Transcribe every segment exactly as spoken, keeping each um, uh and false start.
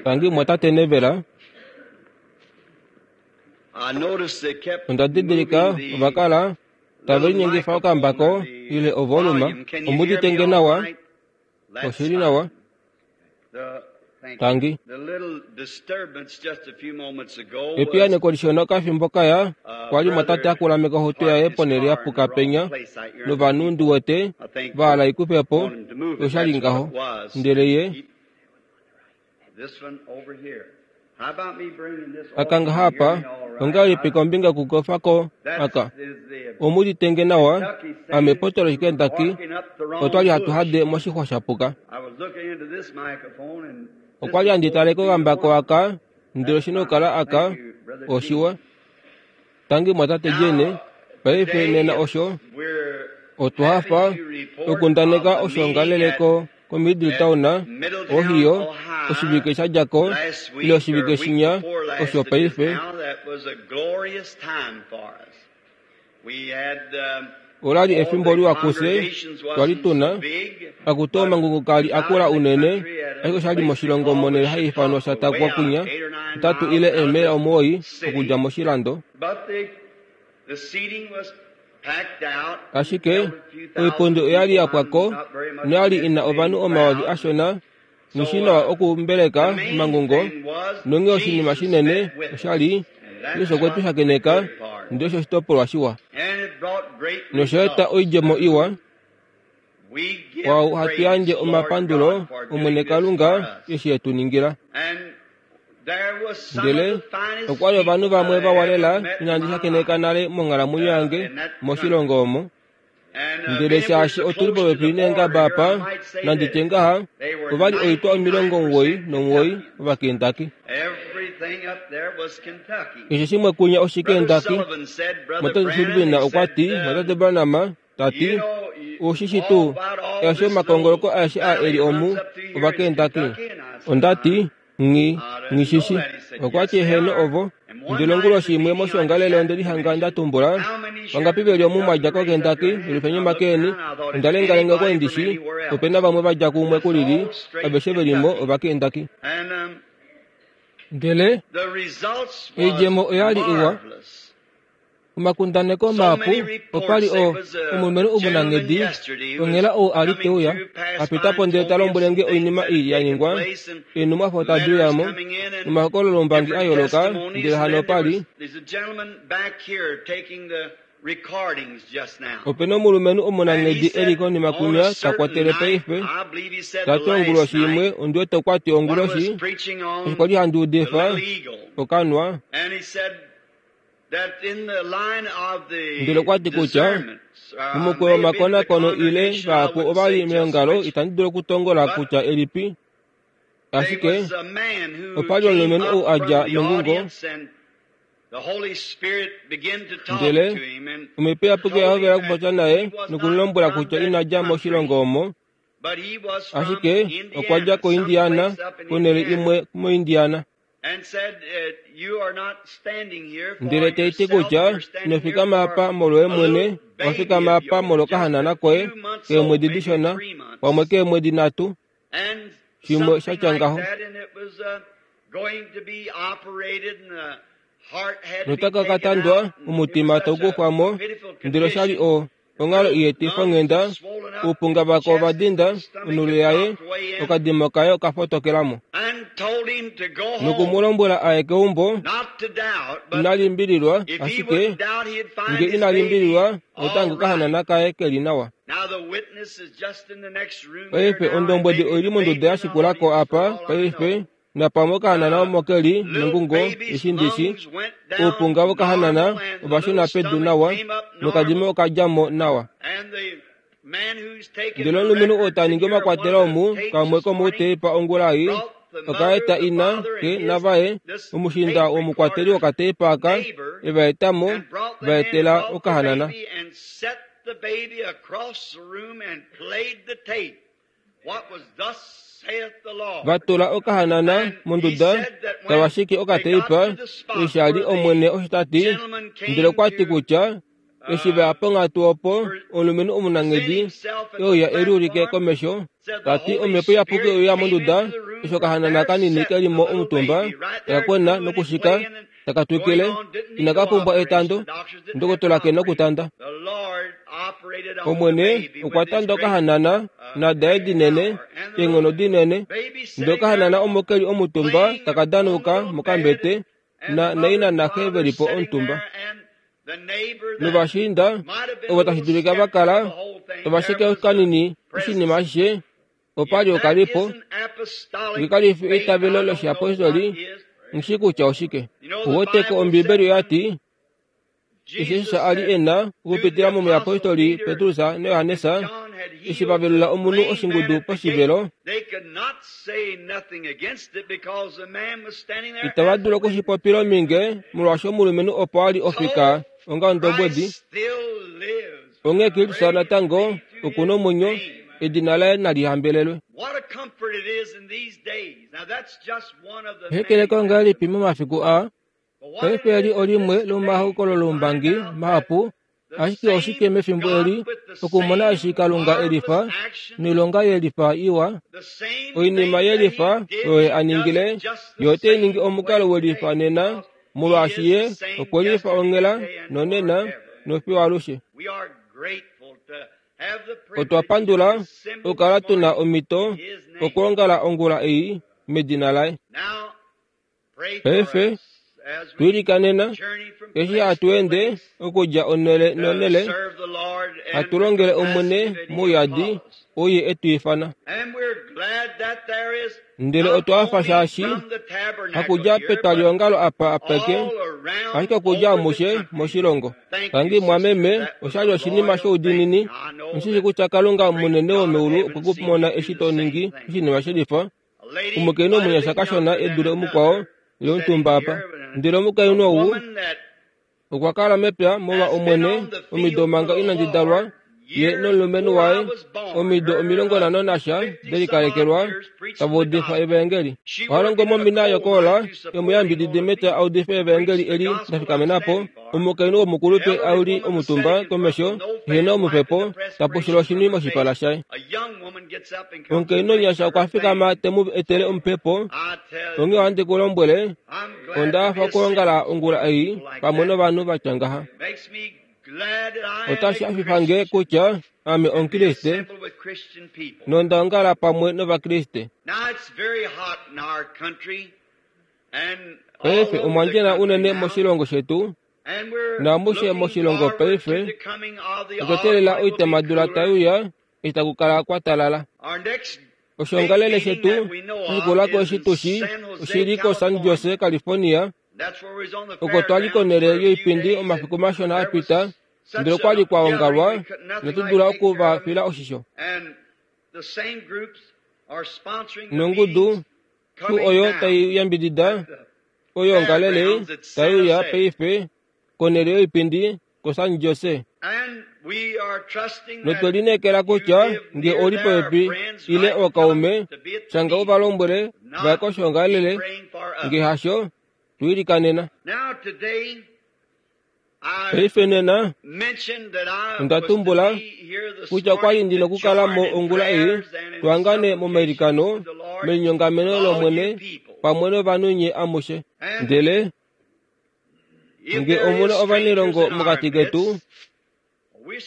Tangi mwatate Nevela. I noticed they kept Onda didilika moving the ovakala tave little linyengifa microphone okambako or the ile ovoluma. volume. Can you hear me Omuditenge all nawa, right? That's oshili fine. nawa. The, thank you. Tangi. The little disturbance just a few moments ago was Epiyaneko lishona okafimbo kaya uh, kwali mwatate brother akulameka ohutu yaye parked his ponele car in the yapuka wrong penya place out here in the novanhu people. ndiwete I think vahala ikufepo wanted him to move it. oshali That's what ngaho it was. ndele ye He, this one over here. How about me bringing this off? akanga Can you hear hapa me all right? ongalipi I, kombinga kukofako that aka is the omuditenge nawa Kentucky ame saying potolo we were shikendaki walking up the wrong otwali hatu bush. hade moshixwa shapuka. I was looking into this microphone and this Okwali is handi supposed to taleko be the kambako one. aka ndele That's oshina fine. okukala aka Thank you, Brother oshiwa. Gene. Tangi mwatate Jene, Now, paife today nena it's, osho we're otwa happy hafa to report of okundaneka the meeting at, oshongaleleko ko Middletown at Middletown, Ohio Ohio, oshivike shadjako last ile week or oshivike week shinya before last osho it is paife. now. That was a glorious time for us. We had um, Olali all efimbo the liwa kuse congregations twali wasn't so tuna big, akuti but omangungu it kali was out akula in the unene country at ashike a oshali place they moshilongo called the monele hayiifanwa Chautauqua, way shatakwa out kunya eight or nine ntatu miles ile out of emela the omuwoi city. okudja moshilando. But the the seating was packed out and Ashike held a few thousand oipundi oyali people. I'm yakwako not very much noyali an ina estimating ovanhu omayovi crowd. ashona So noshinawa uh, the okumbeleka main omangungo thing was nonghee oshinima Jesus shinene met with us, oshali and that's Yesu okwe tu what the shakeneka good part. ndele osho oshitopolwa shiwa And it brought great nosha eta results. oidjemo iwa. We give Kwau hatu praise, yandje Lord omapandulo God, for Omwene doing this for Kalunga us. eshi etu ningila. And there was some of Ndele the finest okwali ovanhu people vamwe that I ever vawalela met in inandi my shakeneka life nale monghalamwenyo uh, yange in that country. moshilongo omo. And uh, Ndele being it was shaashi so otuli close to popepi the border neengaba here, I apa might say nanditye this. ngaha They were ovali oitwa omilongo omuwoi ninety-nine percent nomuwoi Kentuckians. Ovakentaki. Everything up there was Kentucky. Keshe shimwe kunya Brother Oshikentaki. Sullivan said, Brother Mwatate Branham, Sullivan he okwa said, ti um, mwatate Branham tati you know, you, oshishi all tuu about all eshi this little omakongoloko aeshe a valley eli omu runs up through here is Ovakentaki. Kentucky. And I said, Onda ti I, nghi I didn't know nghishishi. that. He said, Okwa yes, ti they eheno are. ovo. And one Ndele night at onguloshi the imwe meeting, I just moshongalele onde happened to lihanga nda mention tumbula how many vangapi shares veli of omu mwadja Kentucky raise up koKentaki your hand. lulifenye And I looked makeni. down, I thought, Onda it's lengalengako anybody from endishi anywhere else. opena vamwe vadja kumwe It's kulili all straight aveshe velimo Kentucky. Ovakentaki. And um, Ndele the results was oidjemo oyali iwa. marvelous. Omakundaneko So mahapu many reports. opali There o was a omulumenhu gentleman omunanghedi yesterday who was onghela ou ali coming teuya through, passed by apitapo and ndele told ta me of lombwele some nge things oinima that ii had ya taken ningwa place and eenhumwafo tadi letters uyamo coming in and nomahokololombangi a different yooloka testimonies. ndele And hano then there opali was there's a gentleman back here taking the recordings just now. opena omulumenhu And he omunanghedi eli said konima on a kunya ta certain kwatele night, paife I believe he said ta the ti last onguloshi imwe night, ondiwete okwa ti when I was onguloshi preaching eshi on kwali handi the udifa little eagle. okanwa. And he said that in the line of Ndele the okwa ti kutya discernments, uh, mumukweyo maybe the omakonakono ile congregation, I vahapu wouldn't ovali say just meongalo which, itandi dulu okutongola but kutya elipi there ashike was a man who opali came omulumenhu ou up a dja from the mengungo audience and the Holy Spirit began to talk ndele to him and omhepo iyapuki oya told hovela him that okupopya naye he was not nokumulombwela from kutya that ina dja country, moshilongo omo but he was from ashike okwa dja Indiana, koIndiana someplace up in konhele Indiana, imwe moIndiana. and said, uh, you are not standing here for Ndele taiti yourself, kutya you're ino standing here fikama for apa molwoye a mwene little owa baby fikama of apa yours, just molwokahanana a koye few months old, keemwedi maybe dishona three months, pamwe keemwedi nhatu and shimwe something shatya like ngaho. that, and it was uh, going to be operated, and the heart had to be Notaka taken katandwa out, and it was omutima such a taukufwamo pitiful ndele oshali condition. o onghalo The iyetifa lungs onghenda was swollen up, oupunga the vako chest, ovadinda the stomach onhulo had yaye dropped way in, okadimo kaye okafotokelamo and told him to go home, nokumulombwela aye keumbo not to doubt, but ina limbililwa if he ashike wouldn't doubt, he'd find nge his ina baby limbililwa otange all right. okahanana kaye keli nawa. Now the witness is just in the next room here Paife now, and ondombwedi maybe oili the monduda baby ya in the shikulako audience for apa all I paife know. napamwe okahanana The omo keli little mengungo baby's eshindishi lungs went down oupunga vokahanana normal, and the ovashuna little pedu stomach nawa came up nokadimo normal. okadjamo nawa. And the man who's taking Ndele the omulumenhu oo records ta in ningi here, one omakwatelo of the omu tapes kamwe this morning, komoutepa ongula ei brought the mother, okaeta the ina father, ke and his navaye this omushinda tape womukwateli recorder's wokatepa aka neighbor, evaetamo and brought them in and vaetela brought the okahanana. baby and set the baby across the room and played the tape. What was thus saith the Lord. Vatula okahanana And he monduda said that when tava shiki they got okateipa to the spot eshi ali where the Omwene osho ta ti gentleman ndele came okwa ti to kutya Eshi va ya ponghatu opo omulumenhu omunanghedi euya e liulike komesho, ta ti omhepo iyapuki oya monduda, eshi okahanana kanini ke li mo omutumba, taka kwena nokushika, taka twikile, inaka pumbwa etando, ndokotola ke nokutanda. Omwene okwa tanda okahanana nadaye dinene, eenghono dinene, ndele okahanana omo ke li omutumba taka danuka mokambete, na naina naxe ve li po omutumba. Novashiinda ovo tashi dulika va kala tava sheke kanini oshinima ashishe, opa li okalipo, nge kali fi eitavelo loshiapostoli, nghi kutya oshike. Uweteko Ombibeli oya ti, eshi Jesus a li e na okupitila momuyapostoli Petrus naJohannes, eshi va velula omunhu oshingudu poshivelo, itava dulu okushipopila ominge molwaashi omulumenhu opo a li ofika onga ondobwedi. Onghee Kristus natango oku na omwenyo, edina laye nali hambelelwe. Hekeleko ngahelipi momafiku aa? Paife eli olimwe lomomahokololoumbangi mahapu, ashike oshike mefimbo eli okumona eshi Kalunga e lifa noilonga ye lifa iwa, oinima ye lifa oyo a ningile, ye ote ningi omukalo we lifa nena, molwaashi ye okwe lifa onghela nonena nofiyo alushe. Otwa pandula okukala tuna omhito okwoongala ongula ei medina laye. Paife twilikanena eshi hatu ende okudja onhele nonhele, hatu longele Omwene mouyadi oye e tu ifana. Ndele otwa hafa shaashi hakudja petwaliongalo apa apeke, ashike okudja amushe moshilongo. Tangi mwameme, oshali oshinima shoudiinini. Nghi kutya Kalunga munene womeulu okwe ku mona eshi to ningi oshinima shelifa. Omukainhu omunyasha kashona e dule omukwao ile omutumba apa. Ndele omukainhu ou okwa kala mepya molwa Omwene omido manga inandi dalwa, ye nomulumenhu waye omido omilongo nhano nasha de likalekelwa tava udifa evaengeli. Oha longo momina yokoola yomuyambididi mepya a udife evaengeli eli la fikamena po. Omukainhu womukulupe a li omutumba komesho ehena omupepo, ta pushula oshinwi moshipala shaye. Omukainhu omunyasha okwa fikama te mu etele omupepo. Onghee ohandi ku lombwele, onda hafa okwoongala ongula ei pamwe novanhu va tya ngaha. Otashi hafifa nge kutya ame Omukriste nonda ongala pamwe nOvakriste. Paife omwa ndjena unene moshilongo shetu naamushe moshilongo paife otwa teelela oitamadula tai uya eshi taku kala kwa talala. Oshoongalele shetu oshikulako eshi tushi oshili koSan Jose, California, oko twali konhele yoipindi omafiku mashona a pita, ndele okwali kwa ongalwa inatu dula oku va fila oshisho. Nongudu tuu oyo tai yambidida oyoongalele tai uya paife konhele yoipindi koSan Jose. Notwe lineekela kutya nge oli popepi ile ookaume, shanga u va lombwele vaye koshoongalele, nge hasho twilikanena. Paife nena onda tumbula kutya okwali ndi nokukala mo ongula ei twangane momailikano melinyongameno lOmwene pamwe novanhu nye amushe. Ndele nge omuna ovanilongo mokati ketu,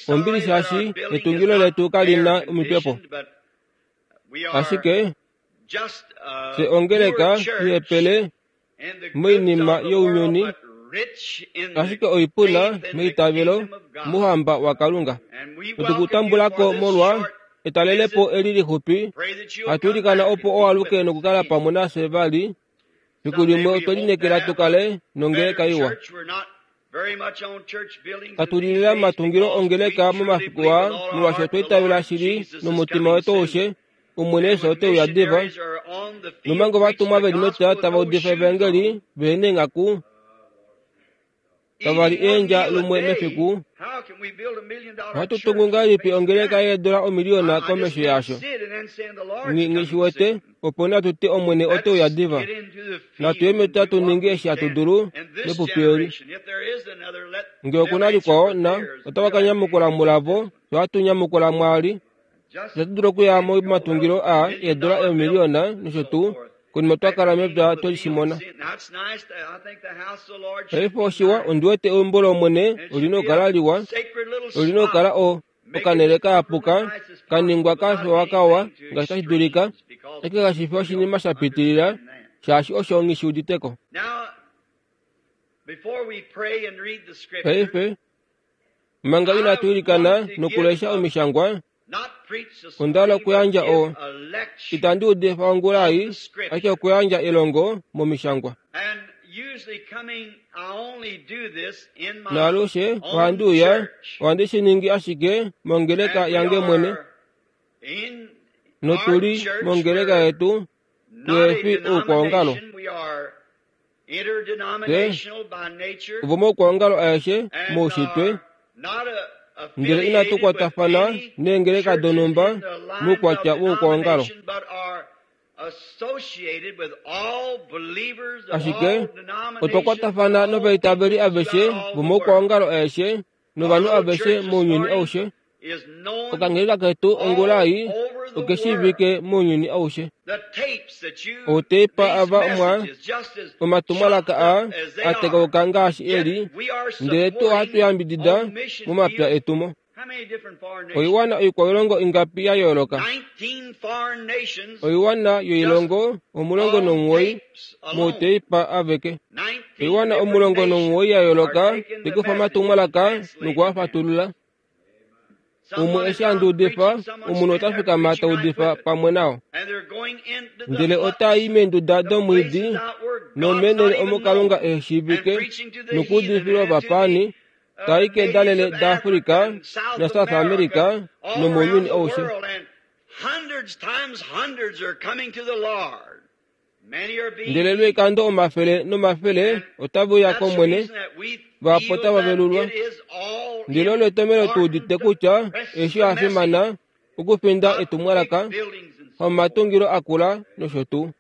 ombili shaashi etungilo letu kalina omipepo, ashike fye ongeleka ihepele moinima younyuni, ashike oipuna meitavelo mouhamba waKalunga. Otukutambulako molwa etalelepo eli lixupi, hatu ilikana opo owaluke nokukala pamwe nafye vali. Fiku limwe otwe lineekela tukale nongeleka iwa. Katulilila matungilo ongeleka momafiku aa, molwaashi otwa itavela shili nomutima wetu aushe Omwene Yesu ote uya diva. Nomanga ovatumwa ve li mepya tava udifa evaengeli vehena eenghaku, tava li eendja lumwe mefiku, ohatu tungu ngahelipi ongeleka yeedola omiliyona komesho yaasho? Nghi shiwete, opo natu ti Omwene ote uya diva. Natu ye mepya tu ninge eshi hatu dulu mepupi eli. Ngee okuna likwao na otava ka nyamukula mulavo, fye ohatu nyamukula mwaali. Itatu dulu okuya momatungilo aa eedola eemiliyona nosho tuu, konima twa kala mepya twe shi mona. Paife oshiwa, ondi wete eumbo lOmwene olina okukala liwa, olina okukala o okanhele kayapuka, kaningwa kafewa kawa ngaashi tashi dulika, ashike kashi fi oshinima sha pitilila, shaashi osho nghi shi uditeko. Paife, manga inatu ilikana nokulesha omishangwa, onda hala okuyandja o itandi udifa ongula ei, ashike okuyandja elongo momishangwa. Naalushe ohandi uya, ohandi shi ningi ashike mongeleka yange mwene. Notuli mongeleka yetu, tuhefi oukwaongalo. Fye ovomaukwaongalo aeshe moushitwe, ndele inatu kwatafana neengeleka donhumba moukwatya woukwaongalo. Ashike otwa kwatafana novaitaveli aveshe vomaukwaongalo aeshe novanhu aveshe mounyuni aushe. Okangeleka ketu ongula ei okeshiivike mounyuni aushe. Outeipa ava mwa omatumwalaka aa atekauka ngaashi eli, ndele tuu ohatu yambidida momapya etumo. Oiwana oikwailongo ingapi ya yooloka? Oiwana yoilongo omulongo nomuwoi mouteipa aveke. Oiwana omulongo nomuwoi ya yooloka tekufa omatumwalaka nokuafatulula. Umwe eshi handi udifa, omunhu ota fikama ta udifa pamwe nao. Ndele ota i meenduda domwiidi nomeenhele omo Kalunga ehe shiivike nokuudifila ovapaani, tai kedalele daAfrika naSouth America nomounyuni aushe. Ndele lwoikando omafele nomafele otave uya kOmwene, vahapu otava velulwa. Ndele olo etomhelo tu udite kutya eshi osha fimana okufinda etumwalaka, hamatungilo akula nosho tuu.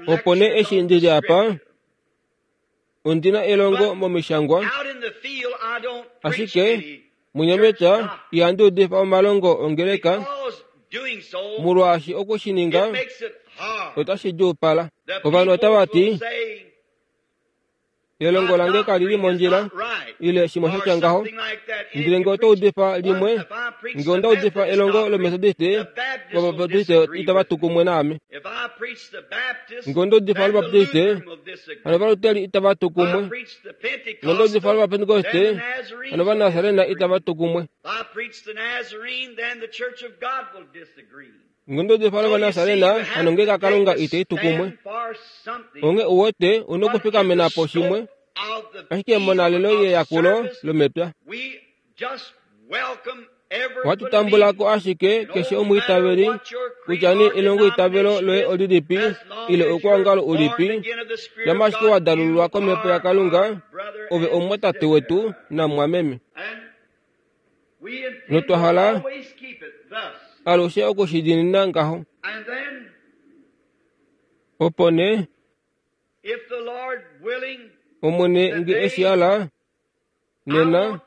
Opo nee eshi ndili apa, ondina elongo momishangwa, ashike munyamepya ihandi udifa omalongo ongeleka, molwaashi okushininga otashi djuupala. Ovanhu otava ti, elongo lange kalili mondjila, ile shimwe shatya ngaho. Ndele ngee oto udifa limwe, ngee onda udifa elongo loMethodist, Ovabaptiste itava tu kumwe naame. Ngee onda udifa lObaptiste, hano Ovaluteri itava tu kumwe. Ngee onda udifa lOvapentekoste, hano Ovanasarena itava tu kumwe. Ngee onda udifa lOvanasarena, hano ongeleka yaKalunga itai tu kumwe. Onghee uwete una okufikamena po shimwe, ashike monalelo yeyakulo lomepya. Ohatu tambula ko ashike keshe omwiitaveli, kutya nee elongoitavelo loye olilipi ile oukwaongalo ulipi, shamha ashike wa dalululwa komhepo yaKalunga, ove omumwatate wetu namumwameme. Notwa hala alushe okushidiinina ngaho. Opo nee, Omwene nge eshi hala, nena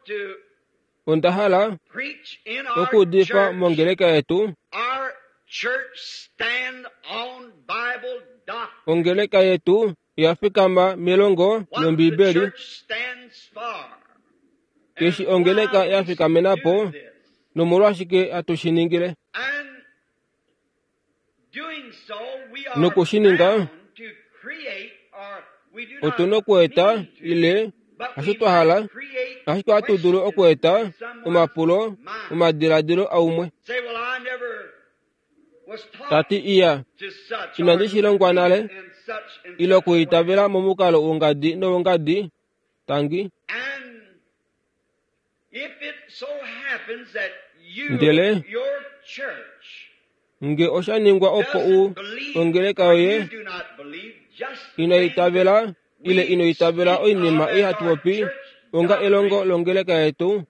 onda hala okuudifa mongeleka yetu. Ongeleka yetu oya fikama melongo lOmbibeli. Eshi ongeleka ya fikamena po, nomolwashike hatu shi ningile? Nokushininga, otu na okueta ile hasho twa hala, ashike ohatu dulu okueta omapulo omadiladilo aumwe. Tati iya, inandi shi longwa nale, ile okuitavela momukalo wongadi nowongadi, tangi. Ndele nge osha ningwa opo u ongeleka yoye Ino itavela ile ino itavela oinima ei hatu popi onga elongo longeleka yetu,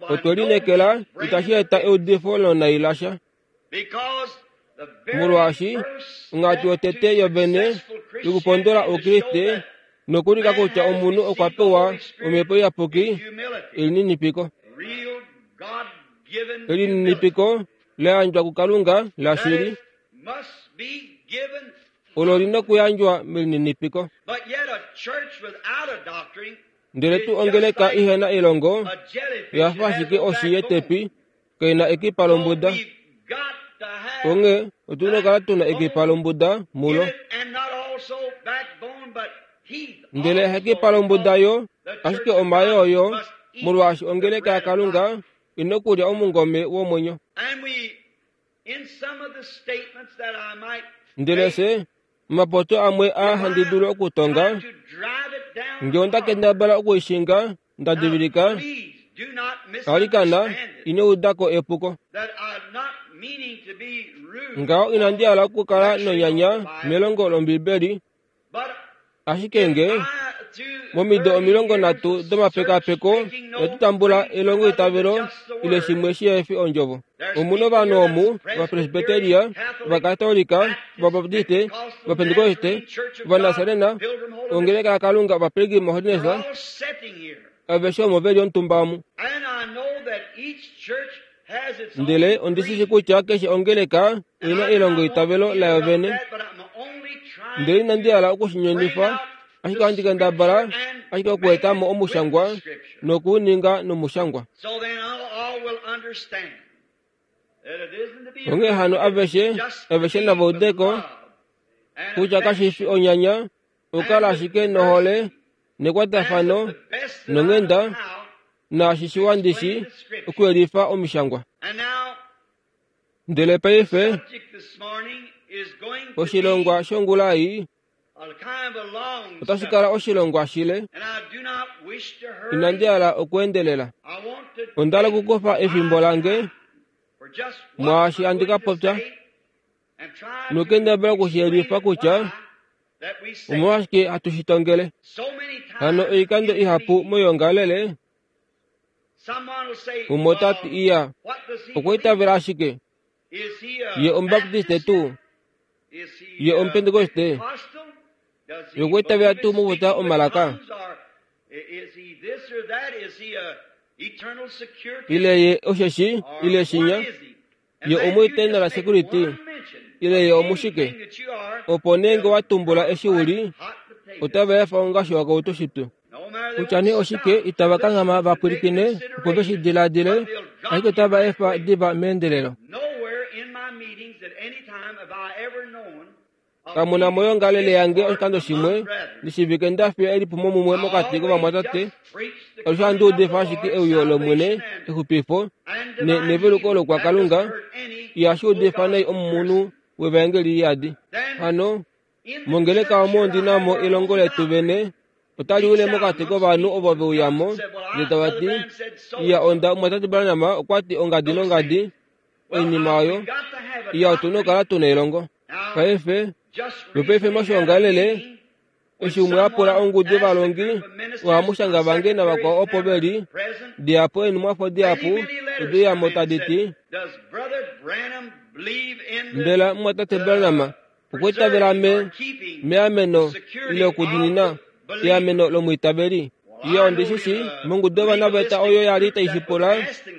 otwe lineekela itashi eta eudifo lonai lasha. Molwaashi onghatu yotete yovene yokupondola oukriste nokulika kutya omunhu okwa pewa omhepo iyapuki elininipiko. Elininipiko la yandjwa kuKalunga lashili olo lina okuyandjwa melininipiko. Ndele tuu ongeleka ihena elongo oya fa ashike oshi yetepi kaina ekipa lombuda. Onghee otuna okukala tuna ekipa lombuda mulo. Ndele hakekipa lombuda yo, ashike omayoo yo, molwaashi ongeleka yaKalunga ina okulya omungome womwenyo. Ndele fye omapoto amwe aa handi dulu okutonga, ngee onda kendabala okuishinga nda divilika, alikana ino udako epuko. Ngaho inandi hala okukala nonyanya melongo lOmbibeli, ashike nge momido omilongo nhatu domapekapeko inatu tambula elongoitavelo ile shimwe shihefi ondjovo. Omuna ovanhu omu, Ovapresbiteria, Ovakatolika, Ovabaptiste, Ovapentekoste, Ovanasarena, Ongeleka yaKalunga, Ovapilgrim Holiness, aveshe omo veli omutumba omu. Ndele ondishishi kutya keshe ongeleka oina elongoitavelo layo vene. Ndele inandi hala okushinyonifa, ashike ohandi kendabala ashike okueta mo omushangwa nokuuninga nomushangwa. Onghee hano aveshe, aveshe nava udeko kutya kashifi onyanya, okukala ashike nohole nekwatafano nonghenda naashi shiwa ndishi okuyelifa omishangwa. Ndele paife oshilongwa shongula ei otashi kala oshilongwa shile. Inandi hala okuendelela. Onda hala okukufa efimbo lange mwaashi handi ka popya nokukendabala okushiyelifa kutya omolwashike hatu shi tongele. Hano oikando ihapu moyoongalele umwe ota ti iya okwa itavela ashike ye Omubaptiste tuu, ye Omupentekoste, ye okwa itavela tuu mokupopya omalaka, ile ye osheshi ile shinya, ye omueternal security, ile ye omushike. Opo nee nge wa tumbula eshi uli, otava efa ongashi wakautu shipyu. Kutya nee oshike itava kanghama va pwilikine opo ve shi diladile, ashike otava efa diva meendelelo. Kamuna moyoongalele yange oshikando shimwe ndishivike nda fiya elipumo mumwe mokati kovamwatate. Alushe ohandi udifa ashike euyo lOmwene, exupifo neveluko lokwaKalunga, ihashi udifa nai omunhu wevaengeli iyadi. Hano mongeleka omo ndi na mo elongo letu vene otali wile mokati kovanhu ovo ve uyamo ndele tava ti iya onda omumwatate Branham okwa ti ongadi nongadi oinima oyo iya otuna okukala tuna elongo. Paife lwopaife moshoongalele eshi umwe a pula ongudu yovalongi ohamushanga vange navakwao opo veli dihapu eenhumwafo dihapu ode uyamo tadi ti mbela mumwatate Branham okwa itavela me meameno ile okudiinina eameno lomwiitaveli. Iya ondishishi mongudu yovanaveta oyo yali tai shi pula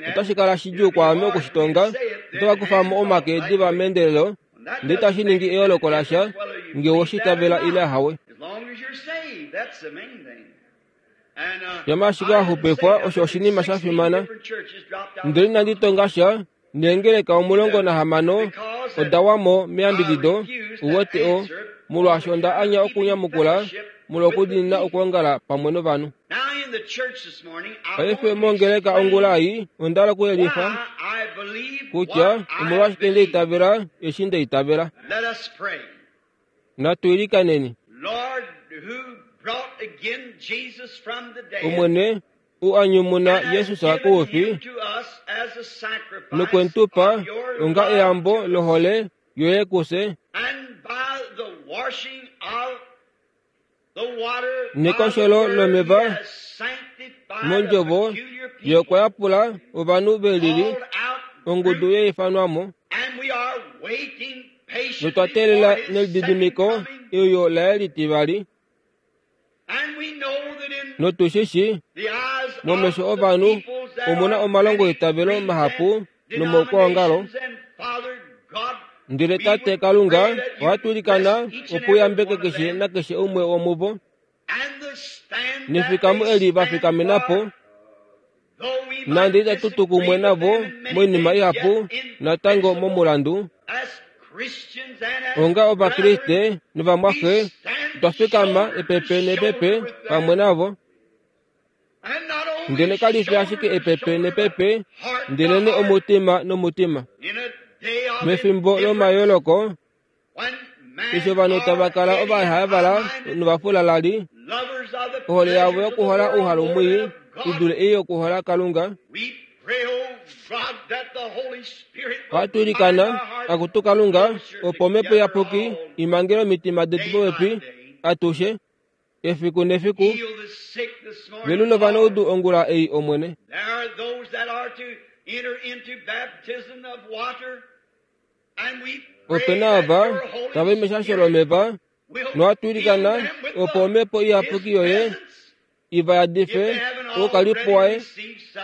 otashi kala shidjuu kwaame okushitonga. Otava kufa mo omake diva meendelelo ndele itashi ningi eyooloko lasha ngee oweshi itavela ile ahawe. Shama ashike wa xupifwa osho oshinima sha fimana. Ndele inandi tonga sha neengeleka omulongo nahamano oda wa mo meyambidido uwete o molwaashi onda anya okunyamukula molwa okudiinina okwoongala pamwe novanhu. Paife mongeleka ongula ei onda hala okuyelifa kutya omolwashike nda itavela eshi nda itavela. Natu ilikaneni. Omwene u anyumuna Jesus koufi nokwe tu pa onga eyambo lohole yoye kufye Nekosholo lomeva mondjovo ye okwa yapula ovanhu velili ongudu yeifanwamo notwa teelela nelididimiko euyo laye litivali notushishi momesho ovanhu omuna omalongo eitavelo mahapu nomaukwaongalo ndele tate Kalunga ohatu ilikana opo uyambeke keshe nakeshe umwe womuvo nefikamo eli vafikamenapo nande itatu tu kumwe navo moinima ihapu natango momulandu onga ovakriste novamwaxe otwa fikama epepe nepepe pamwe navo ndele kalifi ashike epepe nepepe ndelene omutima nomutima mefimbo lomayooloko eshi ovanhu tava kala ovahavala novafulalali ohole yavo yokuhola ouhalu mwii idule ei yokuhola Kalunga ohatu ilikana akutu Kalunga opo omhepo iyapuki imangele omitima detu popepi atushe efiku nefiku velula ovanaudu ongula ei Omwene opena ava tava i meshasho lomeva nohatu ilikana opo omhepo iyapuki yoye iva yadife oukalipo waye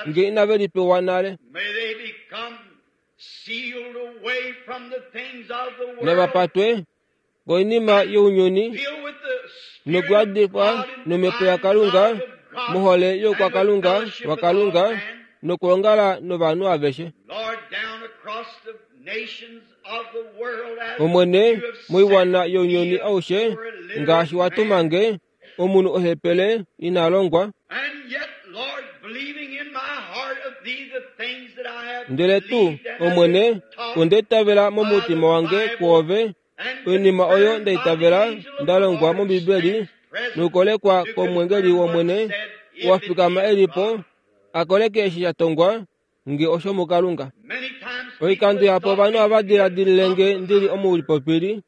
nge inave lipewa nale navapatwe koinima younyuni nokuyadifwa nomhepo yaKalunga mohole youkwakalunga waKalunga nokulongala novanhu aveshe Omwene moiwana younyuni aushe ngaashi watumange omunhu ohepele ina longwa ndele tuu Omwene onde itavela momutima wange kwoove oinima oyo ndaitavela ndalongwa mOmbibeli nokukolekwa komwengeli wOmwene wafikama elipo akoleke eshi sha tongwa nge osho muKalunga oikando yapo ovanhu ohava diladilile nge ndili omulipopili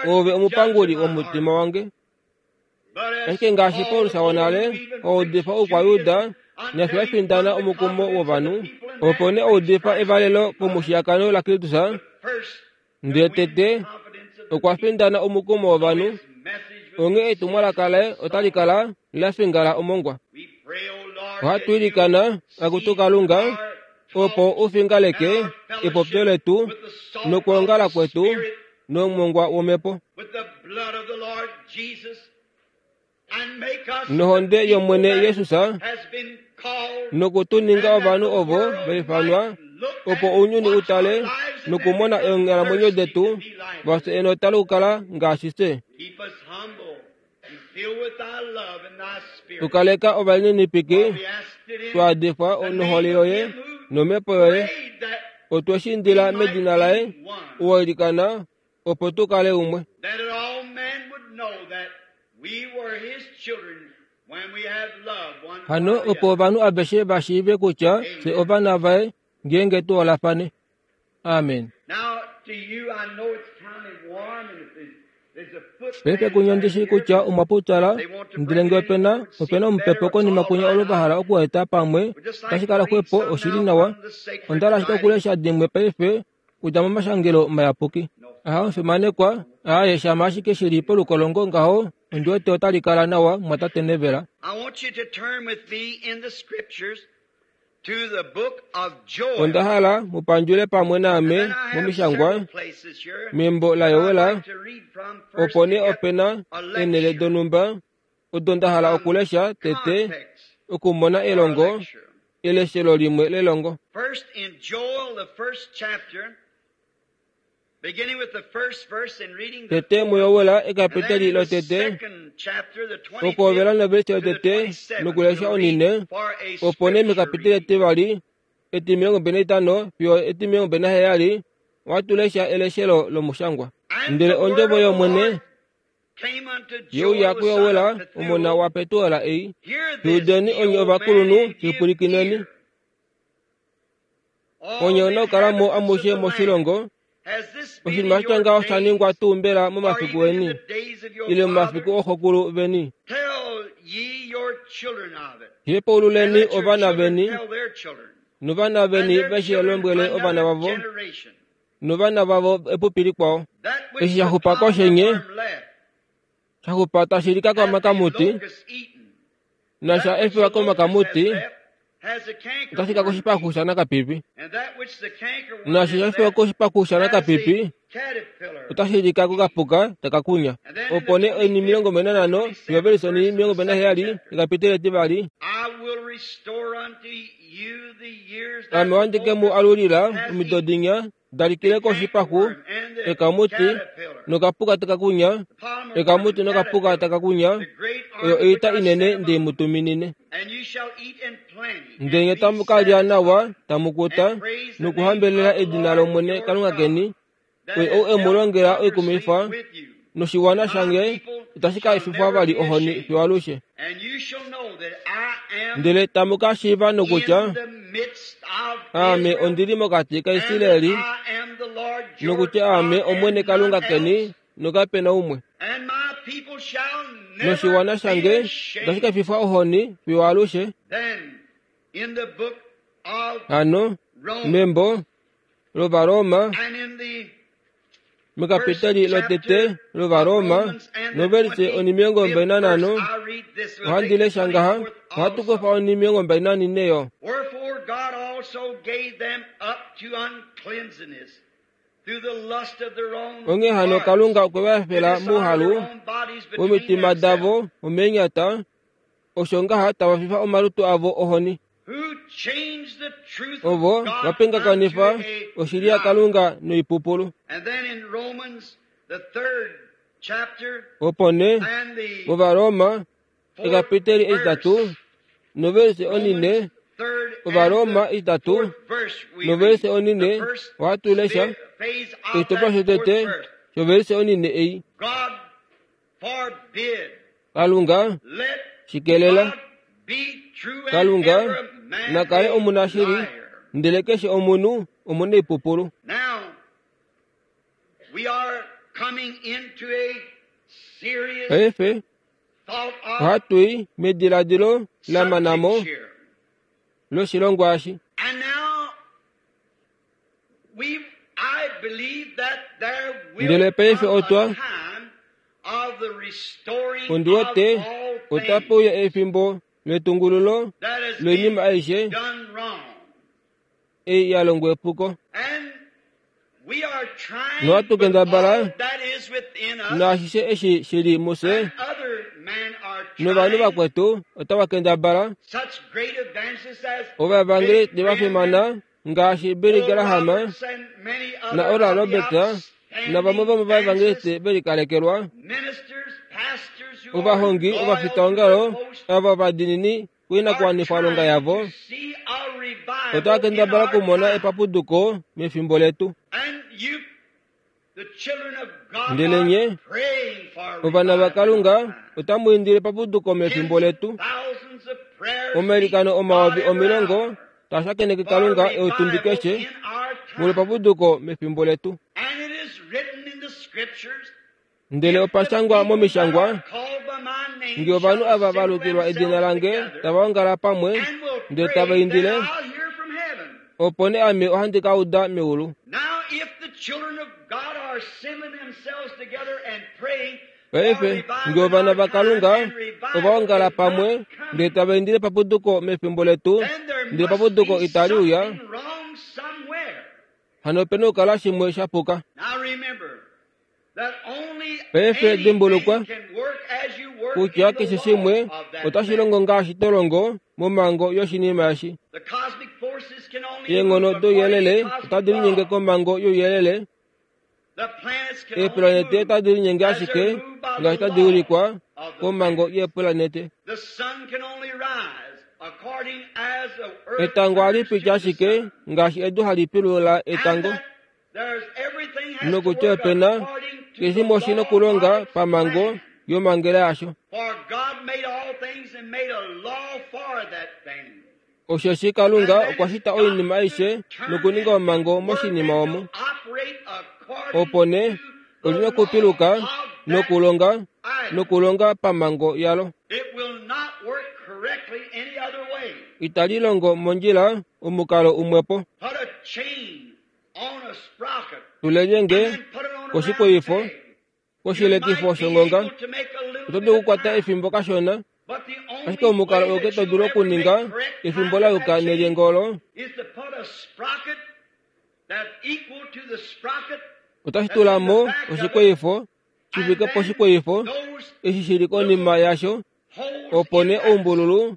ove omupanguli womutima wange ashike ngaashi Paulus wonale oudifa oukwayuda nafye wafindana omukumo wovanhu opo nee oudifa evalelo komushiyakano laKristus ndele tete okwa findana omukumo wovanhu onghee etumwalaka laye otali kala la fingala omongwa ohatu ilikana akutu Kalunga opo ufingaleke epopyo letu nokuongala kwetu nomongwa womhepo nohonde yOmwene Yesus nokutuninga ovanhu ovo vaifanwa opo ounyuni utale nokumona eenghalamwenyo detu vafye enota lokukala ngaashi fye tukaleka ovalininipiki twaadifwa nohole yoye nomhepo yoye otwe shi indila medina laye uwailikana opo tukale umwe hano opo ovanhu aveshe vashiive kutya fye ovana vaye ngeenge tuholafane. Amen. Paife kunya ndishi kutya omwa pupyala ndele nge opena opena omupepo konima kunya olo vahala okueta pamwe tashi kala xwepo oshili nawa. Onda ashike okulesha dimwe paife kudja momashangelo mayapuki. Aha omufimanekwa aaye shama ashike shili polukolongo ngaho ondi wete otali kala nawa mwatate Nevela. Onda hala mupandjule pamwe naame momishangwa membo laYowela opo nee opena eenhele donhumba odo nda hala okulesha tete okumona elongo eleshelo limwe lelongo. Tete muYowela ekapiteli lotete okuhovela novelise yotete nokulesha onine opo nee mekapiteli etivali etimilongo mbili naitano fiyo etimilongo mbili naheyali watulesha eleshelo lomushangwa. Ndele ondjovo yOmwene yeuya kuYowela omona waPetuela ei, Tuudeni onye ovakulunhu shipwilikineni. Onye onakukalamo amushe moshilongo Oshinima sha tya ngaho osha ningwa tuu mbela momafiku eni ile momafiku ooxokulu veni? Hepaululeni ovana veni novana veni veshi lombwele ovana vavo novana vavo epupi likwao. Eshi sha xupa koshenye sha xupa tashi lika komakamuti nasha efiwa komakamuti otashi ka koshipaxu shanakapipi, nashi sha efiwa koshipaxu shanakapipi otashi lika kokapuka taka kunya. Opo nee oinima omilongo mbali nanhano fiyo ovelisoni omilongo mbali naheyali ekapiteli etivali. Ame ohandi ke mu alulila omido dinya da likile koshipaxu, ekamuti nokapuka taka kunya, ekamuti nokapuka taka kunya, oyo oita inene nde mu tuminine. Ndele nye tamu ka lya nawa, tamu kuta, nokuhambelela edina lOmwene Kalunga keni, oye ou e mu longela oikumwifa, noshiwana shange itashi ka efifwa vali ohoni fiyo alushe. Ndele tamu ka shiiva nokutya Aame ondili mokati kaIsraeli, nokutya Aame Omwene Kalunga keni nokape na umwe. Noshiwana shange itashi ka efifwa ohoni fiyo alushe. Hano membo lOvaroma, mekapiteli lotete lOvaroma, novelise onimilongo mbali nanhano, ohandi lesha ngaha, ohatu kufa onimilongo mbali nanine yo. Onghee hano Kalunga okwe va efela mouhalu womitima davo omeenyata, osho ngaha tava fifa omalutu avo ohoni. Ovo va pingakanifa oshili yaKalunga noipupulu. Opo nee mOvaroma ekapiteli etitatu novelise onine, Ovaroma itatu novelise onine, ohatu lesha oshitopolwa shotete shovelise onine ei. Kalunga shikelela, Kalunga nakale omunashili, ndele keshe omunhu omunaipupulu. Paife ohatu i mediladilo lamanamo loshilongwa eshi. Ndele paife otwa ondi wete otape uya efimbo letungululo loinima aishe ei ya longwa epuko. Nohatu kendabala naashishe eshi shili mufye, novanhu vakwetu otava kendabala. Ovavangeli va fimana ngaashi Billy Graham na Oral Roberts navamwe vomovavangeli ve likalekelwa, ovahongi ovafitaongalo ava ovadiinini koinakuwanifwalonga yavo, otava kendabala okumona epapuduko mefimbo letu. Ndele nye ovana vaKalunga otamu indile epapuduko mefimbo letu. Omailikano omayovi omilongo taa shakeneke Kalunga eutumbi keshe molwepapuduko mefimbo letu. Ndele opashangwa momishangwa, nge ovanhu ava va lukilwa edina lange tava ongala pamwe ndele tava indile, opo nee ame ohandi ka uda meulu. Paife nge ovana vaKalunga ova ongala pamwe ndele tava indile epapuduko mefimbo letu, ndele epapuduko itali uya, hano opena okukala shimwe sha puka. Paife dimbulukwa kutya keshe shimwe otashi longo ngaashi to longo momhango yoshinima eshi. Eenghono douyelele otadi linyenge komhango youyelele, eepulanete otadi linyenge ashike ngaashi tadi ulikwa komhango yeepulanete. Etango ohali piti ashike ngaashi edu hali pilula etango, nokutya opena keshe shimwe oshi na okulonga pamhango yomhangela yasho. Osheshi Kalunga okwa shita oinima aishe nokuninga omhango moshinima omo. Opo nee olina okupiluka nokulonga nokulonga pamhango yalo. Itali longo mondjila omukalo umwepo. Tulelyenge koshikweyifo koshilekifo shongonga. Oto dulu okukwata efimbo kashona, ashike omukalo auke to dulu okuninga efimbo la yuka nelyenge olo otashi tula mo oshikweyifo shi fike poshikweyifo eshi shili konima yasho, opo nee oumbululu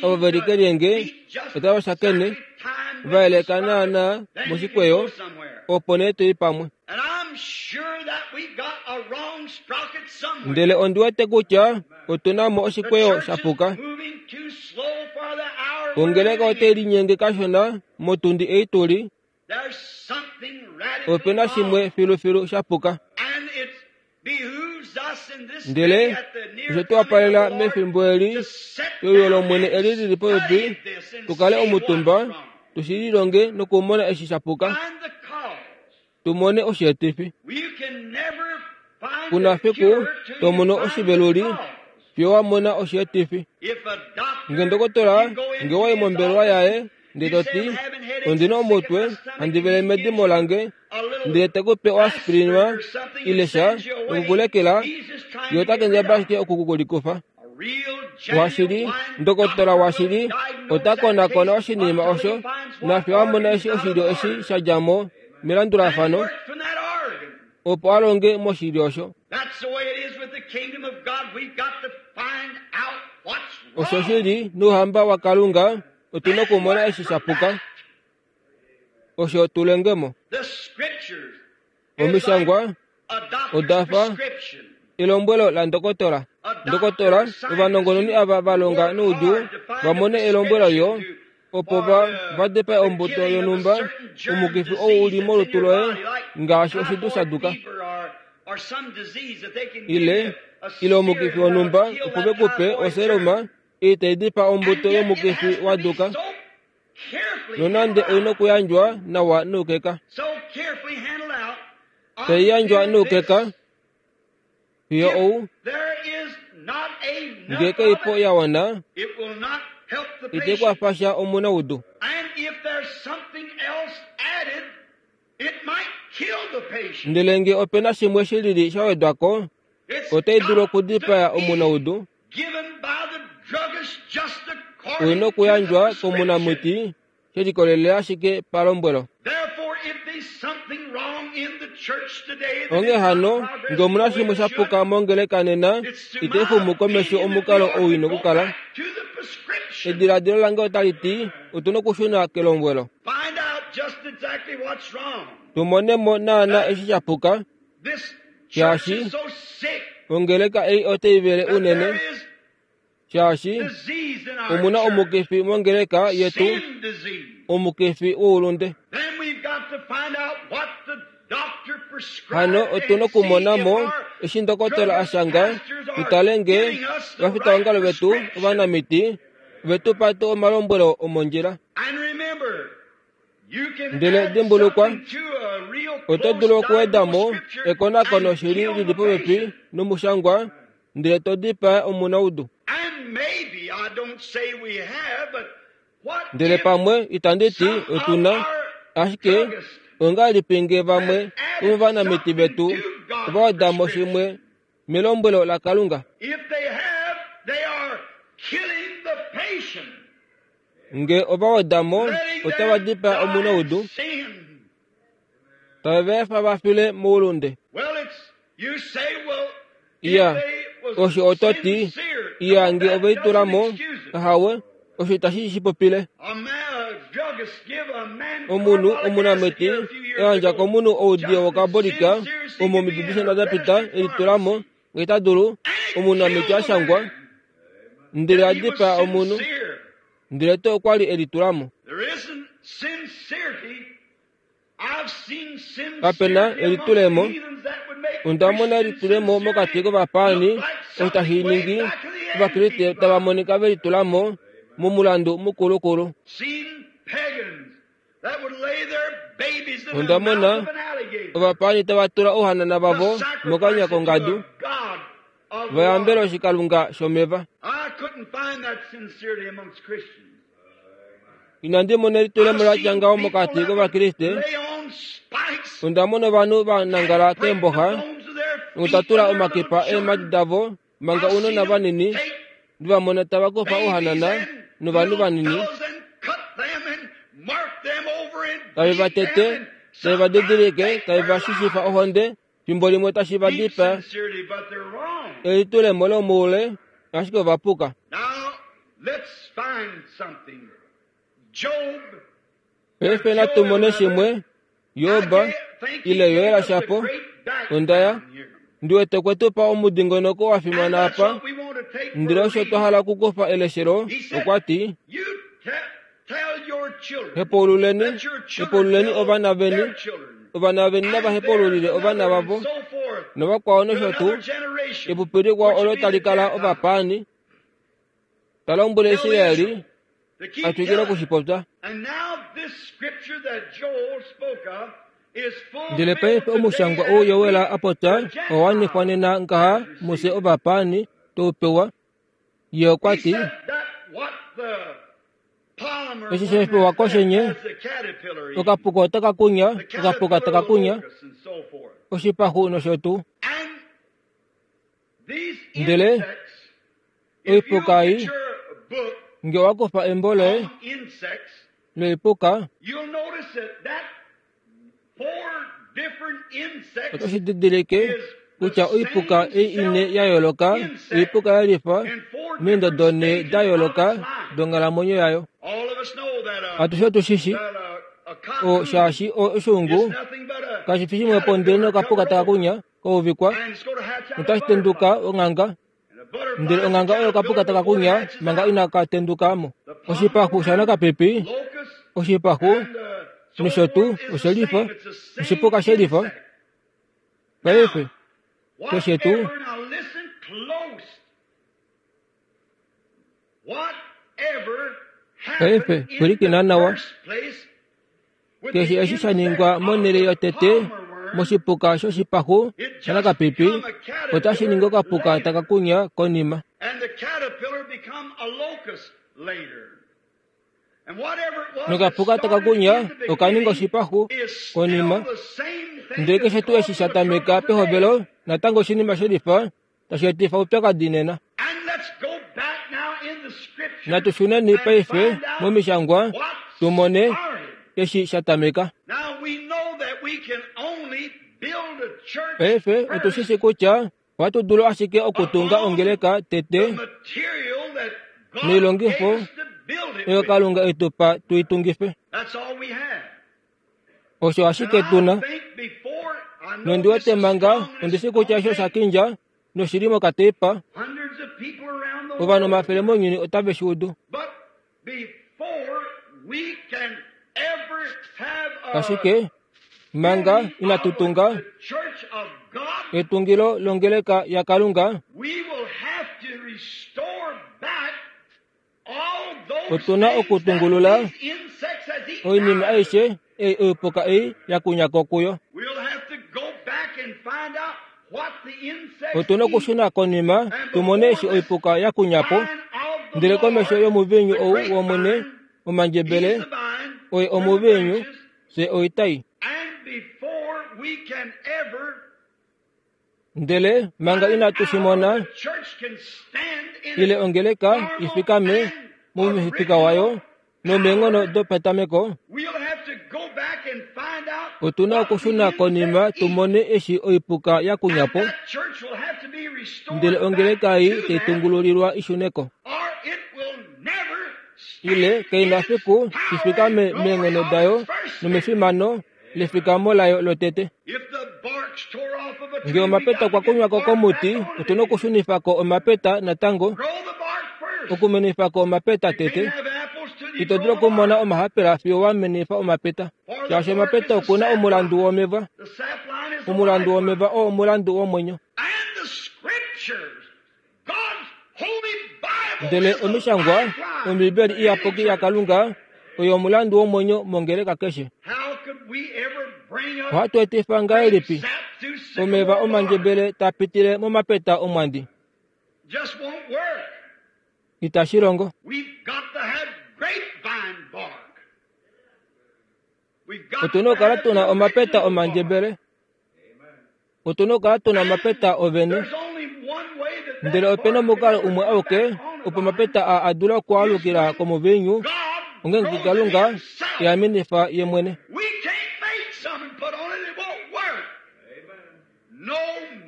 ovo veli kelyenge otava shakene va yeleka naana moshikweyo, opo nee toi pamwe. Ndele ondi wete kutya otuna mo oshikweyo shapuka. Ongeleka otai linyenge kashona motundi ei tuli. Opena shimwe filufilu shapuka. Ndele oshe tu wapalela mefimbo eli euyo lOmwene eli lili popepi, tukale omutumba tushi lilonge nokumona eshi shapuka, tumone osheetifi. Kuna fiku to mono oshiveluli fiyo wa mona osheetifi. Nge ndokotola nge wayi mombelewa yaye ndele to ti ondina omutwe handi vele medimo lange, ndele te ku pe oaspirinwa ile sha nokukulekela, ye ota kendabala ashike okukukulikufa. Washili ndokotola washili ota konakona oshinima osho nafiyo a mona eshi oshilyo eshi sha dja mo melandulafano opo a longe moshilyo osho. Osho shili nouhamba waKalunga otuna okumona eshi shapuka osho tulengemo. Omishangwa oda fa elombwelo la ndokotola. Ndokotola ovanongononi ava va longa noudjuu va mone elombwelo yo opo va va depae ombuto yonhumba omukifi ou uli molutu loye ngaashi oshidu shaduka ile ile omukifi wonhumba opo ve kupe oseruma ei tai dipaa ombuto yomukifi wa duka, nonande oina okuyandjwa nawa noukeka. Tai yandjwa noukeka fiyo ou ngee kaipo ya wana itai kwafa sha omunaudu. Ndele ngee opena shimwe shilili sha wedwa ko, otai dulu okudipaya omunaudu. Oina okuyandjwa komunamiti she likolelela ashike palombwelo. Onghee hano, ngee omuna shimwe shapuka mongeleka nena, itai xumu komesho omukalo ou ina okukala. Ediladilo lange otali ti otuna okushuna kelombwelo, tumone mo naana eshi shapuka, shaashi ongeleka ei otai vele unene, shaashi omuna omukifi mongeleka yetu, omukifi woulunde. Hano otuna okumona mo eshi ndokotola a shanga, tutale ngee ovafitaongalo vetu ovanamiti vetu pa tuu omalombwelo omondjila. Ndele dimbulukwa, oto dulu okuweda mo ekonakono shili lili popepi nomushangwa ndele to dipaa omunaudu. Ndele pamwe itandi ti otuna, ashike ongahelipi ngee vamwe vomovanamiti vetu ova weda mo shimwe melombwelo laKalunga? Ngee ova weda mo, otava dipaa omunaudu, tave va efa va file moulunde. Iya, osho oto ti, iya ngee ove litula mo, ahawe, osho itashi shi popile. Omunhu omunamiti eyandja komunhu oudiyo wokabolika omo omido dishona da pita elitula mo ngee ta dulu, omunamiti a shangwa, ndele a dipaa omunhu, ndele to okwa li elitula mo. Kapena elitulemo. Onda mona elitulemo mokati kovapaani osho tashi ningi Ovakriste tava monika ve litula mo momulandu mukulukulu. Onda mona ovapaani tava tula ouhanana vavo mokanya kongadu vayambele oshikalunga shomeva. Inandi mona elitulemo latya ngaho mokati kovakriste. Onda mona ovanhu va nangala keemboxa nokutatula omakipa eemhadi davo manga ounona vanini ndivamona tava kufa ouhanana novanhu vanini tave va tete tave va didilike tave va shishifa ohonde fimbo limwe tashi va dipaa. Elitulemo lomoule ashike ovapuka. Paife natu mone shimwe. Job ile Yoela shapo ondaya ndiwete kwetu pa omudingonoko wa fimana apa ndele osho twa hala okukufa eleshelo. Okwa ti hepaululeni hepaululeni ovana veni ovana veni nava hepaululile ovana vavo novakwao nosho tuu epupi likwao olo tali kala ovapaani. Talombwele Israeli atwikile okushipopya. Ndele paife omushangwa ou Yoela apopya owa nena ngaha muse ovapaani toupewa. Ye okwa ti eshi shepewa koshenye okapuka otaka kunya okapuka taka kunya oshipaxu nosho tuu. Ndele oipuka ei nge owakufa embo loye loipuka otoshi didilike kutya oipuka ei ine ya yooloka oipuka ya lifa meendodo nhee da yooloka donghalamwenyo yayo. Atushe otushishi o shaashi oshuungu kashi fi shimwe po ndele nokapuka taka kunya kouvikwa notashi tenduka onganga ndele onganga oyo okapuka taka kunya manga inaka tendukamo. Oshipaxu shanakapipi oshipaxu nosho tuu oshelifa oshipuka shelifa. Paife keshe tuu paife pwilikina nawa. Keshe eshi sha ningwa monhele yotete moshipuka shoshipaxu shanakapipi otashi ningi okapuka taka kunya konima. Nokapuka taka kunya okaninga oshipaxu konima. Ndele keshe tuu eshi sha tameka pehovelo natango oshinima shelifa tashi etifa oupyakadi nena. Natu shuneni paife momishangwa tumone eshi sha tameka. Paife otushishi kutya ohatu dulu ashike okutunga ongeleka tete noilongifo oyo Kalunga etupa tuitungife. Osho ashike tuna. Nondiwete manga ondishi kutya osho sha kindja noshili mokateipa. Ovanhu omafele mounyuni otave shi udu. Ashike manga inatu tunga etungilo longeleka yaKalunga, otuna okutungulula oinima aishe ei oipuka ei ya kunyako kuyo. Otuna okushuna konima tumone eshi oipuka ya kunyapo. Ndele komesho yomuvinyu ou womwene omandjebele oye omuvinyu fye oitai. Ndele manga inatu shi mona ile ongeleka ifikame momufika wayo nomeenghono dopetameko, otuna okushuna konima tumone eshi oipuka ya kunyapo. Ndele ongeleka ei taitungululilwa ishuneko ile kaina fiku ifikame meenghono dayo nomefimano lefikamo layo lotete. Nge omapeta kwa kunywako komuti, otuna okushunifako omapeta natango, okumenifako omapeta tete. Ito dulu okumona omahapela fiyo wamenifa omapeta, shaashi omapeta okuna omulandu womeva. Omulandu womeva oo omulandu womwenyo. Ndele omishangwa Ombibeli iyapuki yaKalunga oyo omulandu womwenyo mongeleka keshe. Ohatu etifa ngahelipi omeva omandjebele taa pitile momapeta omwandi? Itashi longo. Otuna okukala tuna omapeta omandjebele. Otuna okukala tuna omapeta ovene. Ndele opena omukalo umwe auke opo omapeta aa a dula okualukila komuviinyu, ongeenge Kalunga eamenifa ye mwene.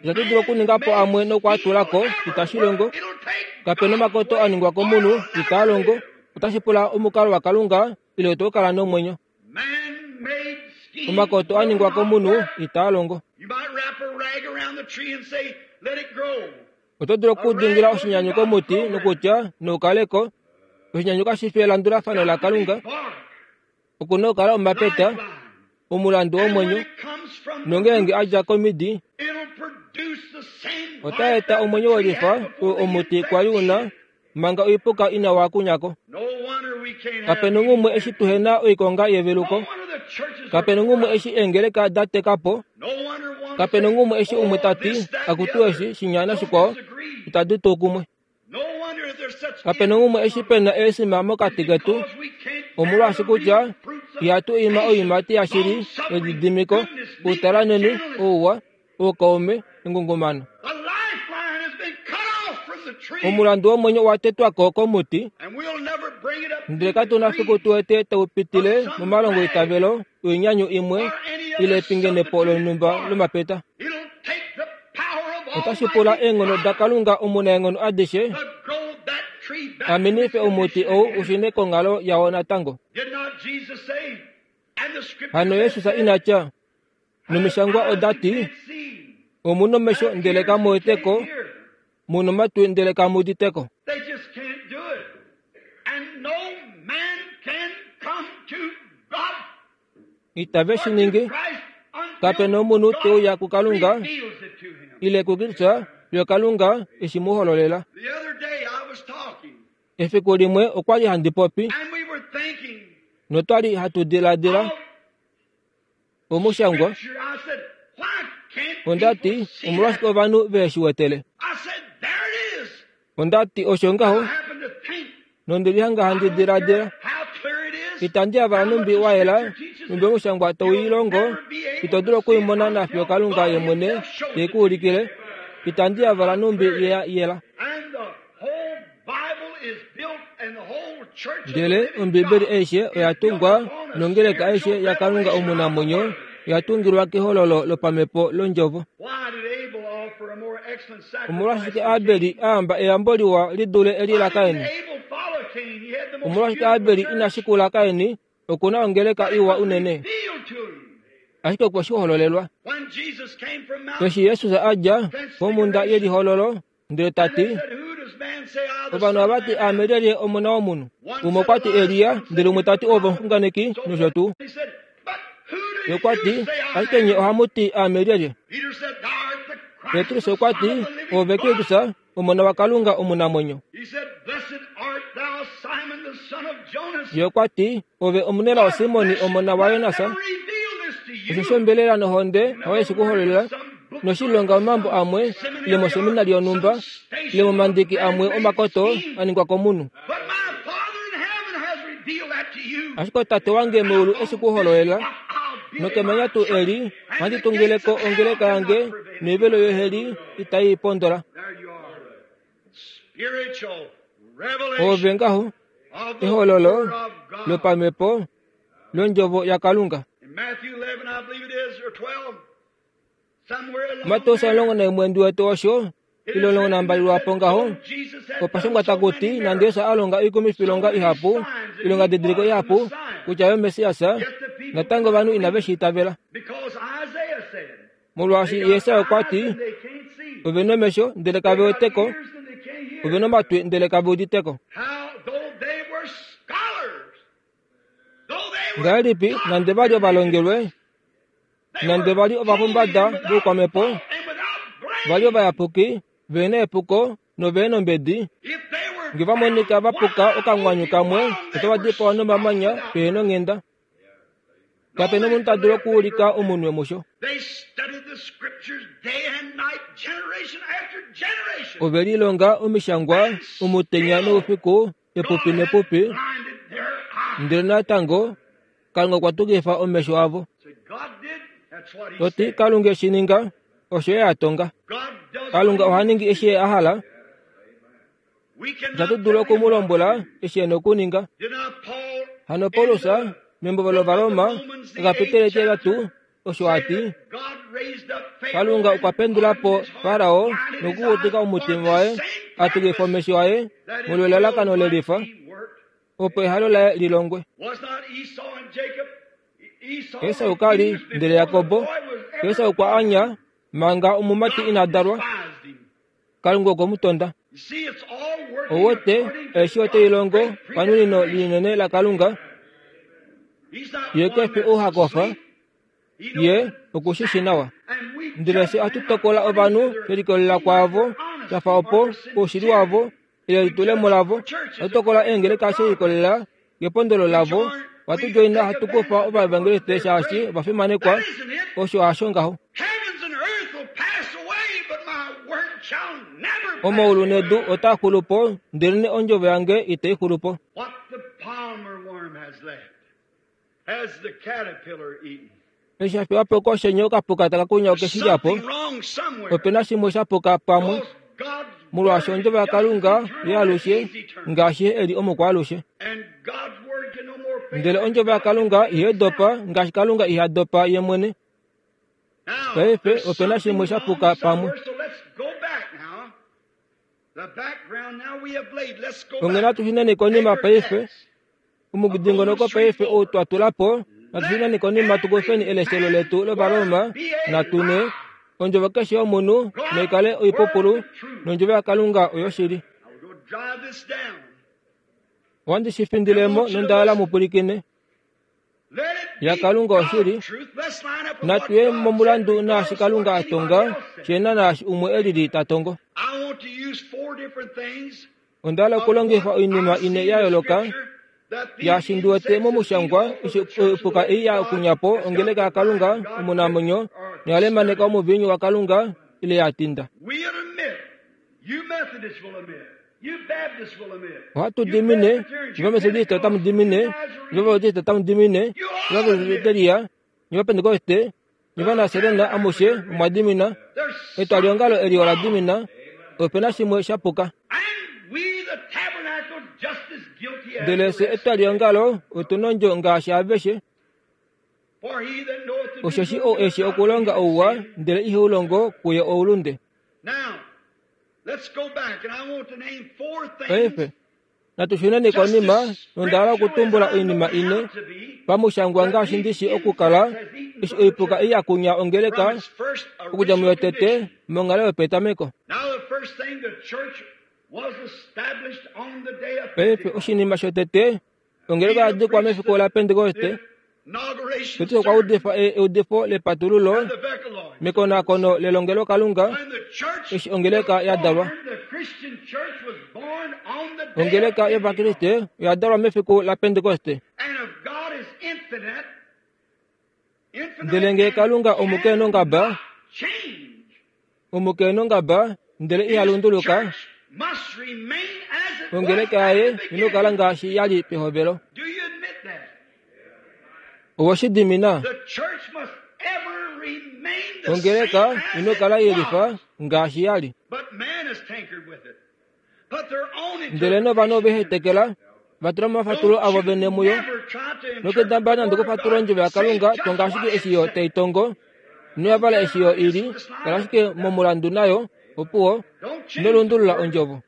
Itatu dulu okuninga po amwe nokwaatulako, itashi longo. Kapena omakoto a ningwa komunhu, itaa longo. Otashi pula omukalo waKalunga ile oto kala nomwenyo. Omakoto a ningwa komunhu itaa longo. Oto dulu okudingila oshinyanyu komuti nokutya noukaleko. Oshinyanyu kashi fi elandulafano laKalunga. Okuna okukala omapeta, omulandu womwenyo, nongeenge a dja komidi, ota eta omwenyo welifa oo omuti kwali una manga oipuka ina waakunyako. Kapena umwe eshi tuhena oikonga yeveluko. Kapena umwe eshi eengeleka da teka po. Kapena umwe eshi umwe tati akutu eshi shinyana shikwao itadi tu kumwe. Kapena umwe eshi pena eesima mokati ketu, omolwaashi kutya ihatu ima oiimati yashili yelididimiko, outalanheni, ouwa, oukaume, engungumano. Omulandu womwenyo owa tetwako komuti, ndele katuna fiku tu wete tau pitile momalongo eitavelo, oinyanyu imwe ile epingenepo lonhumba lomapeta. Otashi pula eenghono daKalunga omunaenghono adishe amenife omuti ou ushune konghalo yao natango. Hano Jesus ina tya, nomishangwa oda ti, omuna omesho ndele kamu weteko, muna omatwi ndele kamu uditeko. Itave shi ningi. Kapena omunhu te uya kuKalunga ile kuKristus yo Kalunga eshi mu hololela. Efiku limwe okwa li handi popi notwali hatu diladila omushangwa. Onda ti, omolwashike ovanhu ve shi wetele? Onda ti, osho ngaho. Nondili hanga handi diladila. Itandi yavala numbi wa yela, numbi omushangwa tau i longo, ito dulu okuimona nafiyo Kalunga ye mwene te ku ulikile. Itandi yavala numbi ye yela. Ndele Ombibeli aishe oya tungwa nongeleka aishe yaKalunga omunamwenyo oya tungilwa kehololo lopamhepo londjovo. Omolwashike Abeli a amba eyambo liwa li dule eli laKain? Omolwashike Abeli ina shikula Kain? Okuna ongeleka iwa unene, ashike okwe shi hololelwa. Eshi Jesus a dja komhunda yelihololo, ndele ta ti, ovanhu ava ti aame lyelye omona womunhu? Umwe okwa ti Elia, ndele umwe ta ti ove omuxunganeki nosho tuu. Ye okwa ti, ashike nye ohamu ti aame lyelye? Petrus okwa ti, ove Kristus, omona waKalunga omunamwenyo. Ye okwa ti, ove omunelao Simoni omona waJonas, osho ombelela nohonde hayo shi ku hololela, noshilonga omambo amwe ile moseminari yonhumba ile momandiki amwe omakoto a ningwa komunhu. Ashike Tate wange meulu eshi ku hololela, nokemanya tuu eli ohandi tungileko ongeleka yange noivelo yoheli itai pondola. Ove ngaho ehololo lopamhepo londjovo yaKalunga. Mateus omulongo naimwe ndiwete osho ile omulongo nambali lwapo ngaho, opashangwa takuti nande Jesus a longa oikumifilonga ihapu, ilonga didiliko ihapu kutya yo Messias, natango ovanhu inave shi itavela. Molwaashi Jesaja okwa ti, ove nomesho ndele kave weteko, ove nomatwi ndele kave uditeko. Ngahelipi nande vali ovalongelwe, nande vali ovapombada voukwamhepo, vali ovayapuki, vena epuko novena ombedi, nge va monika va puka okamwanyu kamwe, otava dipawa nomamanya pehena onghenda. Kape na omunhu ta dulu okuulika omunwe musho. Ove lilonga omishangwa omutenya noufiku epupi nepupi, ndele natango Kalunga okwa tukifa omesho avo. Toti Kalunga eshi ninga, osho ye a tonga. Kalunga oha ningi eshi ye a hala. Itatu dulu oku mu lombwela eshi e na okuninga. Hano Paulus membo lOvaroma ekapiteli etihetatu osho a ti, Kalunga okwa pendula po Farao nokukukutika omutima waye a tukifa omesho aye molwelalakano lelifa, opo ehalo laye lilongwe. Esau ka li ndele Jakobo. Esau okwa anya manga omumati ina dalwa. Kalunga okwe mu tonda. Owete eshi ote ilongo panunino linene laKalunga. Ye kefi ou ha kofa, ye okushishi nawa. Ndele fye ohatu tokola ovanhu shelikolelela kwaavo twa opo oushili wavo ile elitulemo lavo. Ohatu tokola eengeleka shelikolelela kepondolo lavo. Ohatu joina hatu kufa ovaevangeliste shaashi ova fimanekwa. Osho hasho ngaho. Omaulu nedu otaa xulu po, ndelenee ondjovo yange itai xulu po. Eshi sha fiwa po koshenye okapuka taka kunya okeshilya po, ope na shimwe sha puka pamwe, molwaashi ondjovo yaKalunga yaalushe ngaashi ye e li omukwaalushe. Ndele ondjovo yaKalunga ihai dopa ngaashi Kalunga iha dopa ye mwene. Paife ope na shimwe sha puka pamwe. Onghee natu shuneni konima paife. Omudingonoko paife ou twa tula po, natu shuneni konima tu kufeni eleshelo letu lOvaroma natu ne ondjovo keshe yomunhu naikale oipupulu nondjovo yaKalunga oyoshili. Ohandi shi findilemo nonda mu pwilikine. YaKalunga oshili. Natu ye momulandu naashi Kalunga a tonga, shena naashi umwe e lili ta tongo. Onda hala okulongifa oinima ine ya yooloka yaashi ndi wete momushangwa eshi oipuka ei ya kunya po ongeleka yaKalunga omunamwenyo noya lemaneka omuviinyu waKalunga ile ya tinda. Ohatu dimine, Ovametodiste otamu dimine, Ovabautiste otamu dimine, Ovapresbiteria, Ovapentekoste, Ovanaserena amushe omwa dimina. Etwaliongalo eli ola dimina. Ope na shimwe sha puka. Ndele fye etwaliongalo otu nondjo ngaashi aveshe. Osheshi ou eshi okulonga ouwa ndele iheu longo kuye oulunde. Paife natu shuneni konima nonda hala okutumbula oinima ine pamushangwa ngaashi ndishi okukala eshi oipuka ei ya kunya ongeleka okudja muyotete monghalo yopetameko. Paife oshinima shotete ongeleka ya dikwa mefiku laPentekoste. Petrus okwa udifa eudifo lepatululo mekonakono lelongelokalunga eshi ongeleka ya dalwa. Ongeleka yOvakriste oya dalwa mefiku laPentekoste. Ndele ngee Kalunga omukenongaba, omukenongaba ndele iha lunduluka, ongeleka yaye inokala ngaashi ya li pehovelo. Oweshi dimina. Ongeleka inokala yelifa ngaashi ya li. Ndele novanhu ove hetekela vatula momafatulo avo vene muyo nokendamba nande okufatula ondjovo yaKalunga tonga ashike eshi yo tai tongo noyavala eshi yo ili kala ashike momulandu nayo opuwo nolundulula ondjovo.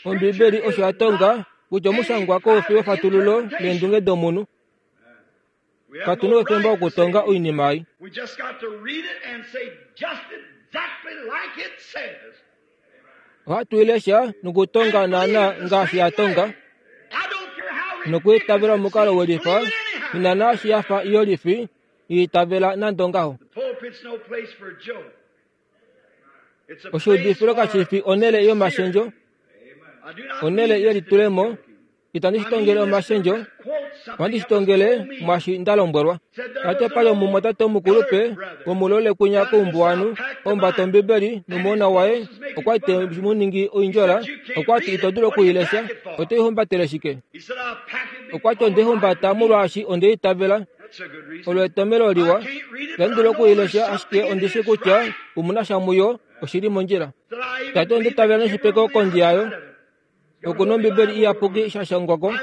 Ombibeli osho ya tonga kutya omushangwa koufi wefatululo leendunge domunhu. Katu na oufemba wokutonga oinima ei. Ohatu i lesha nokutonga naana ngaashi ya tonga nokwiitavela omukalo welifa ina naashi ya fa iyolifi iitavela nande ongaho. Oshiudifilo kashi fi onhele yomashendjo, onhele yelitulemo. Itandi shi tongele omashendjo, Ohandi shi tongele mwaashi nda lombwelwa. Tate pali omumwatate omukulupe womulole kwinya koumbuwanhu, omumbata Ombibeli nomuhona waye okwa li te mu ningi oindjola. Okwa ti ito dulu okuilesha, oto i humbatele shike? Okwa ti onde i humbata molwaashi onde itavela. Olo etomhelo liwa. Itandi dulu okuilesha, ashike ondi shi kutya omuna sha muyo oshili mondjila. Tate onde itavela noshipeko kondi yayo. Oku na Ombibeli iyapuki sha shangwako.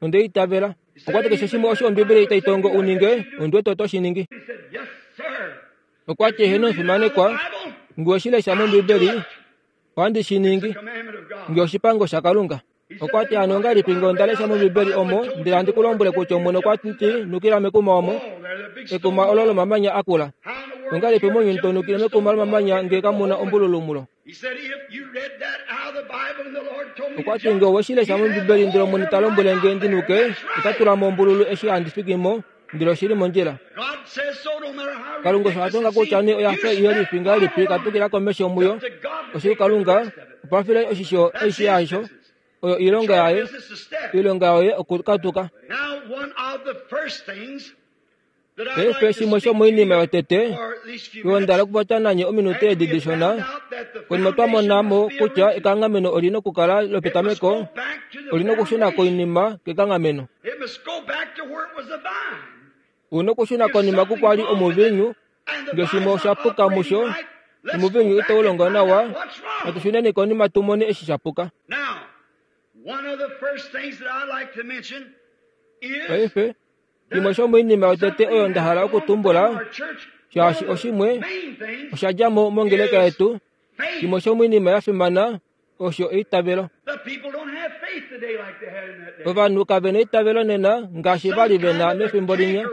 Onde itavela. Okwa ti keshe shimwe osho Ombibeli tai tongo u ninge, ondi wete oto shi ningi. Okwa ti eheno omufimanekwa, nge owe shi lesha mOmbibeli, ohandi shi ningi, nge oshipango shaKalunga. Okwa ti hano ongahelipi nge onda lesha mOmbibeli omo ndele handi ku lombwele kutya Omwene okwa ti nukila mekuma omo, ekuma olo lomamanya akula. Ongahelipi mounyuni to nukile mekuma lomamanya nge kamu na ombululu mulo? Okwa ti nge owe shi lesha mOmbibeli ndele Omwene ta lombwele nge ndi nuke, ota tula mo ombululu eshi handi fiki mo, ndele oshili mondjila. Kalunga osho a tonga kutya nee oya fa ihe lifi ngahelipi katukila komesho muyo. Oshili Kalunga okwa file oshisho aishe yasho. Oyo oilonga yaye, oilonga yoye okukatuka. Paife shimwe shomoinima yotete oyo nda hala okupopya nanye ominute edi dishona, konima twa mona mo kutya ekanghameno oli na okukala lopetameko, oli na okushuna koinima kekanghameno. U na okushuna konima kukwali omuviinyu, nge shimwe osha puka musho, omuviinyu itau longo nawa, natu shuneni konima tu mone eshi sha puka. Paife, shimwe shomoinima yotete oyo nda hala okutumbula, shaashi oshimwe osha dja mo mongeleka yetu, shimwe shomoinima ya fimana osho eitavelo. Ovanhu kave na eitavelo nena ngaashi va li ve na mefimbo linya.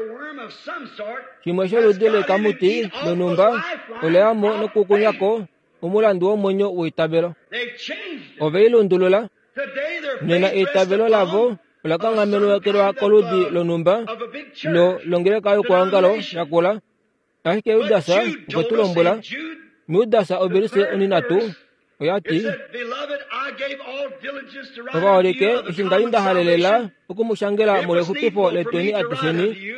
Shimwe sholudi lekamuti lonhumba ole ya mo nokukunya ko omulandu womwenyo weitavelo. Ove i lundulula. Nena eitavelo lavo ola kanghamenokelwa koludi lonhumba lo longeleka yokwoongalo yakula. Ashike Judas okwe tu lombwela, muJudas ovelise onhinhatu oya ti, Ovaholike, eshi nda li nda halelela oku mu shangela molwexupifo letweni atusheni,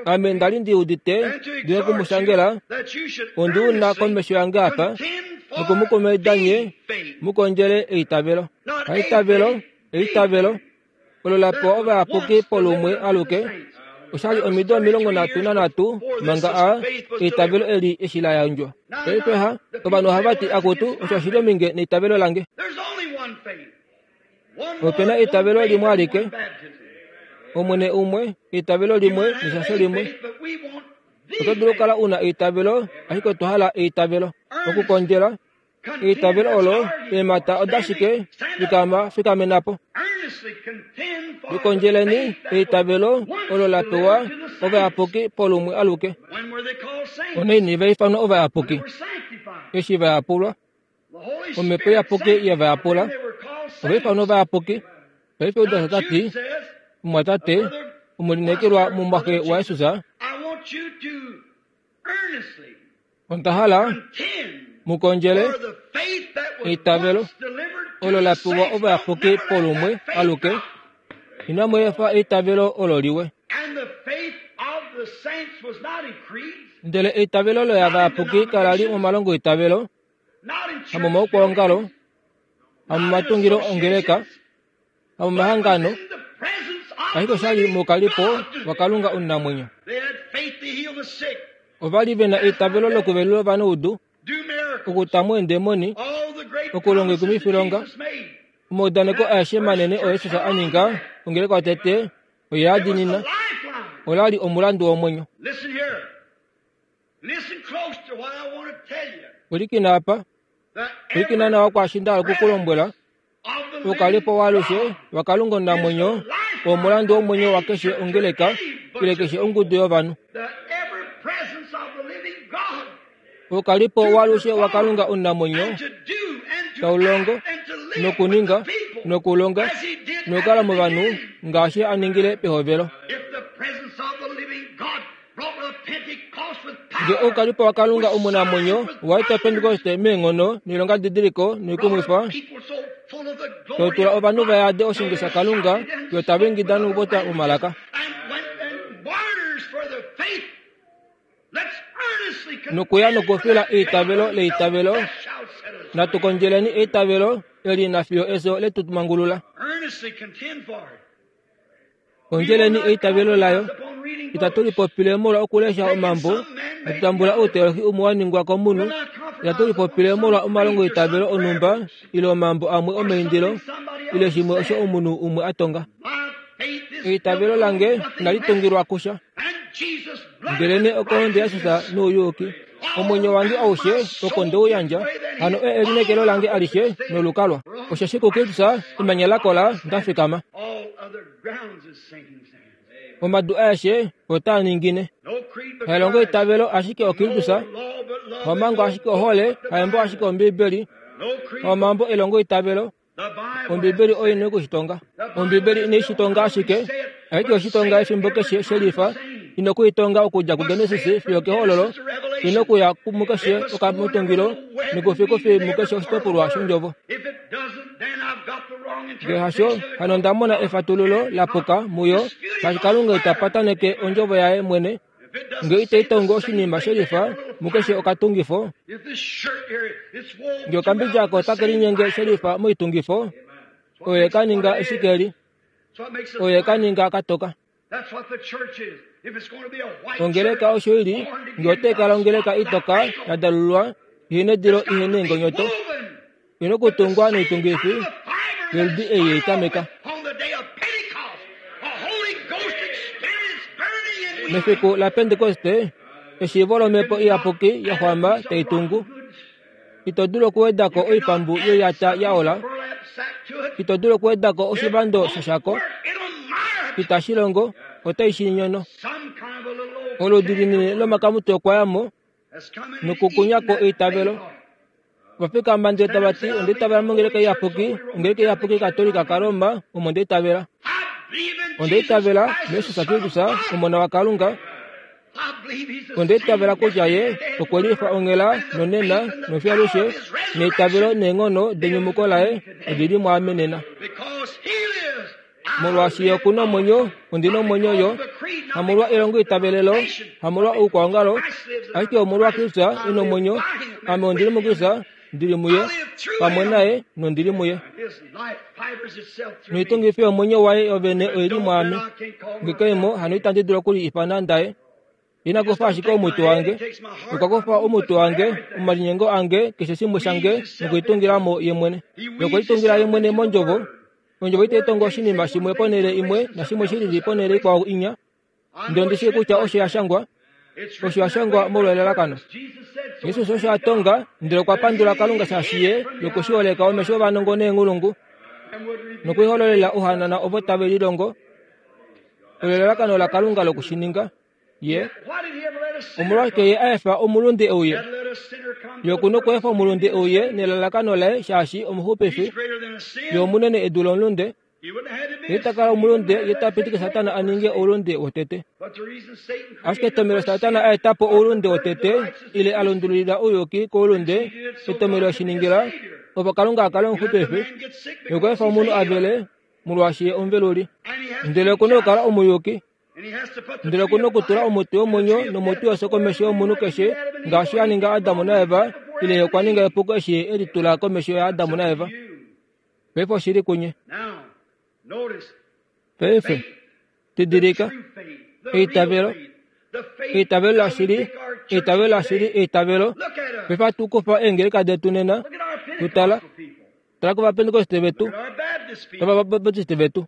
ame nda li ndi udite ndi noku mu shangela, ondi u na komesho yange apa, noku mu kumaida nye mu kondjele eitavelo. Haitavelo, eitavelo, olo la pewa ovayapuki polumwe aluke, oshali omido omilongo nhatu nanhatu manga a eitavelo eli eshi la yandjwa. Paife ha, ovanhu ohava ti akutu osho oshili ominge neitavelo lange. Ope na eitavelo limwe alike, Omwene umwe, eitavelo limwe neshasho limwe. Oto dulu okukala u na eitavelo, ashike otwa hala eitavelo. Okukondjela eitavelo olo, eemhata odashike fikama fikamena po. Likondjeleni eitavelo olo la pewa ovayapuki polumwe aluke. Onaini va ifanwa ovayapuki? Eshi va yapulwa, Omhepo Iyapuki ye va yapula, ova ifanwa ovayapuki. Paife Judas ota ti, Omumwatate, omulineekelwa mumwaxe waJesus, onda hala mu kondjele eitavelo olo la pewa ovayapuki polumwe aluke. Inamu efa eitavelo olo liwe. Ndele eitavelo loyavayapuki kala li momalongo eitavelo, hamomaukwaongalo, hamomatungilo ongeleka, hamomahangano, ashike oshali moukalipo waKalunga omunamwenyo. Ova li ve na eitavelo lokuvelula ovanaudu, okuta mo eendemoni, okulonga oikumwifilonga. Omaudaneko aeshe manene oo Jesus a ninga ongeleka yotete oye a diinina. Ola li omulandu womwenyo. Pwilikina apa, pwilikina nawa kwaashi nda hala oku ku lombwela. Oukalipo waalushe waKalunga omunamwenyo oo omulandu womwenyo wakeshe ongeleka ile keshe ongudu yovanhu. Oukalipo waalushe waKalunga omunamwenyo tau longo nokuninga nokulonga nokukala movanhu ngaashi a ningile pehovelo. Nge oukalipo waKalunga omunamwenyo owa eta Pentekoste meenghono noilongadidiliko noikumwifa, Totula ovanhu va yade oshinge shaKalunga, yo tava ingida nokupopya momalaka. Nokuya nokufila eitavelo leitavelo, natu kondjeleni eitavelo eli nafiyo efyo letu mangulula. Kondjeleni eitavelo layo. Itatu lipopile molwa okulesha omambo, hatutambula outeolohi umwe wa ningwa komunhu. Itatu lipopile molwa omalongoitavelo onhumba ile omambo amwe omeindilo ile shimwe osho omunhu umwe a tonga. Eitavelo lange inali tungilwa kusha, ndelene okohonde yaJesus nouyuuki. Omwenyo wange aushe oko ndeuyandja, hano e elineekelo lange alishe nolukalwa. Osheshi kuKristus emanya lakola nda fikama. Omadu aeshe otaa ningine. Hailongo eitavelo ashike oKristus, haomhango ashike ohole, haembo ashike Ombiibeli, haomambo elongo eitavelo. Ombiibeli oyo ina okushitonga. Ombiibeli inai shitonga ashike, ashike oshitonga efimbo keshe shelifa. Ina okuitonga okudja kuGenesis fiyo kehololo, ina okuya mukeshe okamutungilo nokufikufi mukeshe oshitopolwa shondjovo. Ngee hasho, hano onda mona efatululo lapuka muyo, shaashi Kalunga ita pataneke ondjovo yaye mwene. Ngee itai tongo oshinima shelifa mukeshe okatungifo, ngee okambidja ako otake linyenge shelifa moitungifo, oye ka ninga eshikeli, oye ka ninga katoka. Ongeleka osho ili, ngee otai kala ongeleka itoka ya dalulwa ihena edilo ihena eengonyoto, ina okutungwa noitungifi yoludi ei yeitameka. Mefiku laPentekoste, eshiivo lomhepo iyapuki ya xwama tai tungu. Ito dulu okuwedako oipambu yoiyata ya ola, ito dulu okuwedako oshivando shoshako, itashi longo, otai shi nyono. Oludi linini lomakamutwe okwa ya mo nokukunyako eitavelo. Vafikama ndele tava ti, onda itavela mongeleka iyapuki, ongeleka iyapuki Katolika kaRoma, omo nda itavela. Onda itavela muJesus Kristus, Omona waKalunga. Onda itavela kutya Ye okwe lifa onghela nonena nofiyo alushe, neitavelo neenghono denyumuko laye odi li mwaame nena. Molwaashi Ye oku na omwenyo, ondi na omwenyo yo, hamolwa elongo itavelelo, hamolwa oukwaongalo, ashike omolwa Kristus e na omwenyo. Ame ondili muKristus, ndili muye, pamwe naye nondili muye. Noitungifi yomwenyo waye yovene oili mwaame. Nge keimo, hano itandi dulu okuli ifana ndaye. Ina kufa ashike omutwe wange, okwa kufa omutwe wange, omalinyengo ange, keshe shimwe shange, nokuitungilamo ye mwene. Nokulitungila ye mwene mondjovo. Ondjovo itai tongo oshinima shimwe ponhele imwe nashimwe shilili ponhele ikwao inya. Ndele ondi shii kutya osho ya shangwa, osho ya shangwa molwa elalakano. Jesus osho a tonga, ndele okwa pandula Kalunga shaashi ye yokushiholeka omesho ovanongo neenghulungu, nokuihololela ohanana ovo tave lilongo. Olo elalakano laKalunga lokushininga. Ye omolwashike ye a efa omulunde euye? Ye oku na okweefa omulunde euye nelalakano laye shaashi omuxupifi. Ye omunene edu lomulunde. Ye ita kala omulunde, ye ta pitike Satana a ninge oulunde wotete. Ashike etomelo Satana a eta po oulunde wotete, ile a lundululila ouyuki koulunde, etomelo eshiningila opo Kalunga a kale omuxupifi. Ye okwa efa omunhu a vele, molwaashi ye omuveluli. Ndele oku na okukala omuyuki. Ndele oku na okutula omuti womwenyo nomuti wefyo komesho yomunhu keshe, ngaashi a ninga Adam naEva, ile ye okwa ninga epuko eshi e litula komesho yaAdam naEva. Paife oshili kunye. Paife, didilika, eitavelo, eitavelo lashili, eitavelo lashili, eitavelo. Paife hatu kufa eengeleka detu nena, tutala, tala kOvapentekoste vetu, kOvabaptiste vetu,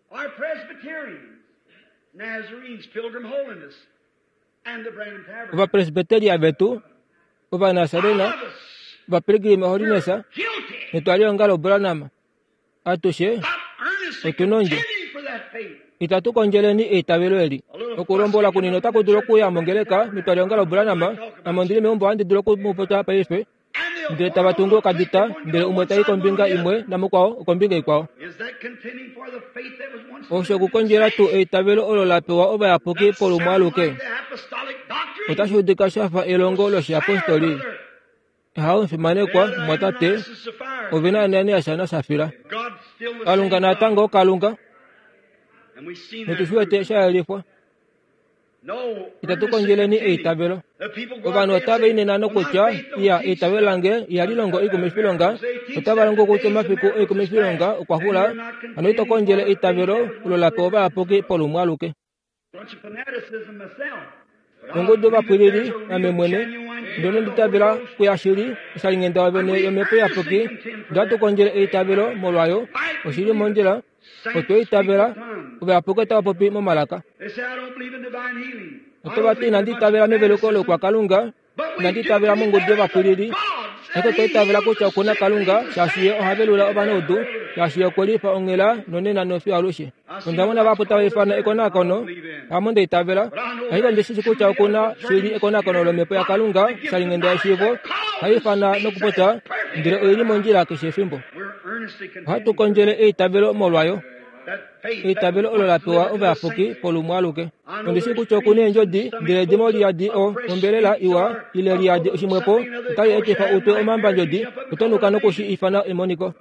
Ovapresbiteria vetu, Ovanasarena, Ovapilgrim Holiness, netwaliongalo Branham. Atushe otu nondjo. Itatu kondjeleni eitavelo eli. Okulombola kunini otaku dulu okuya mongeleka metwaliongalo Branham. Ame ondili meumbo ohandi dulu okumupopya paife. Ndele tava tungu okadita, ndele umwe tai kombinga imwe namukwao okombinga ikwao. Osho okukondjela tuu eitavelo olo la pewa ovayapuki polumwe aluke? Otashi udika sha fa elongo loshiapostoli. Ehao mfimanekwa mwatate ove na Ananias naSafira. Kalunga natango Kalunga notushiwete shayelifwa. Itatu kondjeleni eitavelo. Ovanhu otava inena nokutya iya eitavelo lange ihali longo oikumifilonga, otava longo kutya omafiku oikumifilonga okwa xula, hano ito kondjele eitavelo olo la pewa ovayapuki polumwe aluke. Ongudu ovapwilili ame mwene ndono nditavela kuyashili oshalinghenda wavene yomhepo iyapuki, ndatu kondjele eitavelo molwayo oshili mondjila otwe itavela ovayapuki otava popi momalaka. Otava ti inandi itavela meveluko lokwakalunga, inandi itavela mongudu yovapwilili, ashike otwa itavela kutya okuna Kalunga shaashi ye oha velula ovanaudu, shaashi ye okwe lifa onghela nonena nofiyo alushe. Onda mona vahapu tava ifana ekonakono, hamo nda itavela, ashike ondi shishi kutya okuna shili ekonakono lomhepo yaKalunga shalinghenda yeshiivo, hai ifana nokupopya, ndele oili mondjila keshe efimbo. Ohatu kondjele eitavelo molwayo. Eitavelo olo la pewa ovayapuki polumwe aluke. Ondi shii kutya okuna eendjodi, ndele dimo liyadi o ombelela iwa ile liyadi oshimwepo otali etifa utwe omambandjodi, oto nuka nokushi ifana emoniko.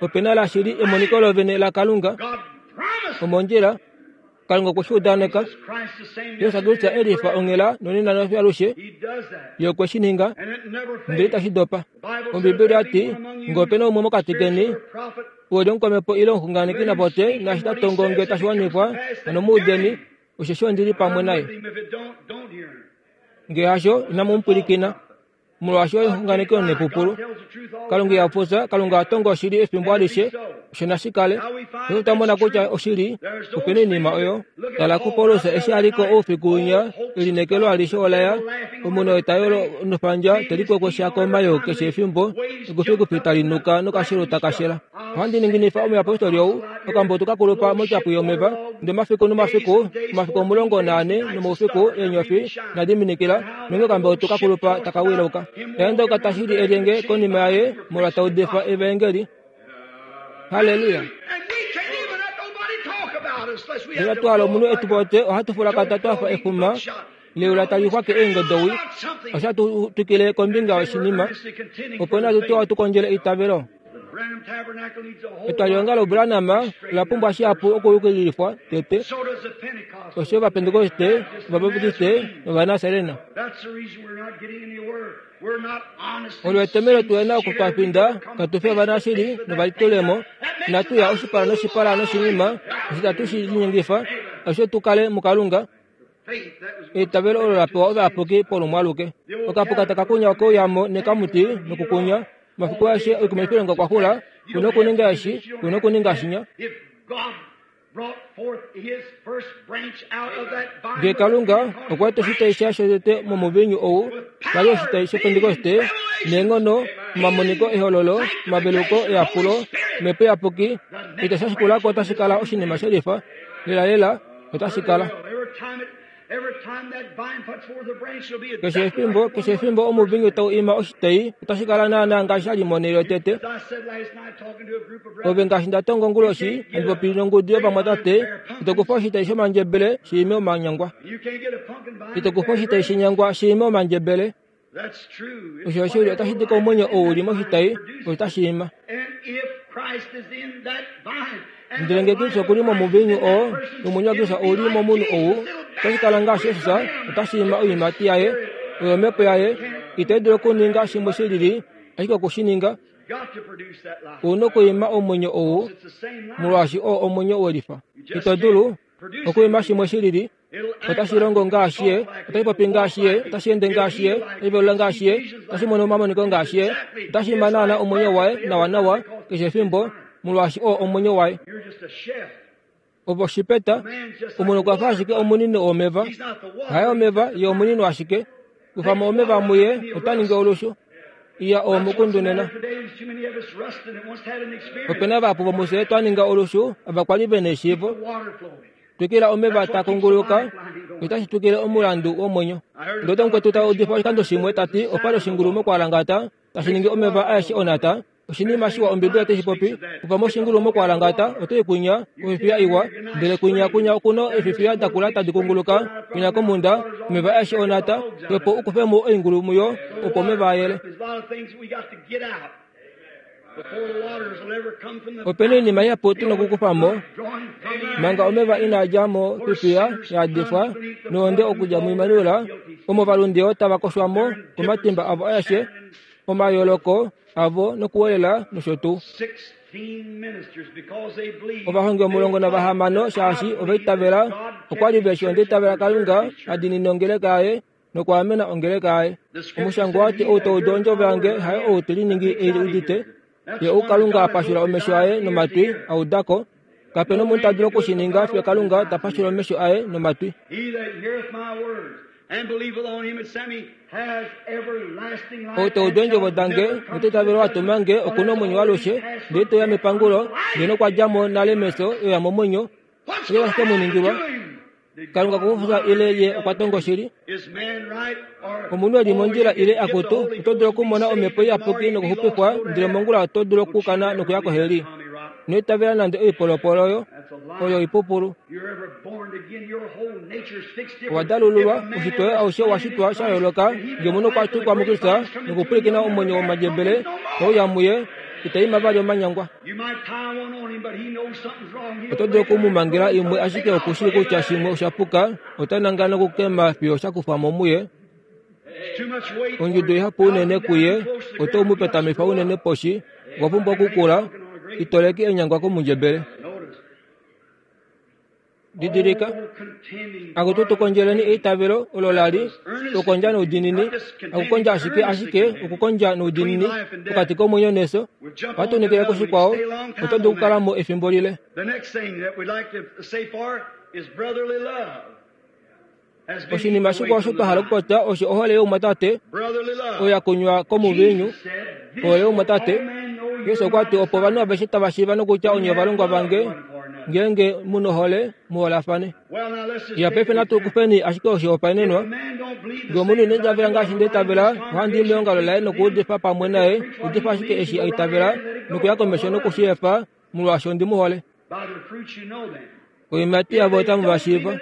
Opena lashili emoniko lovene laKalunga. Omondjila Kalunga okwe shi udaneka. Jesus Kristus elifa onghela nonena nofiyo alushe, ye okwe shi ninga, ndele itashi dopa. Ombibeli yati ngee opena umwe mokati keni uli omukwamhepo ile omuxunganeki napote naashi ta tongo ngee tashi wanifwa, hano mu udeni, osheshi ondili pamwe naye. Ngee hasho, inamu mu pwilikina, molwaashi oye omuxunganeki omunepupulu. Kalunga iha fufya, Kalunga oha tongo oshili efimbo alishe, osho nashi kale. Paife otwa mona kutya oshili, opena oinima oyo. Tala kuPaulus eshi a liko oufiku winya, elineekelo alishe olaya, omunhu wetayolo nofandja te likwekwesha komayoo keshe efimbo, ekufikufi tali nuka nokashelu takashela. Ohandi ninginifa omuyapostoli ou, okambutu kakulupa motyapu yomeva, ndele omafiku nomafiku, omafiku omulongo naane nomaufiku eenyofi inadi minikila, nonge okambutu kakulupa taka wilauka. Taenda okatashili elyenge konima yaye molwa taudifa evaengeli. Haleluya. Ndele twala omunhu etu pote ohatu fulakata twafa efuma leula tali xwake eengodowi, osha tu twikile kombinga yoshinima, opo natu twa tu kondjele eitavelo. Etwalihongalo Branham ola pumbwa shihapu okuyukililifwa tete, osho Ovapentekoste, Ovabaptiste nOvanaserena. Molwetomhelo tuhe na okutwafinda, katu fi ovanashili novalitulemo, inatu ya oshipala noshipala noshinima, osho itatu shi linyengifa, osho tu kale muKalunga. Eitavelo olo la pewa ovayapuki polumwe aluke. Okapuka taka kunya okeuyamo nekamuti nokukunya, omafiku aeshe oikumifilonga okwa xula, kuna okuninga eshi, kuna okuninga shinya. Ngee Kalunga okwa eta oshitai shaye shotete momuvinyu ou, kwali oshitai shOpentekoste, neenghono, omamoniko ehololo, omaveluko eyapulo, omhepo iyapuki, itashi shikulako otashi kala oshinima shelifa, lelalela otashi kala. Keshe efimbo, keshe efimbo omuvinyu tau ima oshitai, otashi kala naana ngaashi sha li monhele yotete. Ove ngaashi nda tongo onguloshi, handi popi nongudu yovamwatate, ito kufa oshitai shomandjebele shi ime omanyangwa. Ito kufa oshitai shenyangwa shi ime omandjebele. Osho oshili otashi di komwenyo ou uli moshitai, osho tashi ima. Ndele ngee Kristus okuli momuvinyu oo, nomwenyo waKristus ouli momunhu ou, otashi kala ngaashi Jesus, otashi ima oiimati yaye, oyo omhepo yaye, itai dulu okuninga shimwe shi lili, ashike oku shi ninga. Ouna okuima omwenyo ou, molwaashi oo omwenyo welifa. Ito dulu okuima shimwe shi lili, otashi longo ngaashi ye, otashi popi ngaashi ye, otashi ende ngaashi ye, otashi velula ngaashi ye, otashi mono omamoniko ngaashi ye, otashi ima naana omwenyo waye nawanawa keshe efimbo, molwaashi oo omwenyo waye. Ove oshipeta, omunhu okwa fa ashike omunino womeva. Haye omeva, ye omunino ashike. Kufamo omeva muye, ota ningi olushu. Iya oo mukundu nena. Opena vahapu vomufye twa ninga olushu, ava kwali vena eshiivo. Twikila omeva taa kunguluka, otashi twikile omulandu womwenyo. Ndele omukwetu ta udifa oshikando shimwe ta ti opali oshingulu mokwalangata, tashi ningi omeva aeshe onata, Oshinima shiwa Ombibeli otai shi popi. Kufa moshingulu mokwalangata oto kunya ofifiya iwa, ndele kunya kunya okuno efifiya dakula tadi kunguluka kunya komunda omeva aeshe onata, opo ukufemo oingulu muyo opo omeva ayele. Opena oinima ihapu tuna okukufamo manga omeva inaa mo fifiya yadifwa nohonde okudja muImanuela, omo ovalunde tava koshwamo komatimba avo aeshe, omayooloko avo nokuwelela nosho tuu. Ovahongi omulongo navahamano shaashi ovaitavela okwa li veshi ondeitavela Kalunga adinine ongeleka yaye nokwaamena ongeleka yaye. Omushango wati ou taudu ondjovo yange haye ou teliningi ei udite, ye ou Kalunga apashula omesho aye nomatwi audako. Kapena omunhu ta dulu okushininga fiyo Kalunga ta pashula omesho aye nomatwi. Ou taudu eendjovo dange noteitavela watuma nge okuna omwenyo waalushe, ndele toya mepangulo, ndele nokwa dja mo nale mefyo oya momwenyo. Oshike tashi ke mu ningilwa? Kalunga okukufa ile ye okwa tonga oshili? Omunhu eli mondjila ile akutu, oto dulu okumona omhepo iyapuki nokuxupifwa, ndele mongula oto dulu okukana nokuya koheli. Ino itavela nande oipolopolo oyo, oyo oipupulu. Owa dalululwa, ushitwe aushe wa shitwa sha yooloka, ngee omunhu okwa tukwa muKristus nokupwilikina omwenyo womandjebele nouya muye, ita ima vali omanyangwa. Oto dulu okumumangela imwe ashike okushii kutya shimwe osha puka, ota nangala nokukema fiyo sha kufwa mo muye. Ondjudo ihapu unene kuye, oto mu petamifa unene poshi, okwa pumbwa okukula, itoleki enyangwa komundjebele. Didilika, akutu tukondjeleni eitavelo olo lali okukondja noudinini, akukondja ashike ashike okukondja noudinini pokati komwenyo nefyo. Ohatu koshikwao, oto dulu okukala mo efimbo lile. Oshinima shikwao osho twa hala okupopya osho ohole youmwatate oyo ya kunywa komuviinyu. Ohole youmwatate, Jesus okwa ti opo ovanhu aveshe tava shiiva nokutya onye ovalongwa vange ngeenge mu nohole muholafane. Ya paife natu kufeni ashike oshihopaenenwa. Ngee omunhu ina itavela ngaashi nda itavela, ohandi i meongalo laye nokuudifa pamwe naye, udifa ashike eshi a itavela nokuya komesho nokushi efa molwaashi ondi mu hole. Oimati yavo otamu va shiiva.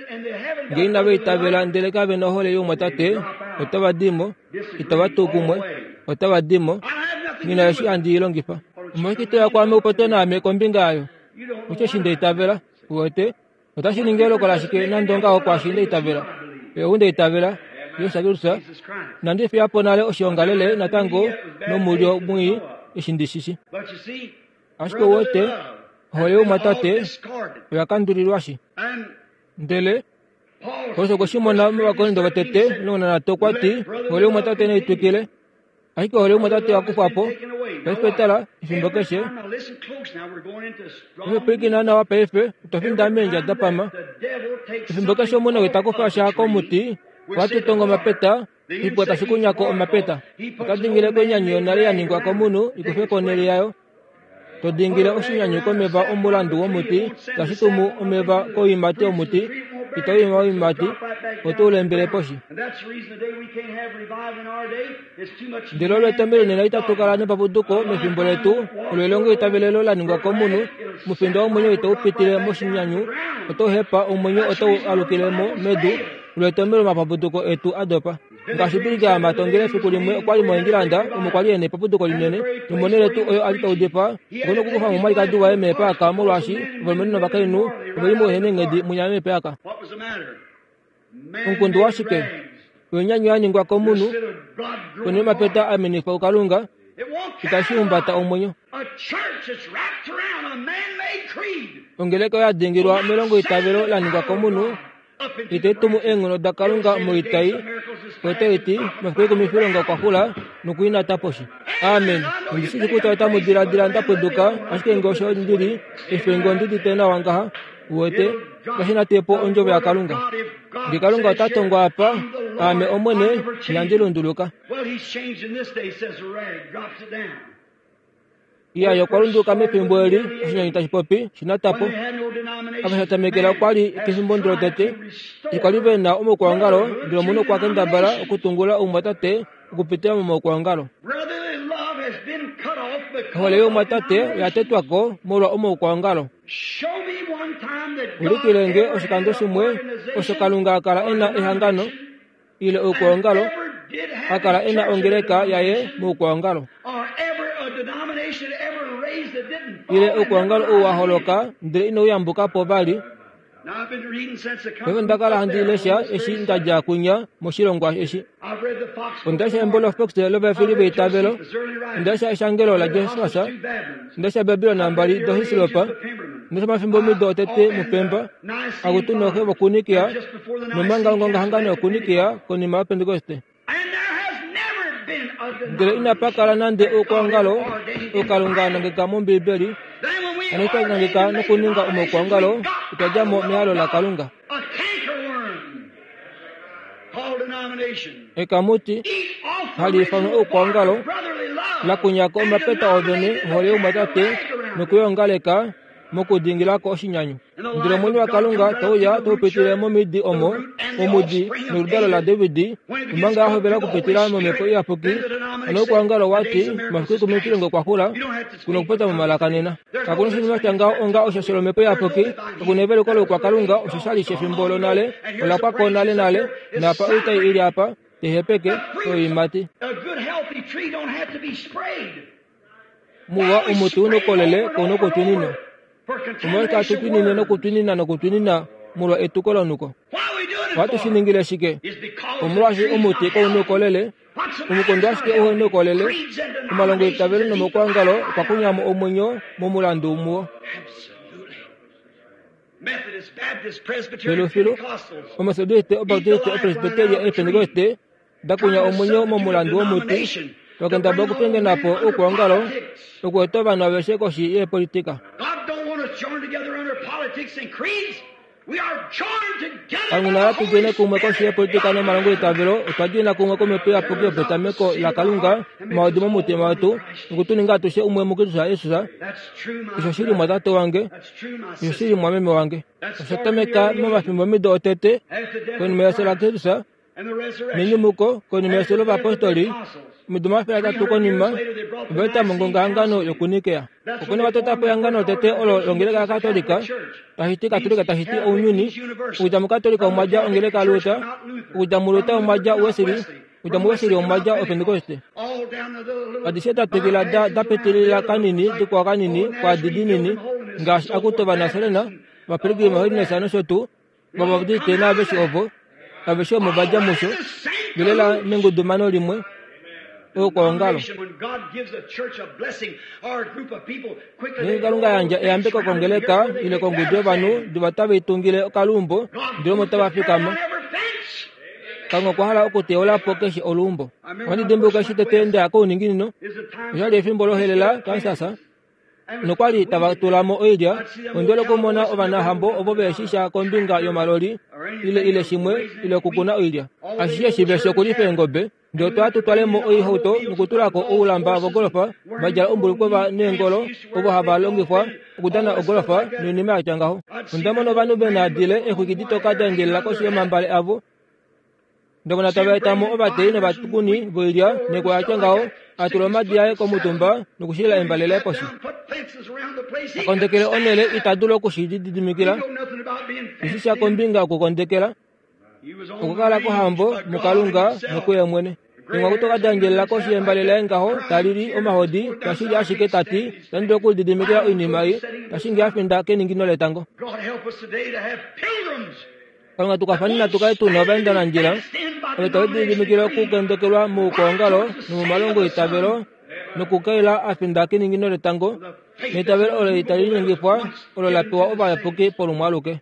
Ngee inava itavela ndele kave na ohole youmwatate, otava di mo, itava tu kumwe, otava di mo. Nghi eshi handi i longifa. Omolwashike toya kwaame upopye naame kombinga yayo? Osheshi nda itavela, uwete, otashi ningi eloko lashike nande ongaho kwaashi nda itavela. Oye ou nda itavela, Jesus Kristus, nandi fiya po nale oshiongalele natango nomulyo mwii eshi ndi shishi. Ashike uwete, ohole youmwatate oya kandulilwashi. Ndele Paulus okwe shi mona mOvakorinto votete omulongo nanhatu okwa ti ohole youmwatate nai twikile. Ashike ohole youmwatate oya kufwa po. Paife tala, efimbo keshe. Paife pwilikina nawa paife, otwa finda meendja da pama. Efimbo keshe omunhu ita kufa sha komuti, ohatu tongo omapeta, oshipwa tashi kunyako omapeta. Ota dingile koinyanyu yonale ya ningwa komunhu ikufe konhele yayo. To dingile oshinyanyu komeva omulandu womuti, tashi tumu omeva koiimati yomuti, ito ima oiimati, oto u lembele poshi. Ndele olo etomhelo nena itatu kala nepapuduko mefimbo letu, olo elongo itavelelo la ningwa komunhu, mufindo womwenyo itau pitile moshinyanyu, oto hepa omwenyo otau alukile mo medu, olo etomhelo omapapuduko etu a dopa. Ngaashi Billy Graham atongele efiku limwe okwa li moEngilanda omo kwa li ena epapuduko linene, nomonhele tuu oyo a li taudifa, okwe nokukufa mo omwalikadi waye meepaaka molwaashi ovalumenhu novakainhu ove li mouhenenghedi munya meepaaka. Omukundu washike? Oinyanyu ya ningwa komunhu, ponhele yomapeta a menifwa kuKalunga, itashi humbata omwenyo. Ongeleka oyo ya dingilwa melongo itavelo la ningwa komunhu, itai tumu eenghono daKalunga moitai, otai ti mafiku ekumifilonga okwa xula nokuinata poshi. Amen. Ondi shii kutya otamu diladila nda pweduka, ashike ngee osho ndili, efe ngee ondi nawa ngaha, uwete, kashi na tepo ondjovo yaKalunga. Ngee Kalunga ota tongwa apa, aame Omwene, inandi lunduluka. Iya, okwa lunduluka mefimbo eli, oshinyanyu tashi popi, shinatapo. Apa sha tamekela okwa li kefimbo lotete, okwa li ve na omaukwaongalo, ndele omunhu okwa kendabala okutungula oumwatate okupitila momaukwaongalo. Ohole youmwatate oya tetwa ko molwa omaukwaongalo. Ulikilenge oshikando shimwe osho Kalunga a kala e na ehangano ile oukwaongalo, a kala e na ongeleka yaye moukwaongalo. Ile oukwaongalo ou wa holoka ndele inau yambuka po vali. Paife onda kala handi lesha eshi nda dja kunya moshilongwa eshi. Onda lesha embo loFox lovafili veitavelo, onda lesha eshangelo laJesus, onda lesha Babilon mbali doHislopa, onda lesha omafimbo omido otete muPemba, akutu nooxe vokuNikia, nomanga ongongahangano yokuNikia konima yoPentekoste. Ndele inapa kala nande oukwaongalo okalunga a nangeka mOmbiibeli, hano twa nangeka nokuninga omaukwaongalo, otwa dja mo mehalo laKalunga. Ekamuti hali ifanwa oukwaongalo lakunyako omapeta ovene ohole youmwatate nokuyongaleka mokudingilako oshinyanyu. Ndele omwenyo waKalunga tauya taupitile momidi omo, omudi noludalo laDavid, omanga a hovela okupitila momhepo iyapuki. Hano oukwaongalo wati omafiku ekumi kilongo kwa xula kuna okupopya momalaka nena. Kakuna oshinima sha ngaho onga osho sholomhepo iyapuki, kakuna eveluko loukwakalunga osho sha li shefimbo lonale, ola pwa ko nale nale, napa oitai ili apa tehepeke oiimati. Muwa omuti unokolele kounokutwininwa. Omolwashike hatu twinine nokutwinina nokutwinina molwa etuko lonuko? Ohatu shi ningile shike? Omolwaashi omuti kounokolele, omukondo ashike uhe noukolele, omalongo eitavelo nomaukwaongalo okwa kunyamo omwenyo momulandu muwo. Filufilu, Omethodiste, Obaptiste, Opresbiteria neepentekoste da kunya omwenyo momulandu womuti, twakendabala okupingena po oukwaongalo okueta ovanhu aveshe koshi yeepolitika. Kalunga ina tu djene kumwe koshi yepolitika nomalongo eitavelo, otwa djena kumwe komhepo iyapuki yopetameko laKalunga omaodi momutima wetu nokutuninga atushe umwe muKristus Jesus. Osho shili mwatate wange, osho shili mwameme wange. Osha tameka momafimbomido otete konima yefyo laKristus nenyumuko, konima yefyo lovapostoli, omido omafele atatu konima, ova eta mongongahangano yokuNikea. Okuna va tota po ehangano lotete olo longeleka yaKatolika, tashi ti Katolika tashi ti ounyuni. Okudja muKatolika omwa dja ongeleka yaLuther, okudja muLuther omwa dja Wesley, okudja muWesley omwa dja Opentekoste. Adishe da twikila da da pitilila kanini dikwao kanini kwaadi dinini, ngaashi akutu Ovanaserena, Ovapilgrim Holiness nosho tuu, Ovabaptiste naaveshe ovo, aveshe omo va dja musho, velela nengudumano limwe oukwaongalo. Ngeenge Kalunga yandja eyambeko kongeleka ile kongudu yovanhu diva tave itungile okaluumbo ndele omo tava fikama. Kalunga okwa hala okuteyola po keshe oluumbo. Ohandi dimbuluka eshi tete nda kouninginino, osha li efimbo lohelela Kansas, nokwali tava tula mo oilya. Onda okumona ovanahambo ovo vehe sha kombinga yomaloli ile ile shimwe ile okukuna oilya. Ashishe shive shokulifa eengobe, ndele otwa tu twale mo oihauto nokutula ko oulamba vogolofa va djala ombulukova neengolo ovo hava longifwa okudana ogolofa noinima ya tya ngaho. Onda mona ovanhu ve na dile eexwiki ditoka da endjelela koshi yomambale avo, ndevona tava eta mo ovateyi novatukuni voilya nekwa ya tya ngaho, a tula omadi aye komutumba nokushilila embale laye poshi. Akondekele onhele ita dulu okushilididimikila, eshi sha kombinga yokukondekela, okukala kohambo muKalunga nokuye mwene. Engwa kutoka da endjelela koshi yembale laye ngaho talili omahodi, tashili ashike tati itandi dulu okulididimikila oinima ei, tashi a finda keningino letango. Kalunga tukafani tukale tuna ovaendanandjila ovo tave lididimikile okukendekelwa moukwaongalo nomomalongo eitavelo nokukaila a finda keningino letango, neitavelo olo itali linyengifwa olo la pewa ovayapuki polumwe aluke.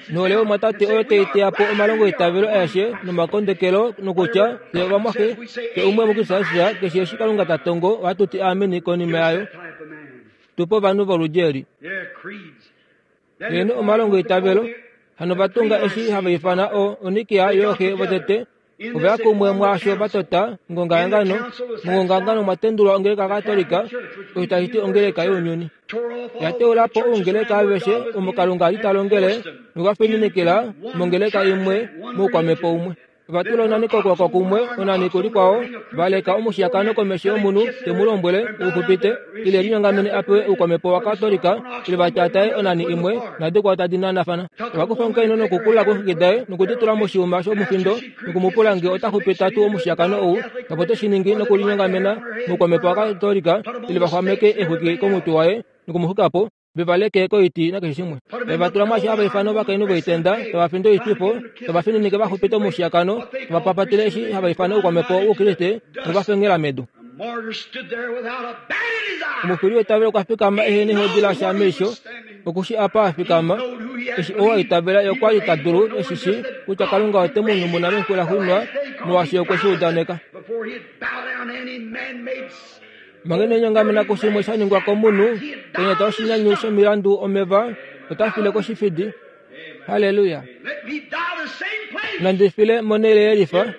Nohole yomwatate oyo tai teya po omalongo eitavelo aeshe nomakondekelo nokutya fye ovamwaxe, fye umwe muKristus Jesus, keshe eshi Kalunga ta tongo ohatu ti ameni konima yayo. Tupe ovanhu voludi eli. Heeno omalongo eitavelo hano va tunga eshi hava ifana o Onikia yooxe votete, ova ya kumwe mwaasho va tota ngongahangano. Mongongahangano omwa tendulwa ongeleka yaKatolika, osho tashi ti ongeleka younyuni. Ya teula po oungeleka aveshe omo Kalunga a li ta longele nokwa fininikila mongeleka imwe moukwamhepo umwe. Ovatula onani kokwoko kumwe onani kulikwao valeka omushiyakano komesho yomunhu te mu lombwele uxupite ile linyongamene apewe oukwamhepo wakatolika ile vatyataye onani imwe nadikwao tadi nanafana. Ovakufa omukainhu nokukula koxwiki daye nokuditula moshiuma shomufindo nokumupula ngee ota xupita tuu omushiyakano ou nopo teshiningi nokulinyongamena moukwamhepo wakatolika ile vaxwameke exwiki komutwe waye nokumuxukapo vevaleke koiti nakeshe shimwe. Vevatula mwashi hava ifana ovakainhu voitenda tavafindo oitwifo tavafininike vaxupite omushiyakano tavapapatile eshi hava ifana oukwamhepo woukriste novafengela medu. Omufili wetavelo okwa fikama ehe nehodi lasha meisho okushi apa afikama eshi ou aitavela okwa li ta dulu eshishi kutya Kalunga ote mu nyumuna mefiku laxuuninwa molwaashi okwe shi udaneka. Manga ine kushimwe sha ningwa komunhu kenyata oshinyanyu shomilandu omeva ota file koshifidi. Haleluya. Nandi file monhele yelifa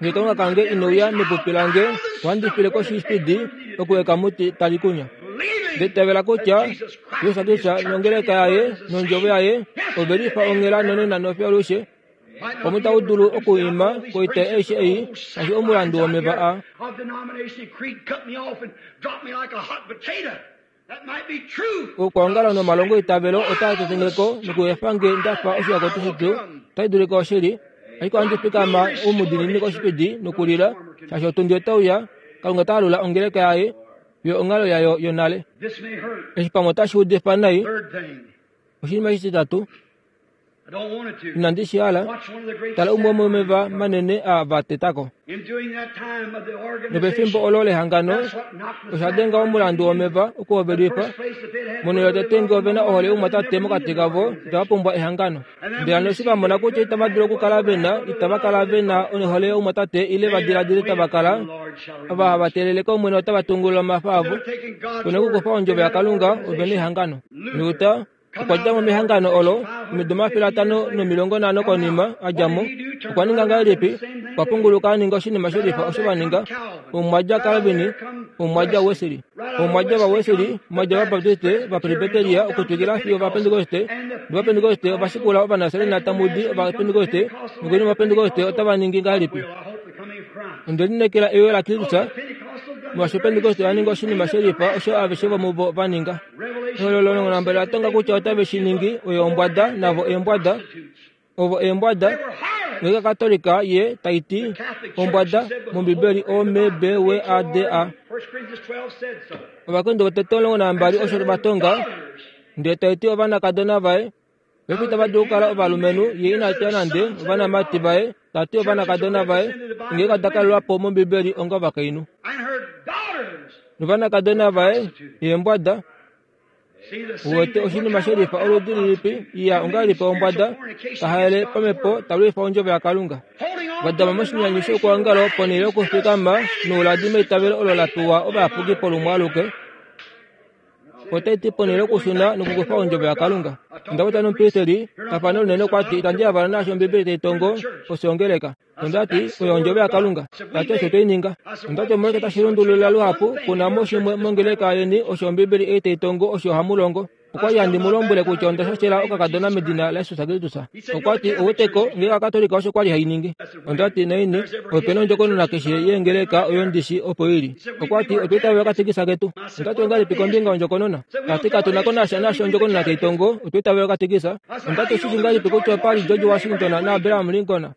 ngee Kalunga kange inouya mepupi lange ohandi file koshifidi okuweka muti tali kunya. Nditavela kutya Jesus Kristus nongeleka yaye nondjovo yaye ovelifa onghela nonena nofyo alushe. Omu tau dulu okuima koita aishe ei ngaashi omulandu womeva a. Okwoongala nomalongo eitavelo otaa tetengeko nokuefa nge ndafa oshihakoto shipyu otai dulika oshili ashike ohandi fikama omudiinini koshipidi nokulila shaashi otundi otauya Kalunga ota alula ongeleka yaye yo onghalo yayo yonale. Eshi pamwe otashi udifa nai. Oshinima shititatu inandi shi hala tala umwe womomeva manene a va tetako. Nopefimbo olo lehangano osha denga omulandu womeva okuhovelifa monhele yotete ngee ovena ohole youmwatate mokati kavo itava pumbwa ehangano. Ndele hano eshi vamona kutya itava dulu okukala vena itava kala vena ohole youmwatate ile vadiladile tava kala ava hava teelele kOmwene otava tungulula omafa avo. Pena okukufa ondjovo yaKalunga ovena ehangano. Luther okwa dja mo mehangano olo omido omafele atano nomilongo nhano konima a dja mo. Okwa ninga ngahelipi? Okwa punguluka a ninga oshinima shelifa osho va ninga. Omu mwa dja Calvin, omu mwa dja Wesley, omu mwa dja vaWesley, mwa dja vaBaptiste, vaPresbyteria okutwikila fiyo ovapentekoste. Novapentekoste ovashikula Ovanasarena tamudi ovapentekoste, nokonima ovapentekoste otava ningi ngahelipi? Onde lineekela eyo laKristus molwaashi opentekoste oya ninga oshinima shelifa osho aveshe vomuvo va ninga. Ehololo lonambele ola tonga kutya otave shi ningi oyo ombwada navo eembwada ovo eembwada ngeika Katolika ye taiti ombwada mOmbibeli O M B W A D A. Ovakorinto votete omulongo nambali osho vatonga ndele taiti ovanakadona vaye vefi itava dulu okukala ovalumenhu ye ina tya nande ovanamati vaye tati ovanakadona vaye ngeika dakalelwapo mOmbibeli onga ovakainhu. Novanakadona vaye eembwada uwete oshinima shelifa oludi lilipi iya ongahelipi ombwada tahaele pamhepo talwifa ondjovo yaKalunga. Vadama moshinyanyu shoukwaongalo ponhele yokufikama nouladi meitavelo olo la pewa ovayapuki polumwe aluke. Otaiti ponhele yokushuna nokukufa ondjovo yaKalunga. Onda nomupristeli tafano linene okwati itandi yavala naasho Ombibeli tai tongo oshongeleka. Ondati oyo ondjovo yaKalunga. Tati osho toininga. Ondati omolweke tashi lundulula luhapu kuna mo shimwe mongeleka yeni osho Ombibeli ei tai tongo osho hamulongo. Okwa li handi mu lombwele kutya onda shashela okakadona medina laJesus Kristus. Okwati ouweteko ngee Okatolika osho kwali hainingi. Ondati naini opena ondjokonona keshe yeengeleka oyo ndishi opo ili. Okwati otwa itavela okatekisa ketu. Ondati ongahelipi kombinga yondjokonona? Tati katu na ko nasha naasho ondjokonona tai tongo otwa itavela okatekisa. Ondati oshishi ngahelipi kutya opali George Washington naAbraham Lincoln?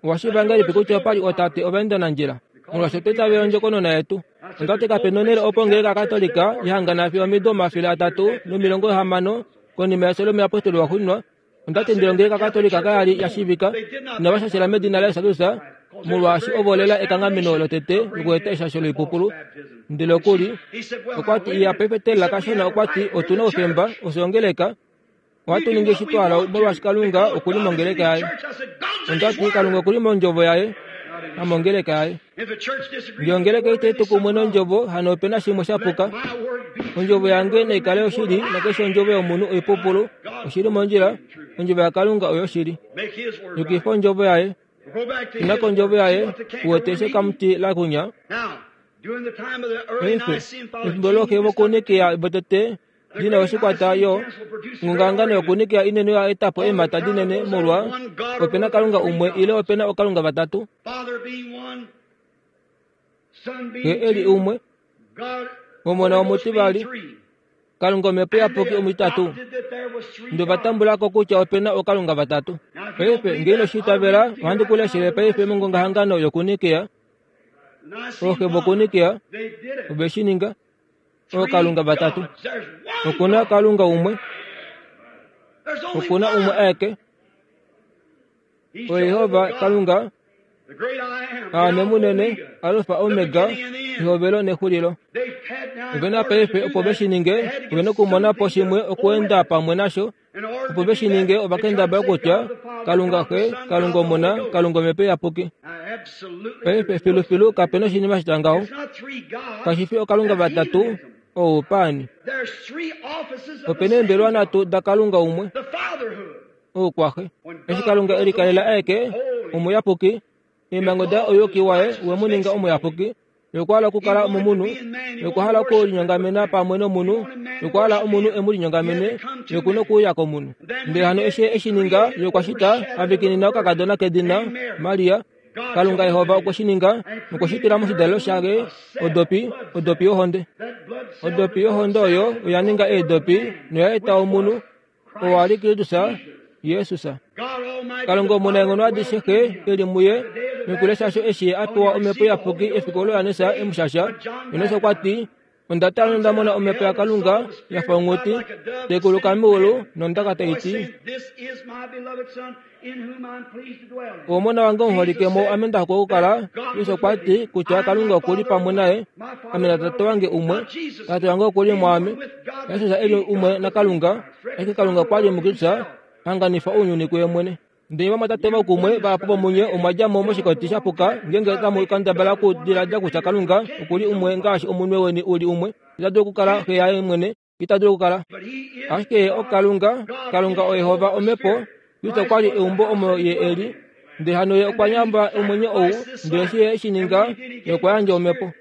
Owashiiva ngahelipi kutya opali ootate ovaendanandjila? Molwaashi otwa itavela ondjokonona yetu. Ondati kapena onhele opo ongeleka Katolika yahangana fiyo omido omafele atatu nomilongo hamano konima yefyo lomuyapostoli waxuuninwa. Ondati ndele ongeleka Katolika kayali yashiivika inava shashela medina laJesus Kristus molwaashi ovo lela ekanghameno lotete lokueta eshasho loipupulu. Ndele okuli okwati iya paife kashona okwati otuna oufemba oshongeleka ohatu ningi eshi twala molwaashi Kalunga okuli mongeleka yaye. Ondati Kalunga okuli mondjovo yaye namongeleka yaye. Ngee ongeleka itai tu kumwe nondjovo hano opena shimwe shapuka. Ondjovo yange naikale yoshili nakeshe ondjovo yomunhu oipupulu oshili mondjila. Ondjovo yaKalunga oyo oshili. Yukifa ondjovo yaye. Ina kondjovo yaye uwete eshi ekamuti lakunya. Paife efimbo loxe vokuNikea votete Dina oshikwata yo ngungangano yokunikea inene oya eta po eemhata dinene molwa opena Kalunga umwe ile opena okalunga vatatu. Xe eli umwe, Omona omutivali, Kalunga Omhepo Iyapuki omutitatu. Ndo vatambulako kutya opena okalunga vatatu. Paife ngee ino shi itavela, ohandi ku leshele paife mongongahangano yokunikea. Ooxe vokunikea ove shi ninga. Ookalunga vatatu. Okuna Kalunga umwe. Okuna umwe aeke. OYehova Kalunga, Aame munene, Alfa Omega, ehovelo nexulilo. Ovena paife opo ve shi ninge, ovena okumona po shimwe okuenda pamwe nasho. Opo ve shi ninge ovakendabala kutya Kalunga Xe, Kalunga Omona, Kalunga Omhepo Iyapuki. Paife filufilu kapena oshinima shitya ngaho. Kashi fi okalunga vatatu oupaani. Opena eembelewa nhatu daKalunga umwe, oukwaxe. Eshi Kalunga e likalela aeke omuyapuki, eemhango daye ouyuki waye we mu ninga omuyapuki. Okwa hala okukala momunhu, okwa hala okulinyongamena pamwe nomunhu, okwa hala omunhu e mu linyongamene, okuna okuuya komunhu. Ndele hano eshi e shi ninga, ye okwa shita avikinina okakadona kedina Maria. Kalunga Yehova okwe shi ninga nokwe shi tula moshidalelo shaye odopi, odopi yohonde. Odopi yohonde oyo oya ninga eedopi noya eta omunhu, oo a li Kristus Jesus. Kalunga omunaenghono adishe Xe e li muye, nokulesha eshi a pewa Omhepo Iyapuki efiku olo Johannes e mu shasha. Johannes okwa ti, onda tala nonda mona Omhepo yaKalunga ya fa onghuti tai kuluka meulu nondaka tai ti, Omona wange omuholike mo ame nda hokwa okukala. Jesus okwa ti kutya Kalunga oku li pamwe naye, ame naTate wange umwe, Tate wange oku li mwaame. Jesus e li umwe naKalunga, ashike Kalunga okwa li muKristus hanganifa ounyuni kuye mwene. Ndele vamwatate vokumwe vahapu vomunye omwa dja mo moshikoti sha puka ngeenge tamu kendabala okudiladila kutya Kalunga oku li umwe ngaashi omunwe weni u li umwe. Ita dulu okukala xe yaye mwene, ita dulu okukala. Ashike ye oKalunga, Kalunga oYehova Omhepo. Kristo okwa li eumbo omo ye e li. Ndele hano ye okwa nyamba omwenyo ou, ndele eshi ye e shi ninga, ye okwa yandja Omhepo.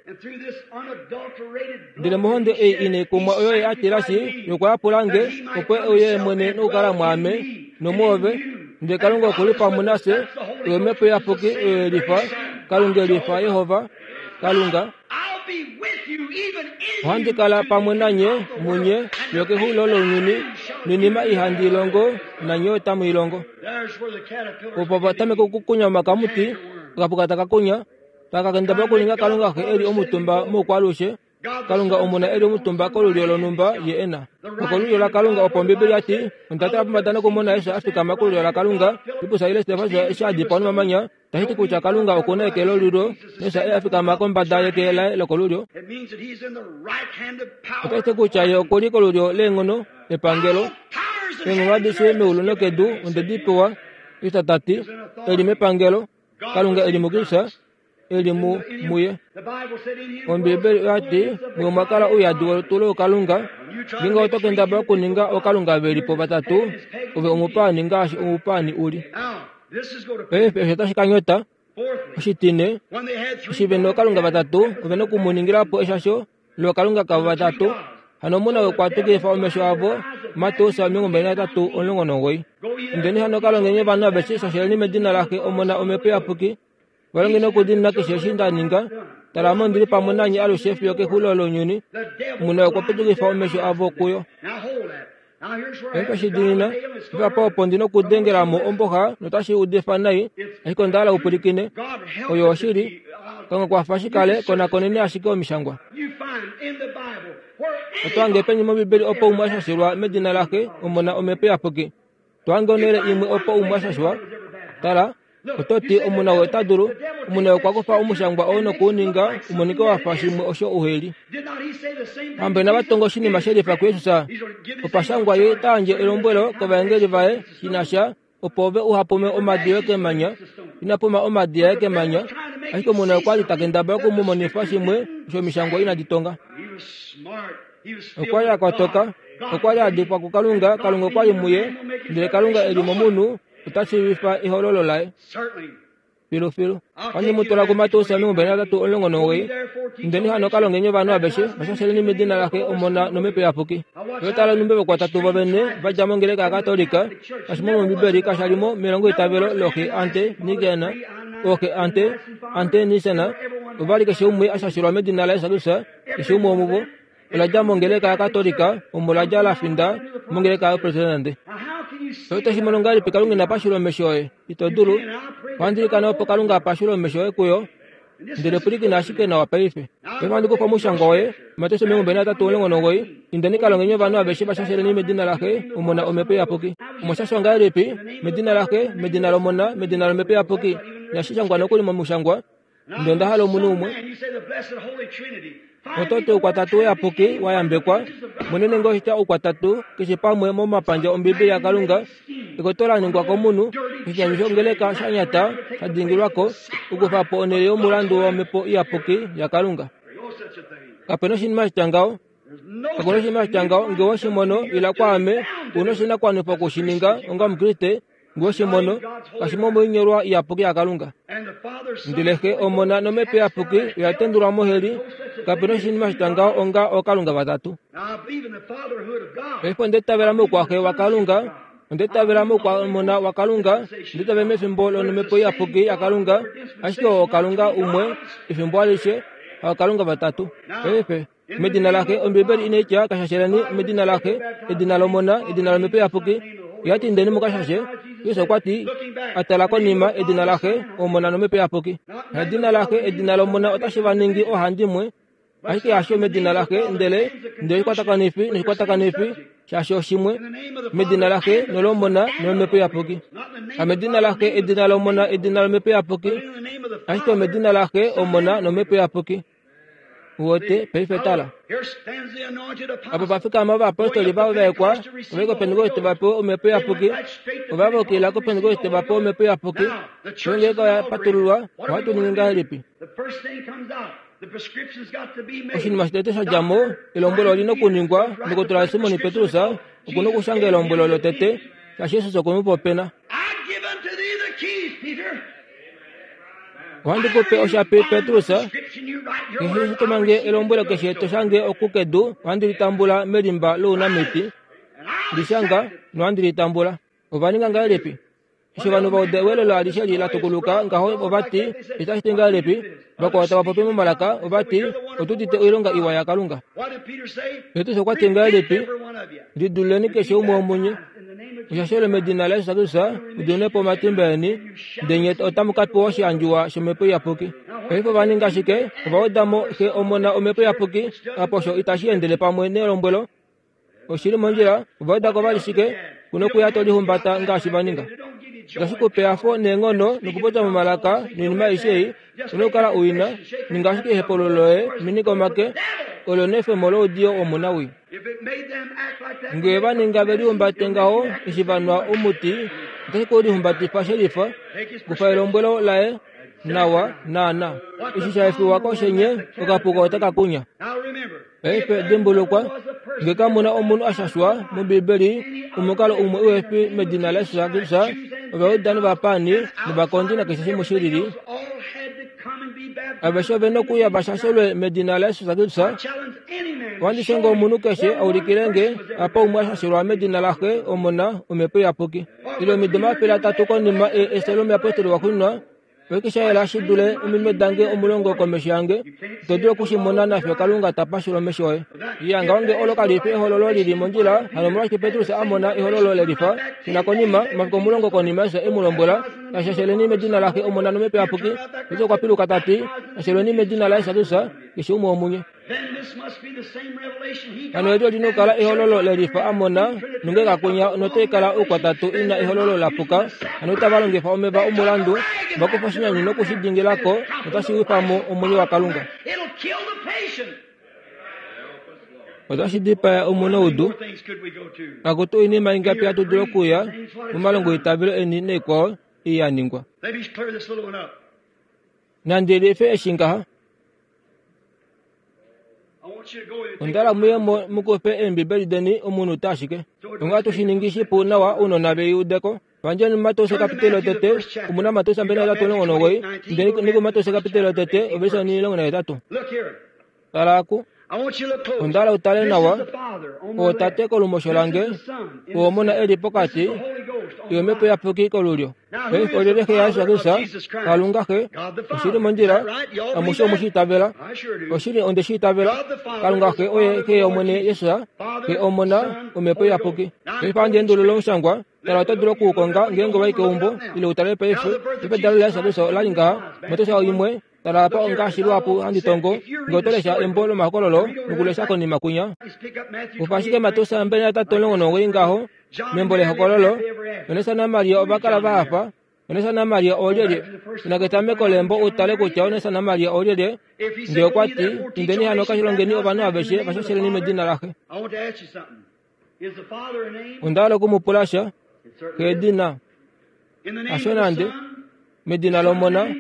Ndele mohonde ei inai kumwa oyo ye a tilashi, ye okwa yapula nge, opo e uye mwene nokukala mwaame nomwoove. Ndele Kalunga oku li pamwe nafye, oyo Omhepo Iyapuki oyo e lifa, Kalunga e lifa, Yehova, Kalunga. Ohandi kala pamwe nanye munye fiyo kexulilo lounyuni, noinima ei handi i longo nanye otamu i longo. Opo va tameka okukunya omakamuti, okapuka taka kunya, taka kendabala okuninga Kalunga Xe e li omutumba moukwaalushe, Kalunga Omona e li omutumba kolulyo lonhumba ye e na. Okolulyo laKalunga opo Ombibeli ya ti, onda tala pombada nokumona Jesus a fikama kolulyo laKalunga, Filippus ile Stefanus eshi a dipawa nomamanya, tashi ti kutya Kalunga oku na eke lolulyo, Jesus e a fikama kombada yeke laye lokolulyo. Otashi ti kutya ye oku li kolulyo leenghono epangelo. Eenghono adishe meulu nokedu onde di pewa, Jesus ta ti, e li mepangelo, Kalunga e li muKristus, e li mu muye. Ombibeli oya ti, muye omwa kala ouyadi wolutu lookalunga. Ngeenge oto kendabala okuninga ookalunga ve li po vatatu, ove omupaani ngaashi omupaani u li. Paife osho otashi ka nyota. Oshitine, eshi ve nookalunga vatatu, ove nokumuningila po eshasho lookalunga kavo vatatu. Hano omuna okwa tukifa omesho avo, Mateus omilongo mbali nahetatu omulongo nomugoyi. Indeni hano ka longeni ovanhu aveshe shasheleni medina laXe, Omona, Omhepo Iyapuki. Va longeni okudiinina keshe eshi nda ninga. Tala, ame ondi li pamwe nanye alushe fiyo kexulilo lounyuni. Omuna okwa putukifa omesho avo kuyo. Paife shi diinina, apa opo ndi nokudengela mo omboxa notashi udifa nai, ashike onda hala u pwilikine. Oyo oshili. Kalunga kwafa shi kale, konakoneni ashike omishangwa. Oto hange peni mOmbibeli opo umwe a shashelwa medina laXe, Omona, Omhepo Iyapuki? To hange onhele imwe opo umwe a shashwa? Tala, oto ti omuna oo ota dulu, omuna okwa kufa omushangwa oo nokuuninga umonike wa fa shimwe osho uhe li. Hamba inava tonga oshinima she lifa kuJesus. Opa shangwa ye ta yandje elombwelo kovaengeli vaye shi na sha opo ove uha pume omadi yoye kemanya. Ina puma omadi aye kemanya, ashike omuna okwa li ta kendabala oku mu monifa shimwe osho omishangwa inadi tonga. Okwa li a kotoka, okwa li a dikwa kuKalunga, Kalunga okwa li muye, ndele Kalunga e li momunhu ota shiivifa ehololo laye. Filufilu. Ohandi mu twala kuMateus omilongo mbali nahatatu omulongo nomugoyi. Indeni hano ka longeni ovanhu aveshe, vashasheleni medina laXe, Omona nOmhepo Iyapuki. Oyo tala onhumbi vokwatatu vovene va dja mongeleka yaKatolika, kashi mo mOmbibeli kasha li mo melongoitavelo looxe ante Nicena, ooxe ante ante Nicena, ova li keshe umwe ashashelwa medina laJesus Kristus, keshe umwe womuvo. Ola dja mongeleka yaKatolika, omo la dja la finda mongeleka yoPresidente. Oto shi mono ngahelipi Kalunga ina pashula omesho oye? Ito dulu. Ohandi ilikana opo Kalunga a pashule omesho oye kuyo. Ndele pwilikina ashike nawa paife. Paife ohandi kufa omushangwa woye, Mateus omilongo mbali nahatatu omulongo nomugoyi. Indeni ka longeni ovanhu aveshe vashasheleni medina laXe, Omona Omhepo Iyapuki. Omwa ngahelipi? Medina laXe, medina lOmona, medina lOmhepo Iyapuki. Inashi shangwa nokuli momushangwa. Ndele onda hala omunhu umwe. Oto ti oukwatatu uyapuki wa yambekwa, monene ngee oshitya oukwatatu keshe pamwe momapandja Ombibeli yaKalunga, ekoto la ningwa komunhu, oshinyanyu shongeleka sha nyata sha dingilwako, okukufa po onhele yomulandu wOmhepo Iyapuki yaKalunga. Kapena oshinima shitya ngaho. Kakuna oshinima shitya ngaho. Ngee owe shi mono, ila kwaame, u na oshinakuwanifwa okushininga onga Omukriste. Ngee owe shi mono, kashi mo moinyolwa iyapuki yaKalunga. Ndele Xe, Omona nOmhepo Iyapuki oya tendulwa moheli. Kapena oshinima shitya ngaho onga ookalunga vatatu. Paife onda itavela moukwaxe waKalunga, onda itavela moukwamona waKalunga, onda itavela mefimbo lOmhepo Iyapuki yaKalunga, ashike oo Kalunga umwe efimbo alishe, haokalunga vatatu. Paife medina laXe, Ombibeli inai tya kashasheleni medina laXe, edina lOmona, edina lOmhepo Iyapuki. Oya ti indeni mukashashe. Jesus okwa ti, a tala konima, edina laXe, Omona nOmhepo Iyapuki. Edina laXe, edina lOmona otashi va ningi oohandimwe, ashike hasho medina laXe, ndele ndele oshikwatakanifi noshikwatakanifi shaashi oshimwe, medina laXe nolOmona nolOmhepo Iyapuki. Hamedina laXe, edina lOmona, edina lOmhepo Iyapuki, ashike omedina laXe, Omona nOmhepo Iyapuki. Uwete, paife tala. Apa pa fikama ovayapostoli va vaekwa, ova i kOpentekoste va pewe Omhepo Iyapuki. Ova vokila kOpentekoste va pewe Omhepo Iyapuki. Ongeleka oya patululwa, ohatu ningi ngahelipi? Oshinima shotete sha dja mo, elombwelo oli na okuningwa, ndokotola Simon Petrus oku na okushanga elombwelo lotete, shaashi Jesus okwe mu popena. Ohandi ku pe oshapi, Petrus, keshe eshi to mange elombwelo keshe to shange oku kedu, ohandi li tambula melimba lounamiti. Li shanga, nohandi li tambula. Ova ninga ngahelipi? Eshi ovanhu va uda ewelelo alishe li la tukuluka ngaho ova ti, itashi ti ngahelipi? Vakwao tava popi momalaka, ova ti, otu udite oilonga iwa yaKalunga. Petrus okwa ti ngahelipi? Lidululeni keshe umwe womunye. Oshashelo medina laJesus Kristus, mu po omatimba eni, ndele nye otamu ka pewa oshiandjuwa shOmhepo Iyapuki. Paife ova ninga shike? Ova weda mo Xe, Omona, Omhepo Iyapuki, apa osho itashi endele pamwe nelombwelo. Oshili mondjila, ova weda ko vali shike? Kuna okuya to lihumbata ngaashi va ninga. Itashi ku pe ehafo neenghono nokupopya momalaka noinima aishe ei, una okukala u ina, ninga ashike ehepululo loye, minika omake, olo nefemo loudiyo womunawii. Ngee va ninga ve lihumbate ngaho eshi va nwa omuti, otashi ku lihumbatifa shelifa, kufa elombwelo laye nawa naana. Eshi sha efiwa koshenye, okapuka otaka kunya. Paife dimbulukwa, ngee kamu na omunhu a shashwa mOmbibeli omukalo umwe uhe fi medina laJesus Kristus, Ovajuda novapaani novakondi nakeshe shimwe shilili, aveshe ove na okuya va shashelwe medina laJesus Kristus. Ohandi shongo omunhu keshe a ulikile nge apa umwe a shashelwa medina laXe, Omona, Omhepo Iyapuki. Ile omido omafele atatu konima efyo lomuyapostoli waxuuninwa, oshike sha yela shi dule ominwe dange omulongo komesho yange? Ito dulu okushimona nafyo Kalunga ta pashula omesho oye. Iya, ngaho ngee olo kali fi ehololo lili mondjila, hano omolwashike Petrus a mona ehololo lelifa? Shuna konima, omafiku omulongo konima Jesus e mu lombwela, Shasheleni medina laXe, Omona nOmhepo Iyapuki. Petrus okwa piluka ta ti, Shashelweni medina laJesus Kristus, keshe umwe womunye. Hano eli oli na okukala ehololo lelifa a mona, nonge kakunya notai kala oukwatatu ina ehololo la puka. Hano otava longifa omeva omulandu, va kufa oshinyanyu noku shi dingila ko, notashi wifa mo omwenyo waKalunga. Otashi dipaya omunaudu. Akutu oinima ingapi hatu dulu okuya momalongoitavelo eni naikwao ei ya ningwa. Nandi life eshi ngaha. Onda hala muye mo mu kufe eembibeli deni omunute ashike. Onga hatu shi ningi shipu nawa ounona ve i ude ko. Vanjeni Mateus capítulo tete, omuna Mateus mbali nahetatu omulongo nomugoyi, indeni niku Mateus capítulo tete, ovelise onimulongo nahetatu. Tala aku. Onda hala utale nawa, ootate kolumosho lange, oomona eli pokati, yomhepo iyapuki kolulyo. Paife olyelye xe yaJesus Kristus? Kalunga Xe. Oshili mondjila, amushe omu shi itavela. Oshili onde shi itavela. Kalunga Xe oye Xe yOmwene Jesus, Xe Omona, Omhepo Iyapuki. Paife ohandi endulula omushangwa, tala oto dulu okuukonga ngeenge wa i keumbo, ile utale paife. Paife edalo laJesus Kristus ola li ngaha, Mateus imwe, tala apa ongaashi luhapu handi tongo, ngee oto lesha embo lomahokololo nokulesha konima kwinya. Kufa ashike Mateus mbali nahetatu omulongo nomugoyi ngaho, membo lehokololo, Johannes naMaria ova kala va hafa. Johannes naMaria oolyelye? Ina ketameko lembo utale kutya Johannes naMaria oolyelye. Ngee okwa ti, indeni hano ka longeni ovanhu aveshe vashasheleni medina laxe. Onda hala okumupula sha, keedina. Hasho nande, medina lOmona,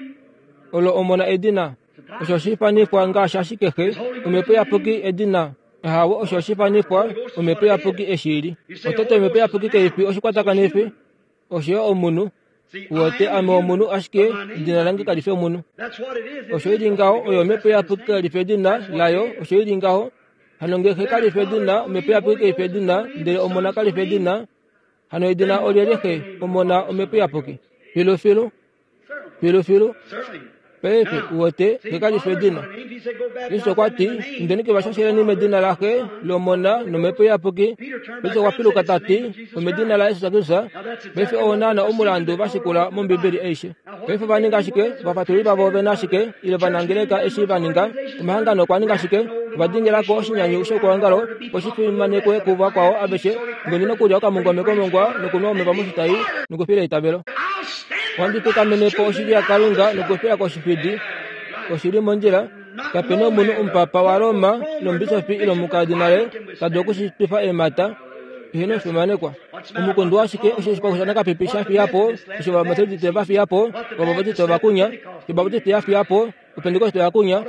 olo Omona edina. Osho oshifanifwa ngaashi ashike Xe, Omhepo Iyapuki edina. Ahawe, osho oshifanifwa Omhepo Iyapuki eshili. Otete Omhepo Iyapuki kaifi oshikwatakanifi, osho omunhu. Uwete ame omunhu ashike edina lange kali fi omunhu. Osho ili ngaho oyo Omhepo Iyapuki kali fi edina layo, osho ili ngaho. Hano ngee Xe kali fi edina, Omhepo Iyapuki kali fi edina, ndele Omona kali fi edina, hano edina olyelye Xe, Omona, Omhepo Iyapuki? Filu filu, filu filu. Paife uwete Xe kali fi edina. Jesus okwa ti, indeni kevashasheleni medina laXe, lOmona nOmhepo Iyapuki. Petrus okwa piluka ta ti, omedina laJesus Kristus. Paife oo naana omulandu va shikula mOmbibeli aishe. Paife ova ninga ashike, ovafatululi vavo ovena ashike, ile ovanangeleka eshi va ninga, omahangano okwa ninga ashike, ova dingilako oshinyanyu shoukwaongalo, opo shi fimanekwe kuvakwao aveshe, ngeno nokulya okamungome komongwa nokunwa omeva moshitai nokufila eitavelo. Ohandi fikamene po oshili yaKalunga nokufila koshifidi. Oshili mondjila, kapena omunhu omupapa waRoma nomubishofi ile omukadinale ta dulu okushitwifa eemhata eheno fimanekwa. Omukundu ashike osho oshipakushanakapipi sha fiya po, osho Ovametodiste va fiya po, Ovabatiste ovakunya, Obabatiste ya fiya po, Opentekoste oyakunya,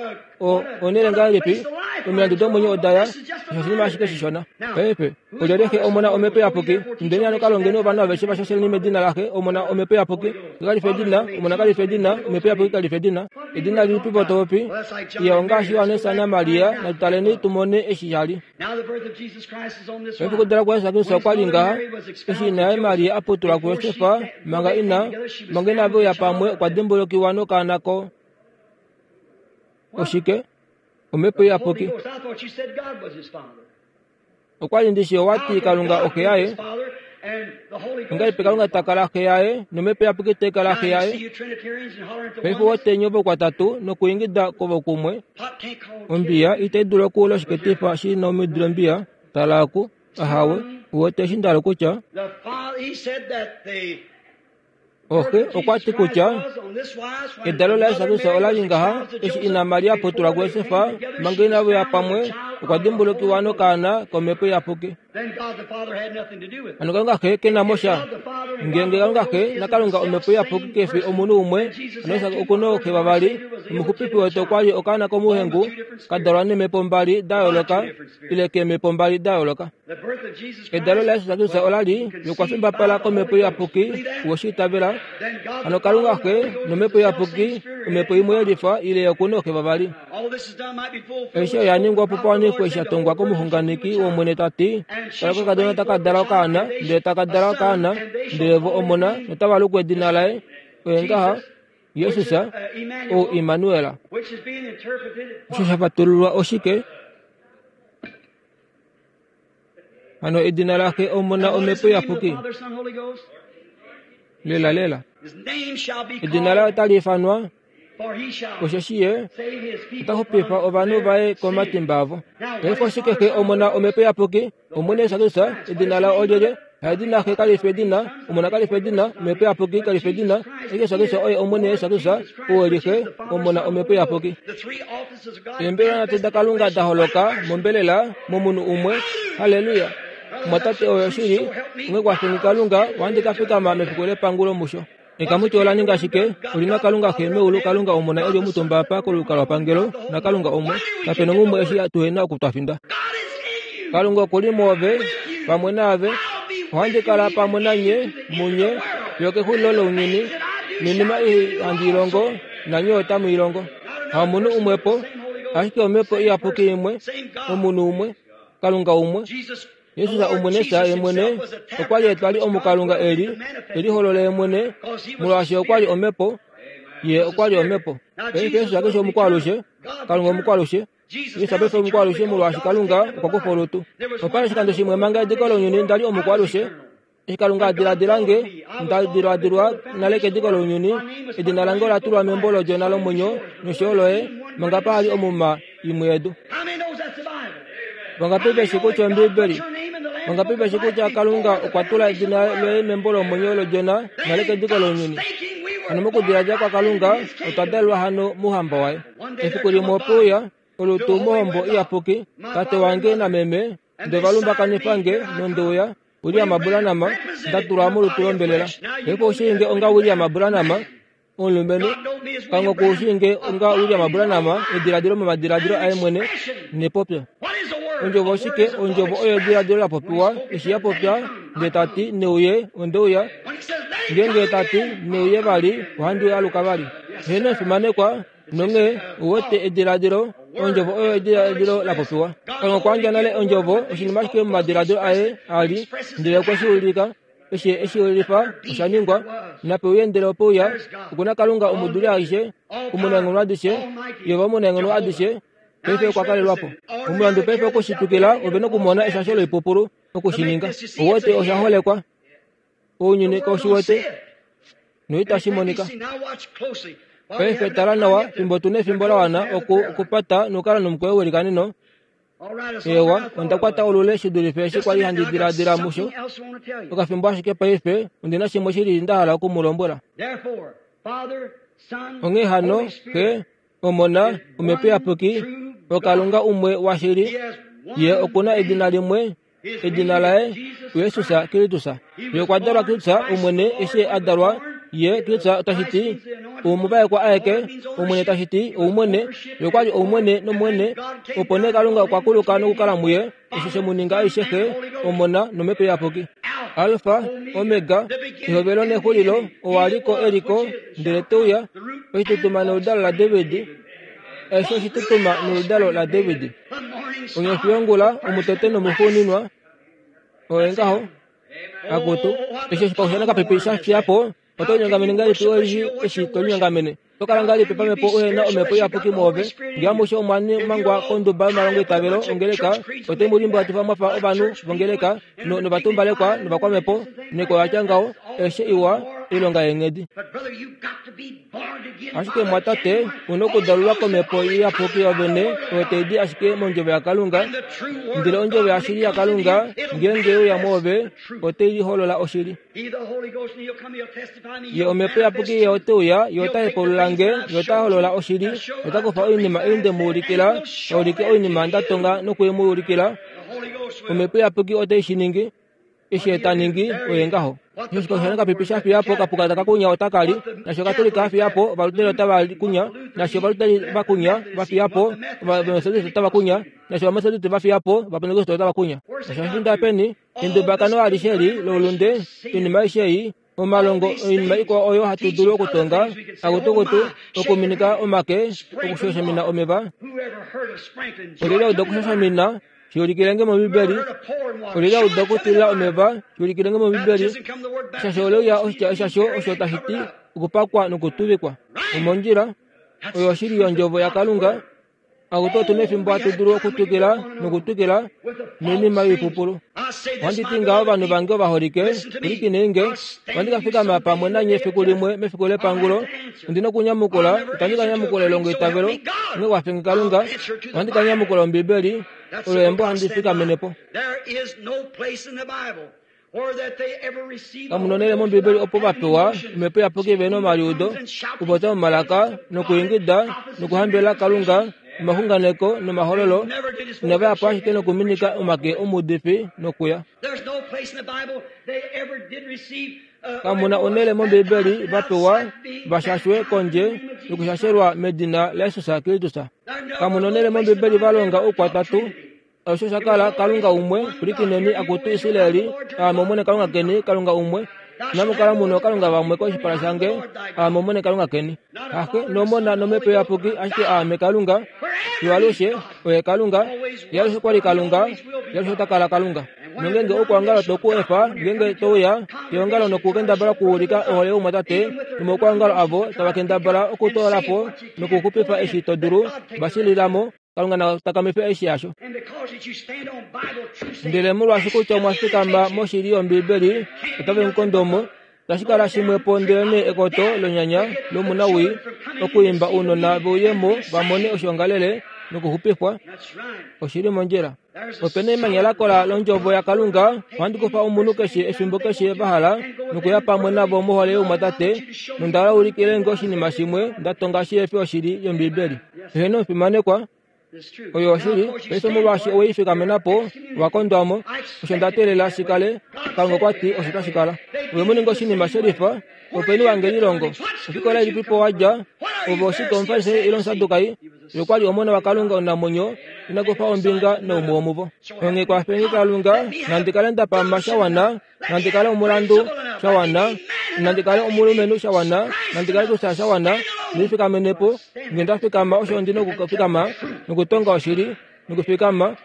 onele ngahelipi, omilandu domwenyo odaya, osho oshinima ashike shishona. Paife, olyelye Xe, Omona, Omhepo Iyapuki? Indeni hano ka longeni ovanhu aveshe vashasheleni medina laXe, Omona, Omhepo Iyapuki. Xe kali fi edina, Omona kali fi edina, Omhepo Iyapuki kali fi edina. Edina lilipi po topopi? Iya ongaashi Johannes naMaria, natu tumone eshi sha li. Paife okudala kwaJesus Kristus okwa li ngaha, eshi ina yaye Maria a putulwa kuJosef, manga ina, manga inave uya pamwe okwa dimbulukiwa nokaana ko oshike? Omhepo Iyapuki. Okwa li ndishi owa ti Kalunga oxe yaye. Ongahelipi Kalunga ta kala xe yaye nOmhepo Iyapuki tai kala xe yaye? Paife wotenyo vokwatatu nokuingida kwovokumwe. Ombiya itai dulu okuula oshiketifa shi na omidilo mbiya. Tala aku, ahawe, uwete eshi nda hala okutya? Oxe okwa ti kutya edalo laJesus Kristus ola li ngaha, eshi ina Maria putulwa kuJosef, manga inave uya pamwe, okwa dimbulukiwa nokaana kOmhepo Iyapuki. Hano Kalunga Xe ke na mo sha. Ngeenge Kalunga Xe naKalunga Omhepo Iyapuki ke fi omunhu umwe, hano Jesus oku na ooxe vavali. Omuxupifi wetu okwa li okaana komuhengu, ka dalwa neemhepo mbali da yooloka, ile keemhepo mbali da yooloka. Edalo laJesus Kristus ola li lokwafimbapala kOmhepo Iyapuki, weshi itavela. Hano Kalunga Xe nOmhepo Iyapuki, omhepo imwe yelifa ile oku na ooxe vavali. Aishe oya ningwa opo pawanifwe eshi sha tongwa komuxunganeki wOmwene ta ti, tala okakadona taka dala okaana, ndele taka dala okaana, ndele vo omona notava luku edina laye, oye ngaha, Jesus, ou Immanuel. Osho sha fatululwa oshike? Hano edina laXe, Omona, Omhepo Iyapuki. Lela lela. Edina laye otali ifanwa, osheshi ye ota xupifa ovanhu vaye komatimba avo. Paife oshike Xe, Omona, Omhepo Iyapuki? Omwene Jesus Kristus, edina laye olyelye? Haedina Xe kali fi edina, Omona kali fi edina, Omhepo Iyapuki kali fi edina. Jesus Kristus oye Omwene Jesus Kristus, ou e li Xe, Omona, Omhepo Iyapuki. Eembelewa nhatu daKalunga da holoka mombelela momunhu umwe. Halleluya! Omwatate oyo oshili, onghee kwafeni Kalunga, ohandi ka fikama mefiku lepangulo musho. Ekamuti ola ninga ashike, oli na Kalunga Xe meulu, Kalunga Omona e li omutumba apa kolukalwapangelo, naKalunga umwe. Kape nongumwe eshi tuhena oku twa finda. Kalunga oku li mwoove, pamwe naave. Ohandi kala pamwe nanye, munye, Fiyo kexulilo lounyuni, noinima ei handi ilongo, nanye otamu ilongo. Hamunhu umwepo, ashike omhepo iyapuki imwe, omunhu umwe, Kalunga umwe. Jesus omwene ye mwene okwa li etwali omukalunga eli eliholole ye mwene, molwaashi okwa li omhepo, ye okwa li omhepo. Paife Jesus keshe omukwalushe, Kalunga omukwalushe. Jesus paife omukwalushe molwaashi Kalunga okwa kufa olutu. Opa li oshikando shimwe manga ediko lounyuni nda li omukwalushe. Eshi Kalunga a diladila nge, nda diladilwa nale kediko lounyuni, edina lange ola tulwa membo lodjona lomwenyo nosho yo loye, manga pa li omuma imwe yedu. Vangapi veshi kutya Ombiibeli? Vangapi veshi kutya Kalunga okwa tula edina loye membo lomwenyo lodjona nale kediko lounyuni? Hano mokudiladila kwaKalunga otwa dalelwa hano mouhamba waye. Efiku limwe ope uya olutu mohombo iyapuki, tate wange nameme nde valumbakanifa nge nondeuya William Branham, nda tulwa molutu lombelela. Paife ushiinge onga William Branham omulumenhu, Kalunga okushiinge onga William Branham ediladilo momadiladilo aye mwene nepopyo. Ondjovo oshike? Ondjovo oyo ediladilo la popiwa, eshi ya popya ndee tati neuye, ondeuya. Ngeenge tati neuye vali, ohandi aluka vali. Heeno efimanekwa, nonghee uwete ediladilo, ondjovo oyo ediladilo la popiwa. Kalunga okwa yandja nale ondjovo, oshinima ashike momadiladilo aye a li, ndele okwe shi ulika. Eshi eshi ulifa osha ningwa, nape uye ndele ope uya. Okuna Kalunga omuduli aishe, omunaenghono adishe, Yehova omunaenghono adishe, paife okwa kalelwa po. Omulandu paife okushitukila ove nokumona eshasho loipupulu okushininga. Ouwete osha holekwa, ounyuni kaushiwete noitashi monika. Paife tala nawa fimbo tuna efimbo la wana oku okupata nokukala nomukweyo welikaneno. Ewa, onda kwata olule shi dulife eshi kwali handi diladila musho. Okafimbo ashike paife ondina shimwe shili nda hala oku mu lombwela. Onghee hano, Xe, Omona, Omhepo Iyapuki, oKalunga umwe washili, ye okuna edina limwe, edina laye Jesus Kristus. Ye okwa dalwa Kristus Omwene eshi a dalwa, ye Kristus otashi ti omuvaekwa aeke, Omwene tashi ti oumwene, ye okwa li oumwene nomwene, opo nee Kalunga okwa kuluka nokukala muye, osho she mu ninga aishe Xe, Omona nOmhepo Iyapuki. Alfa, Omega, ehovelo nexulilo, owa liko eliko, ndele te uya, oshitutuma noludalo laDavid, aishe oshitutuma noludalo laDavid. Onyofi yongula, omutote nomuxuuninwa, oye ngaho, akutu, eshi oshikaushana kapipi sha fiya po, oto linyongamene ngahelipi eshi eshi to linyongamene? Oto kala ngahelipi pamhepo uhena omhepo iyapuki mwoove? Ngee amushe omwa mangwa konduba yomalongo eitavelo ongeleka, ote mu limbwatifa mwafa ovanhu vongeleka, novatumbalekwa novakwamhepo, neko yatya ngaho, aishe iwa, oilonga yeenghedi. Ashike mwatate, una okudalulwa komhepo iyapuki yovene oyo tai di ashike mondjovo yaKalunga, ndele ondjovo yashili yaKalunga ngeenge uya mwoove, otai liholola oshili. Ye omhepo iyapuki ye ote uya, ye ota hepaulula nge, ye ota holola oshili, ota kufa oinima ei nde mu ulikila, aulike oinima nda tonga noku mu ulikila. Omhepo iyapuki otai shi ningi. Eshi ye ta ningi, oye ngaho. Eshi oshikaushana kapipi sha fiya po, kapuka taka kunya otaka li, nashi Okatolika a fiya po, Ovaluteri otava kunya, nashi Ovaluteri va kunya, va fiya po, Ovametodiste otava kunya, nashi Ovametodiste va fiya po, Ovapentekoste otava kunya. Osha finda peni, endubakano alishe eli loulunde, oinima aishe ei, omalongo oinima ikwao oyo hatu dulu okutonga, akutukutu, okuminika omake, okushoshamina omeva. Olyelye auda okushoshamina? Shiulikilenge mOmbibeli. Olyelye auda okutilila omeva? Shiulikilenge mOmbibeli. Eshasho ole uya oshitya eshasho osho tashi ti okupakwa nokutuvikwa. Omondjila oyo oshili yondjovo yaKalunga. Akutu otu na efimbo hatu dulu okutwikila nokutwikila noinima yoipupulu. Ohandi ti ngaho ovanhu vange ovaholike, pwilikinei nge, ohandi ka fikama pamwe nanye efiku limwe mefiku lepangulo. Ondi na okunyamukula, itandi ka nyamukula elongo eitavelo, onghee kwafenge Kalunga, ohandi ka nyamukula Ombibeli, olo embo handi fikamene po. Kamu na onhele mOmbibeli opo va pewa omhepo iyapuki ve nomaliudo, okupopya momalaka, nokuingida, nokuhambelela Kalunga, omaxunganeko nomahololo, inava ya po ashike nokuminika omake omuudifi nokuya. Kamu na onhele mOmbibeli va pewa va shashwe kondje yokushashelwa medina laJesus Kristus. Kamu na onhele mOmbibeli va longa oukwatatu. Osho sha kala Kalunga umwe, pwilikineni akutu Israeli, aame Omwene Kalunga keni, Kalunga umwe. Inamu kala muna ookalunga vamwe koshipala shange, aame Omwene Kalunga keni. Ahe nomona nomhepo iyapuki, ashike aame Kalunga. Fiyo alushe oye Kalunga, ye alushe okwa li Kalunga, ye alushe ota kala Kalunga. Nongenge oukwaongalo to ku efa, ngenge to uya keongalo nokukendabala okuulika ohole youmwatate, nomaukwaongalo avo tava kendabala okutoola po nokuxupifa eshi to dulu, va shilila mo, Kalunga na takamife eshi yasho. Ndele molwaashi kutya omwa fikama moshili yOmbibeli, otave mu kondo mo, tashi kala shimwepo ndelenee ekoto lonyanya lomunawii okuimba ounona veuye mo va mone oshiongalele nokuxupifwa. Oshili mondjila. Ope na emanya lakola londjovo yaKalunga, ohandi kufa omunhu keshe efimbo keshe va hala nokuya pamwe navo mohole youmwatate, nonda hala ulikile nge oshinima shimwe nda tonga shihefi oshili yOmbibeli. Eheno omufimanekwa, oyo oshili, paife molwaashi oweifikamena po, owa kondwa mo, osho nda teelela shi kale, Kalunga okwa ti osho tashi kala. Ove mu ninga oshinima shelifa, openi wange lilongo, ofikola ilipipo wa dja, ove oshike Omufarisai ile Omusadukai, ye okwa li omona waKalunga omunamwenyo, ina kufa ombinga naumwe womuvo. Onghee kwafenge Kalunga, nandi kale nda pama sha wana, nandi kale omulandu sha wana, nandi kale omulumenhu sha wana, nandi kale Kristus sha wana, ndifikamene po, nge nda fikama osho ndi nokufikama, nokutonga oshili, nokufikama,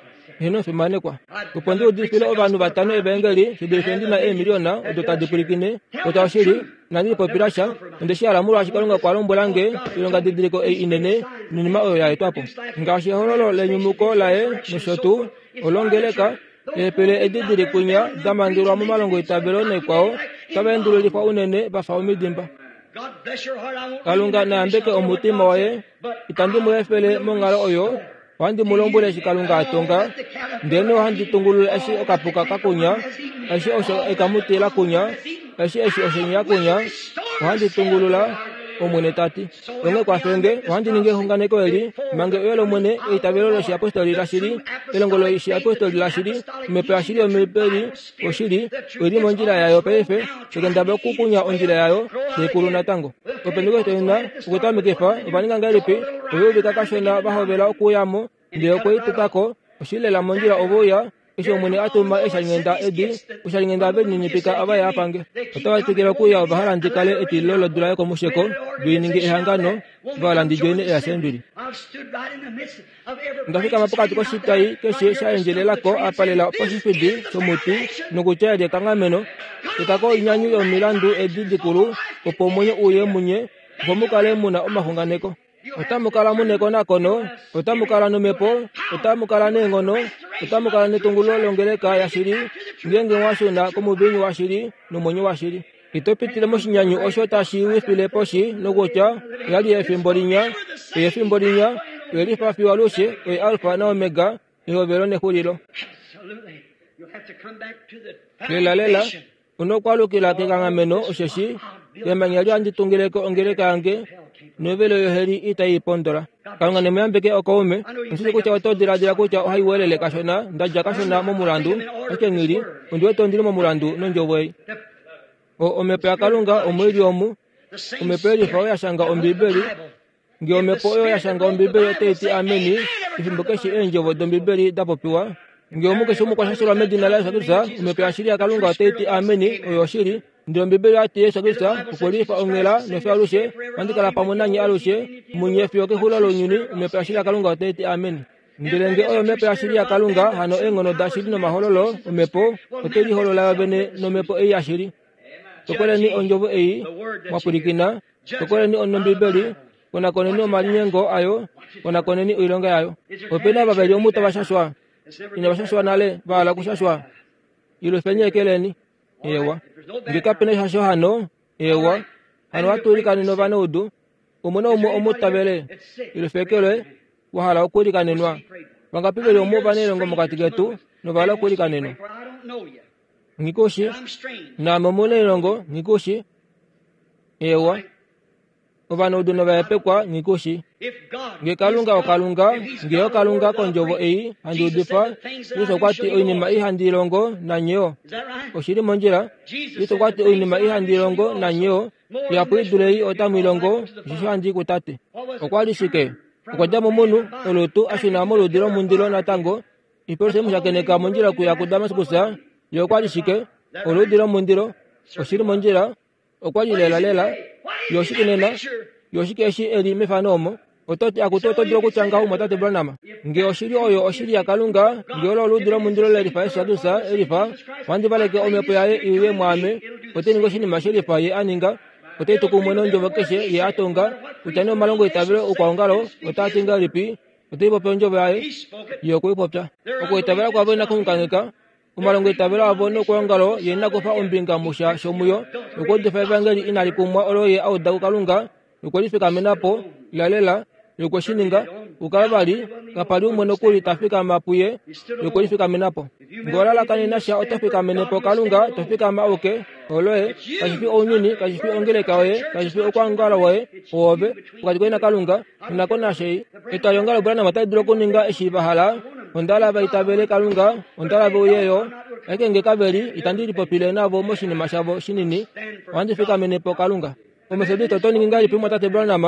eheno fimanekwa. Opo ndi udifile ovanhu vatano evaengeli, shi dulife ndi na eemiliona odo tadi pwilikine, kutya oshili, inandi lipopila sha, onde shi hala molwaashi Kalunga okwa lombwela nge oilongadidiliko ei inene noinima oyo ya etwa po. Ngaashi ehololo lenyumuko laye nosho tuu, olongeleka, eepele edi dili kwinya da mangelwa momalongo itavelo naikwao, otava endululifwa unene va fa omidimba. Kalunga na yambeke omutima waye, itandi mu efele monghalo oyo, ohandi mu lombwele eshi Kalunga a tonga, ndele ohandi tungulula eshi okapuka ka kunya, eshi osho ekamuti la kunya, eshi eshi oshenye ya kunya, ohandi tungulula, Omwene ta ti. Onghee kwafenge, ohandi ningi exunganeko eli, mange uye lOmwene, eitavelo loshiapostoli lashili, elongo loshiapostoli lashili, omhepo yashili yOmbibeli oshili, oili mondjila yayo paife, tekendabala okukunya ondjila yayo, taikulu natango. Opentekoste ina okutamekifa, ova ninga ngahelipi? Ove uvika kashona va hovela okuuya mo, ndele okwe i tuta ko, oshilela mondjila ove uya, eshi Omwene a tuma eeshalinghenda edi, oshalinghenda ve lininipika ava ye a pange. Otava twikile okuuya ova hala ndi kale etililo lodula yokomusheko, ve ninge ehangano, va hala ndi djoine eassembly. Onda fikama pokati koshitai keshe sha endjelelako apa lela poshifidi shomuti nokutya eli ekanghameno, teta ko oinyanyu yomilandu edi dikulu opo omwenyo uye munye, opo mu kale mu na omaxunganeko. Otamu kala mu nekonakono, otamu kala nomhepo, otamu kala neenghono, otamu kala netungululo longeleka yashili, ngeenge mwa shuna komuviinyu washili nomwenyo washili. Ito pitile moshinyanyu osho tashi wifile poshi nokutya oya li efimbo linya, oye efimbo linya, oye lifa fiyo alushe, oye Alfa naOmega, ehovelo nexulilo. Lela lela, una okwaalukila kekanghameno osheshi emanya li handi tungileko ongeleka yange, novelo yoheli itai pondola. Kalunga ne mu yambeke okaume. Ondi kutya oto diladila kutya ohai welele kashona, nda dja kashona momulandu, ashike nghili, ondi wete ondili momulandu nondjovo ei. O omhepo yaKalunga omo ili omu, omhepo yelifa oyo ya shanga Ombibeli. Nge omhepo oyo ya shanga Ombibeli otai ti ameni, efimbo keshe eendjovo dOmbibeli da popiwa, nge omu keshe umwe okwa shashelwa medina laJesus Kristus, omhepo yashili yaKalunga otai ti ameni, oyo oshili. Ndele Ombibeli oya ti Jesus Kristus okwe lifa onghela nofyo alushe, ohandi kala pamwe nanye alushe, munye fiyo kexulilo lounyuni, omhepo yashili yaKalunga otai ti ameni. Ndele nge oyo omhepo yashili yaKalunga, hano eenghono dashili nomahololo omhepo ote liholola yo vene nomhepo ei yashili. Tokoleni ondjovo ei mwa pwilikina, tokoleni oNombibeli, konakoneni omalinyengo ayo, konakoneni oilonga yayo. Ope na vavali omu tava shashwa, inava shashwa nale, va hala okushashwa. Ilufeni ekeleni. Ewa. Nge kape na shasho hano, ewa. Hano ohatu ilikanene ovanaudu. Umwe naumwe omu tavele. Ilufekelwe, wa hala okuilikanenwa. Vangapi veli omu ovanailongo mokati ketu nova hala okuilikanenwa? Nghikushi, naame omunailongo, nghikushi. Ewa. Ovanaudu novahepekwa, nghikushi. Nge Kalunga oKalunga, nge oKalunga kondjovo ei handi udifa, Jesus okwa ti oinima ei handi longo nanye oshili mondjila. Jesus okwa ti oinima ei handi longo nanye ihapu i dule ei otamu i longo, osheshi handi i kuTate. Okwa li shike? Okwa dja momunhu, olutu, a shuna moludi lomundilo natango. Ipelusa mushakeneka mondjila okuya kuDamaskus, ye okwa li shike? Oludi lomundilo. Oshili mondjila okwa li lela lela yoshike nena yoshike eshi eli mefano omo ototi akutu oto dulu okutya ngaho mwatate Branham nge oshili oyo oshili yaKalunga nge olo oludi lomundilo lelifa Yesu Kristus elifa wandivaleke omhepo yaye iuye mwaame ote ninga oshinima shelifa ye a ninga ote tu kumwe nondjovo keshe ye a tonga kutya nee omalongo itavelo okwaongalo otaa ti ngahelipi ote popya ondjovo yaye ye okwe i popya okuitavela kwavo ina kuunganeka omalongo itavelo avo nokwaongalo ye ina kufa ombinga musha shomuyo okuudifa evangeli inali kumwa olo ye a uda kuKalunga nokwelifikamena po lalela yokweshininga kukala vali kapali umwe nokuli tafikama puye yokwelifikamena po ngolalakanena sha oto fikamene po Kalunga to fikama auke oloye kashi fi ounyuni kashi fi ongeleka yoye kashi fi okwaongalo woye oove pokati koye naKalunga inako nashei etwaliongalo Branham otali dulu okuninga eshi va hala ondala va itavele Kalunga ondala veuyeyo ashike nge kaveli itandi lipopile navo moshinima shavo shinini ohandi fikamene po Kalunga Omethodist oto ningi ngahelipi mwatate Branham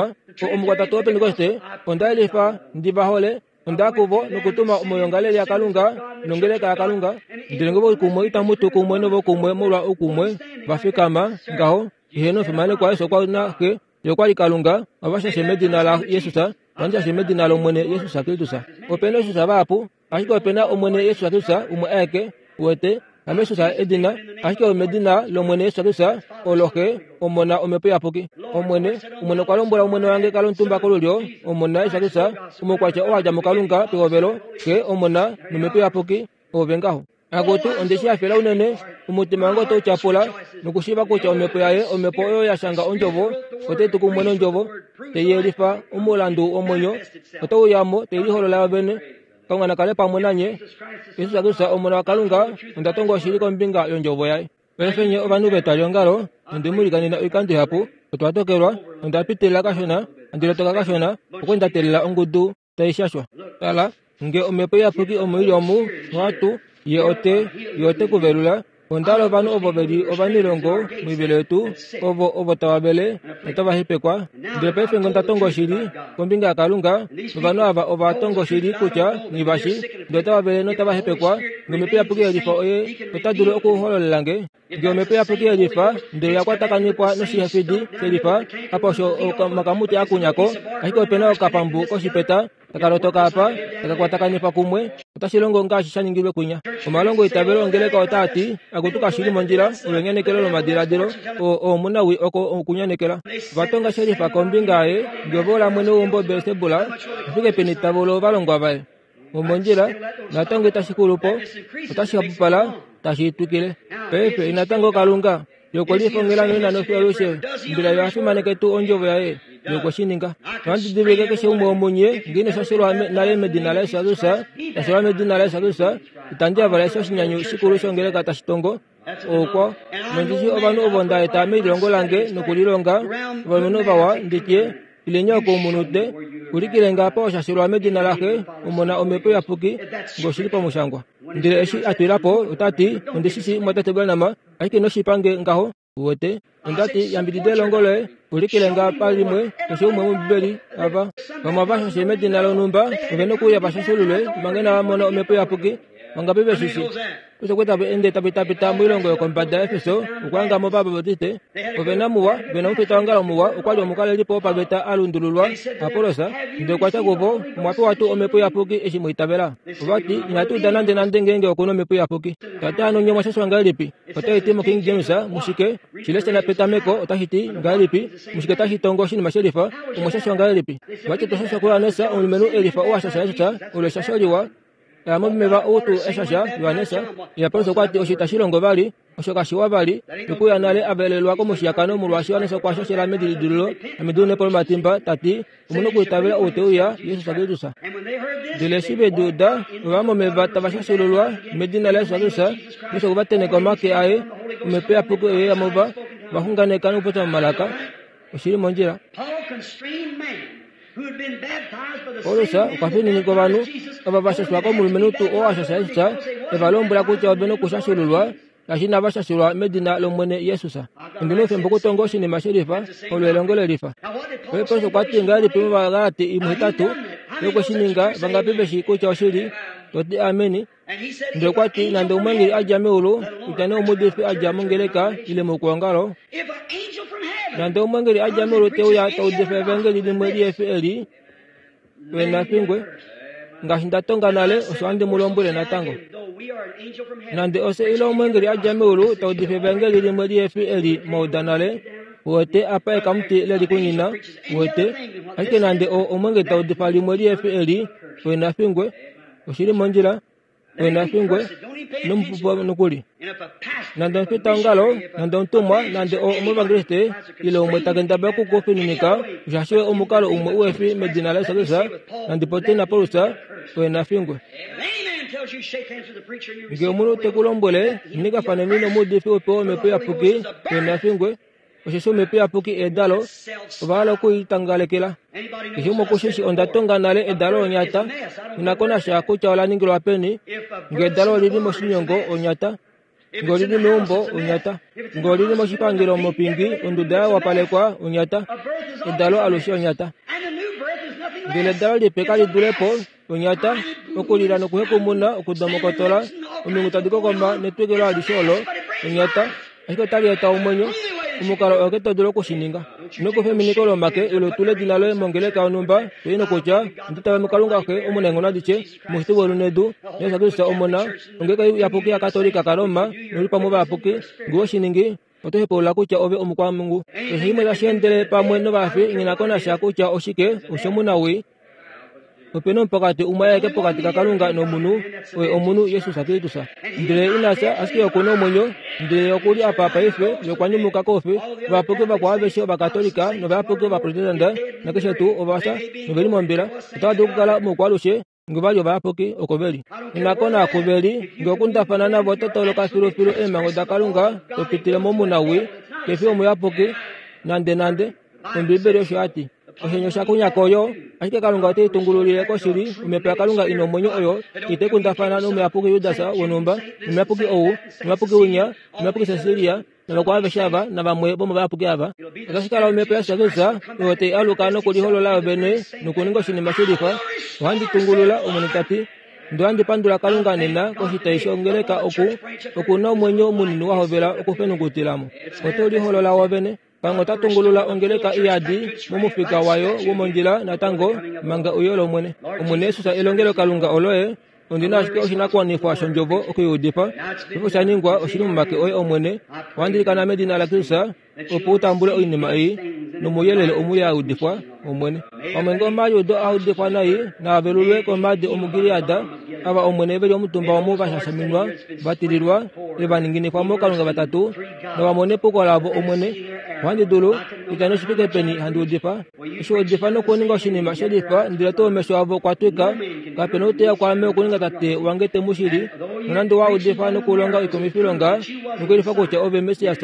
omukwatatu woPentekoste onda yelifa ndi va hole onda kuvo nokutuma omoyongalele yaKalunga nongeleka yaKalunga ndele nge vokumwe itamu tu kumwe novokumwe molwa oukumwe va fikama ngaho ihe nofimanekwa Yesu okwa na xe yokwali Kalunga ovashashe medina la Yesus vandjashe medina lOmwene Yesus Kristus opena Jesus vahapu ashike opena Omwene Yesus Kristus umwe aeke wete amesus edina ashike omedina lOmwene Yesus Kristus olo xe omona omhepo iyapuki Omwene Omwene okwa lombwela omwene wange kala omutumba kolulyo omona Yesus Kristus omukwatya oo adja muKalunga pehovelo xe omona nomhepo iyapuki ove ngaho akutu ondeshi hafela unene omutima wange otau tyapula nokushiiva kutya omhepo yaye omhepo oyo ya shanga ondjovo otai tu kumwe nondjovo tei yelifa omulandu womwenyo otau yamo tei liholola yovene Kalunga nakale pamwe nanye Yesus Kristus omona waKalunga onda tonga oshili kombinga yondjovo yaye paife nye ovanhu vetwaliongalo onde mu likanena oikando ihapu otwa tokelwa onda pitilila kashona handi lotoka kashona okwe nda teelela ongudu tai shashwa tala nge omhepo iyapuki omo ili omu nohatu ye ote ye ote kuvelula ondala ovanhu ovo veli ovanilongo moivelo yetu ovo ovo tava vele notava hepekwa ndele paife nge onda tonga oshili kombinga yaKalunga novanhu ava ova tonga oshili kutya nghivashi ndele otava vele notava hepekwa nge omhepo iyapuki yelifa oye ota dulu okuhololela nge nge omhepo iyapuki yelifa ndele ya kwatakanifwa noshihefidi shelifa apa osho omakamuti akunyako ashike opena okapambu koshipeta takalotoka apa takakwatakanifwa kumwe otashi longo ngaashi sha ningilwe kwinya omalongo itavelo ongeleka otaa ti akutu kashili mondjila olo enyanekelo lomadiladilo oomunawi oko okunyanekela vatonga shelifa kombinga yaye ngevola mwene weumbo Belsebula ofike peni tavolo ovalongwa vaye omondjila natango itashi xulupo otashi hapupala tashi twikile paife inatango Kalunga yokwelifongela noina nofialushe mbila yo afimaneke tuu ondjovo yaye yokweshininga nohandi keshe umwe womunye ngeine shashelwa nale medina la Yesu Kristus tashelwa medina la Yesu Kristus itandi avala eshi oshinyanyu shikulu shongeleka tashi tongo okwa nondishi ovanhu ovo nda eta melilongo lange nokulilonga ovalumenhu vawa nditye ilenya oko omunute ulikile apa oshashelwa medina laxe omona omhepo iyapuki ngoshili pamushangwa ndele eshi atwilapo otati ondishishi mwatate Branham ashike noshipange ngaho uwete ondati yambidida elongo loye ulikile nga palimwe keshe umwe mombibeli ava vamwe vashashe medina lonhumba ove nokuuya vashashululwe manga inava mona omhepo iyapuki vangapi veshishi osho kwe tava ende tapitapita moilongo yokombada yaEfeso okuhanga mo vabaptiste ovena muwa vena omufita wongalo muwa okwali omukalelipo wopaveta a lundululwa Apollos ndele okwatya kuvo omwa pewa tuu omhepo iyapuki eshi mwiitavela ovati inatu uda nande nande ngeenge okuna omhepo iyapuki tate hano nye omwa shashwa ngahelipi otai ti moKing James mushike shilesha petameko otashi ti ngahelipi mushike tashi tongo oshinima shelifa omwa shashwa ngahelipi vati otwa shashwa kuYohannes omulumenhu elifa oo a shasha Jesus olo eshasho liwa yamomeva outu eshasha Yohannes Apollos okwati osho itashi longo vali osho kashiwa vali nokuya nale avelelwa komushiyakano molwaashi Yohannes okwa shashela medilidililo nomiduunepo lomatimba tati omuna okuitavela ou te uya Yesus Kristus ndele eshi vedi uda ova momeva tava shashululwa medina la Yesus Kristus nosho okuvateneka omake aye omhepo iyapuki oye yamova vaxunganeka nokupopya momalaka oshili mondjila Paulus okwa fininika ovanhu ava va shashwa komulumenhu tuu oo a shasha Jesus eva lombwela kutya ove nokushashululwa shaashi inava shashulwa medina lOmwene Yesus ondina oufemba okutonga oshinima shelifa olo elongo lelifa Paulus okwa ti ngahelipi mOvagalati imuhetatu yokweshininga vangapi veshi kutya oshili toti ameni Ndele okwa ti nande omweengeli a dja meulu, kutya nee omuudifi a dja mongeleka ile mokwoongalo, nande omweengeli a dja meulu te uya ta udifa evangeli limwe lihe fi eli, oye na fingwe. Ngaashi nda tonga nale, osho handi mu lombwele natango. Nande ofye ile omweengeli a dja meulu ta udifa evangeli limwe lihe fi eli mwa uda nale, uwete apa ekamuti le likunyina, uwete, ashike nande o omweengeli ta udifa limwe lihe fi eli, oye na fingwe. Oshili mondjila, oye na fingwe, nomupupo nokuli. Nande omufitaongalo, nande omutumwa, nande o omuevangeliste, ile umwe ta kendabala okukufininika, oshashi omukalo umwe uhe fi medina laJesus Kristus, nande pote naPaulus, oye na fingwe. Ngee omunhu te ku lombwele, ningafaneni nomuudifi upe wOmhepo Iyapuki, oye na fingwe, osheshi Omhepo Iyapuki edalo, ova hala okulitangalekela. Keshe umwe okushishi onda tonga nale edalo onyata, inako nasha kutya ola ningilwa peni, ngee edalo olili moshinyongo onyata, ngee olili meumbo onyata, ngee olili moshipangelo mopingi onduda ya wapalekwa onyata, edalo alushe onyata. Ndele edalo lipe kali dulepo onyata, okulila nokuhekumuna, okudomokotola, omilungu tadi kokoma netwikilo alishe olo onyata, ashike otali eta omwenyo. Omukalo oo ke to dulu okushininga. Ino kufa eminiko lomake ile utule edina loye mongeleka yonhumba, to i nokutya, Onda itavela muKalunga Xe omunaenghono adishe, omushiti weulu nedu, naJesus Kristus Omona, ongeleka iyapuki yaKatolika kaRoma, noulipamwe ovayapuki. Ngee owe shi ningi, oto hepaulula kutya ove omukwamhungu. Keshe shimwe tashi endele pamwe novafi, nghi na ko nasha kutya oshike, oshomunawii. Ope na omupokati umwe aeke pokati kaKalunga nomunhu, oye omunhu Jesus Kristus. Ndele ina fya, ashike oku na omwenyo, ndele oku li apa paife, ye okwa nyumuka koufi. Ovayapuki vakwao aveshe Ovakatolika novayapuki Ovaprotestante nakeshe tuu ova fya noveli mombila, otava dulu okukala moukwaalushe ngee va li ovayapuki oko ve li. Inako naaku ve li, ngee okundafana navo oto toloka filufilu eemhango daKalunga to pitile momunawii, kefi omuyapuki nande nande, Ombiibeli osho ya ti. Oshenyo osha kunyako yo, ashike Kalunga ote i tungululile koshili. Omhepo yaKalunga ina omwenyo oyo itai kundafana nomuyapuki Judas wonhumba, nomuyapuki ou, nomuyapuki winya, nomuyapuki Cecilia, navakwao aveshe ava, navamwe vomovayapuki ava. Otashi kala omhepo yaJesus Kristus oyo tai aluka nokuliholola yovene nokuninga oshinima shilifa. Ohandi tungulula, Omwene ta ti. Ndele ohandi pandula Kalunga nena koshitai shongeleka oku, oku na omwenyo munini wa hovela okufenungutila mo. Oto liholola wovene. Kalunga ota tungulula ongeleka iyadi momufika wayo womondjila natango manga uyo lOmwene. Omwene Jesus elongelo Kalunga oloye, ondi na ashike oshinakuwanifwa shondjovo okuiudifa. Osho sha ningwa oshili momake oye Omwene. Ohandi ilikana medina laKristus opo u tambule oinima ei nomouyelele omu ya udifwa, Omwene. Pamwe ngee omaliudo a udifwa nai naavelulwe komaadi omuGilead, ava Omwene ve li omutumba omu va shashaminwa, va tililwa, ile va ninginifwa mookalunga vatatu, nova mone epuko lavo Omwene. Ohandi dulu, kutya nee oshifike peni handi udifa, eshi udifa nokuninga oshinima shelifa, ndele tuu omesho avo okwa twika, kape na outeya kwaame okuninga tate wange te mu shili, nonande wa udifa nokulonga oikumwifilonga nokuyelifa kutya ove Messias,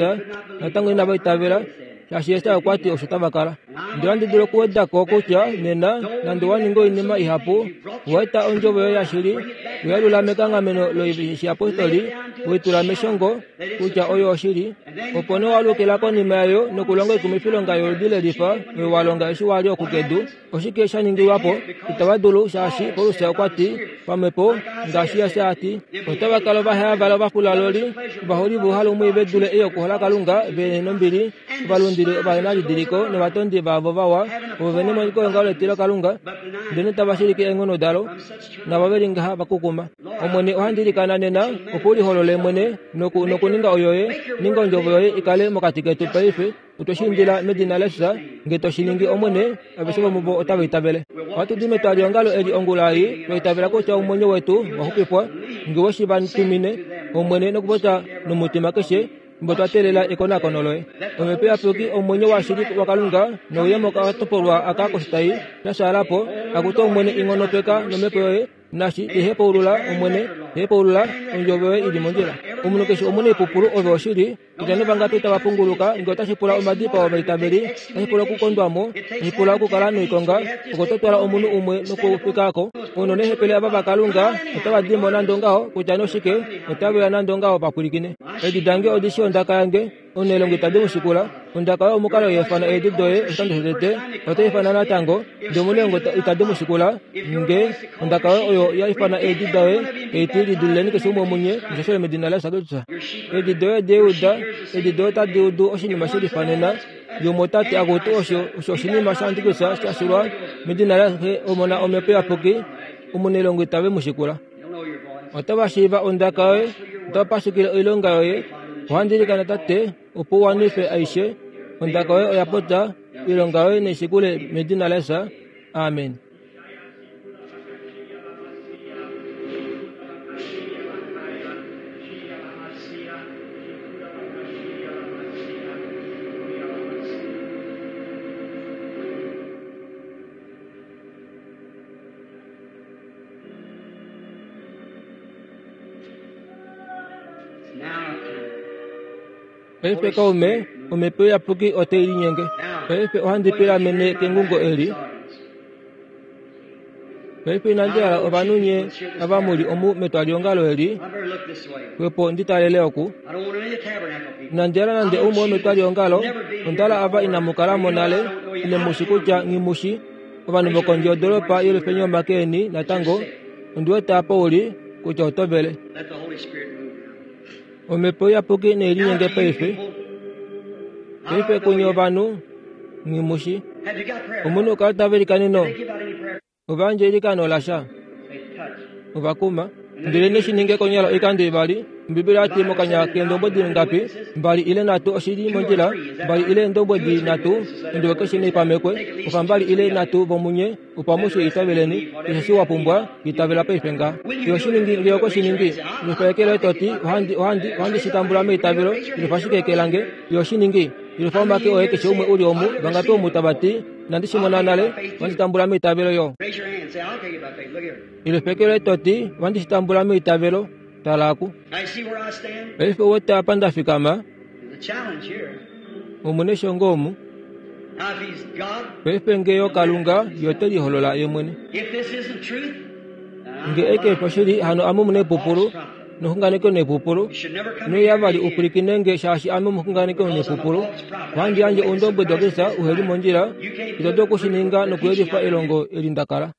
natango inava itavela, shaashi Jesaja okwa ti osho tava kala. Ndele ohandi dulu okuweda ko kutya nena, nande wa ninga oinima ihapu, owa eta ondjovo yoye yashili, we yalula mekanghameno loishiyapostoli, we tula meshongo kutya oyo oshili, opo nee wa alukila konima yayo nokulonga oikumwifilonga yoludi lelifa oyo wa longa eshi wa li oku kedu. Oshike sha ningilwa po? Itava dulu, shaashi Paulus okwa ti, pamhepo, ngaashi Jesaja a ti, otava kala ovaheyavala ovafulaloli, ovaholi vouhalu mwii ve dule ei okuhola Kalunga, ve nombili, ovalundili ovahenalidiliko novatondi vaavo vawa, ovo ve nemoniko yongaho letilo Kalunga, ndele tava shilike eenghono dalo, navo ve li ngaha va kukuma. Omwene, ohandi ilikana nena opo u liholole mwene noku, nokuninga oyoye, ninga ondjovo yoye i kale mokati ketu paife. Otwe shi indila medina laJesus, ngee to shi ningi Omwene, aveshe vomuvo otava itavele. Ohatu di metwaliongalo eli ongula ei, twa itavela kutya omwenyo wetu wa xupifwa, ngee we shi va tumine, Omwene, nokupopya nomutima keshe, fimbo twa teelela ekonakono loye. Omhepo Iyapuki omwenyo washili waKalunga nouye mokatopolwa aka koshitai sha fyaala po, akutu Omwene i nghonopeka nomhepo yoye, nashi ihepaulula Omwene, hepaulula ondjovo yoye ili mondjila. Omunhu keshe omunaipupulu ove oshili, kutya nee vangapi tava punguluka, ngee otashi pula omadipao ovaitaveli, otashi pula okukondwa mo, otashi pula okukala noikonga, oko to twala omunhu umwe nokufika ko. Ono neehepele ava vaKalunga otava di mo nande ongaho, kutya nee oshike, otave uya nande ongaho va pwilikine. Eedi dange odi shii ondaka yange, omunailongo itadi mu shikula. Ondaka oyo omukalo yeefana eedi doye oshikando shotete, otai ifana natango, ndele omunailongo itadi mu shikula. Ngee ondaka yoye oyo ya ifana eedi daye, tai ti lidulileni keshe umwe munye mushashole medina laYesu Kristus. Edi doye deuda, edi doye tadi udu oshinima shelifanena. Yomwe ota ti akutu osho osho oshinima shaantikrista shashilwa medina laxe omona omhepo iyapuki omunelongo itave mu shikula. Otava shiiva ondaka yoye, otava pashukile oilonga yoye. Ohandi ilikana Tate opo u wanife aishe. Ondaka yoye oya popya, oilonga yoye naishikule medina laYesu. Amen. Paife kaume, omhepo iyapuki otai linyenge. Paife ohandi pilamene kengungo eli. Paife inandi hala ovanhu nye ava muli omu metwaliongalo eli, xwepo ndi talele oku. Inandi hala nande umwe wometwaliongalo, onda hala ava inamu kala mo nale, ile mushi kutya nghimushi, ovanhu vokondje yodoropa yelufenyi omake eni natango, ondi wete apa uli, kutya oto vele. Omhepo iyapuki nailinyenge paife. Paife kunye ovanhu, nghimushi. Omunhu okala tava ilikaneno. Ova yandja eilikano lasha. Ovakuma. Ndele neshininge konyala oikando ivali. Ombibeli oyati mokanya keendombwedi ngapi? Mbali ile nhatu oshili mondjila, mbali ile eendombwedi nhatu, ondjovo keshe naipamekwe. Ofa mbali ile nhatu vomunye, opo amushe itaveleni, keshe eshi wa pumbwa, itavela paife nga. Yo shiningi nge oko shiningi, ilufalekele toti, ohandi, ohandi, ohandi shitambula meitavelo, ilufa shike eke lange, yo shiningi, ilufa omake oye keshe umwe uli omu, vangapi omu tava ti, inandi shimona nale, ohandi shitambula meitavelo yo. Ilufekele toti, ohandi shitambula meitavelo, talaku. Paife wete apa ndafikama, omune shongo omu. Paife nge yo Kalunga yote liholola ye mwene. Nge eke foshili hano ame mune pupulu, noxunganeko nepupulu. Noiyavali upulikine nge shaashi ame omuxunganeko nepupulu. Ohandi yandje oundombwedi waKristus uheli mondjila, ito dulu okushininga nokuyelifa elongo eli ndakala.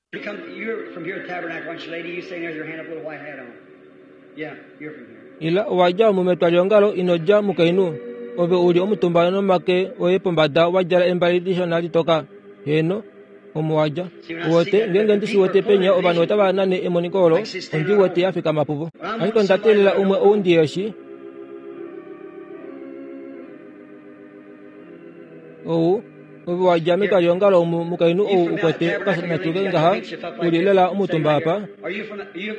Ila owadja omu metwaliongalo ino dja mukainhu, ove uli omutumba nomake oye pombada wa djala embali lishona litoka. Heeno, omo wadja. Uwete, ngeenge ndi shi wete penya ovanhu otava nane emoniko olo, ondi wete ya fikama puvo. Ashike onda teelela umwe ou ndiheshi. Ou, ove wadja metwaliongalo omu mukainhu ou ukwete okasanatuke ngaha, uli lela omutumba apa.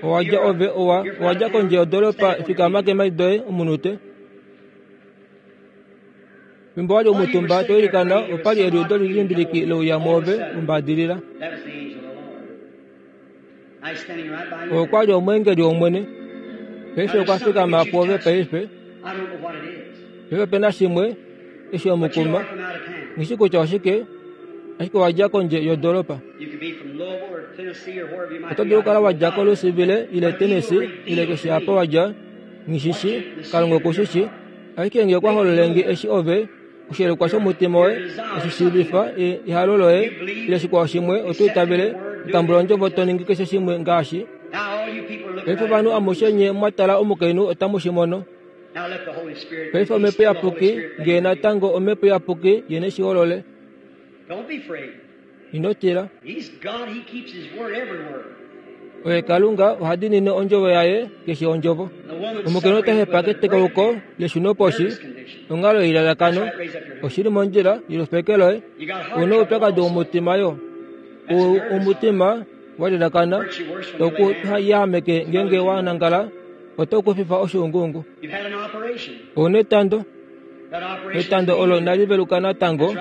Owadja ove owa, owadja kondje yodoropa fikama keemhadi doye omunute. Fimbo wali omutumba to ilikana, opali eliudo lilimbiliki louya mwoove ombadilila. Okwali omweengeli wOmwene. Paife okwa fikama pwoove paife. Paife opena shimwe eshi omukuma. Nghishi kutya oshike, ashike owadja kondje yodoropa. Oto dulu okukala wadja koLouisville ile Tennessee ile keshe apa wadja, nghishishi, Kalunga okushishi. Ashike nge okwa hololenge eshi ove, oshielekwa shomutima woye, eshi shiivifa ehalo loye, ile shikwao shimwe, oto itavele, otambula ondjovo to ningi keshe shimwe ngaashi. Paife ovanhu amushe nye mwa tala omukainhu otamu shi mono. Paife omhepo iyapuki, ngee natango omhepo iyapuki ye neshiholole. Ino tila. Oye Kalunga oha diinine ondjovo yaye keshe ondjovo. Omukainhu ota hepa ketekauko leshunoposhi, onghalo yeilalakano, oshili mondjila yelufeke loye. Una oupyakadi womutima yo. Omutima walilakana, tau yahameke ngeenge wa nangala, oto kufifa oshuunguungu. Ouna etando. Etando olo inali veluka natango,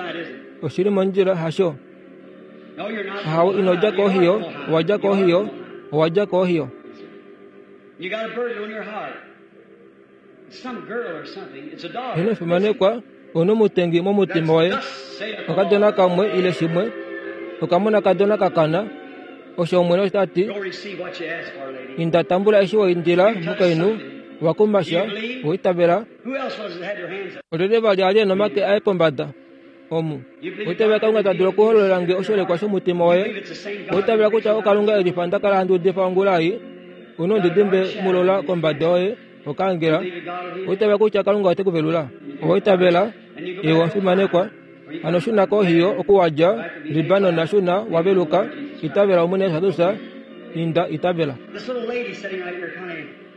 oshili mondjila hasho. Ahawe ino dja kohiyo, owa dja kohiyo, owa dja kohiyo. Ino fimanekwa, ouna omutengi momutima woye. Okadona kamwe ile shimwe, okamona kadona kakana, osho Omwene osho tati, inda tambula eshi wa indila mukainhu, wa kumasha, wa itavela. Olyelye vali ali ena omake aye pombada? Omu. Oitavela Kalunga ta dulu okuhololela nge oshiholekwa shomutima woye. Oitavela kutya oKalunga elifa nda kala handi udifa ongula ei. Una ondidimbe mulola kombada yoye okaangela. Oitavela kutya Kalunga ote ku velula. Owaitavela ewa fimanekwa. Hano shuna kohiyo okuwadja Libanon shuna waveluka. Itavela Omwene Jesus Kristus. Inda itavela.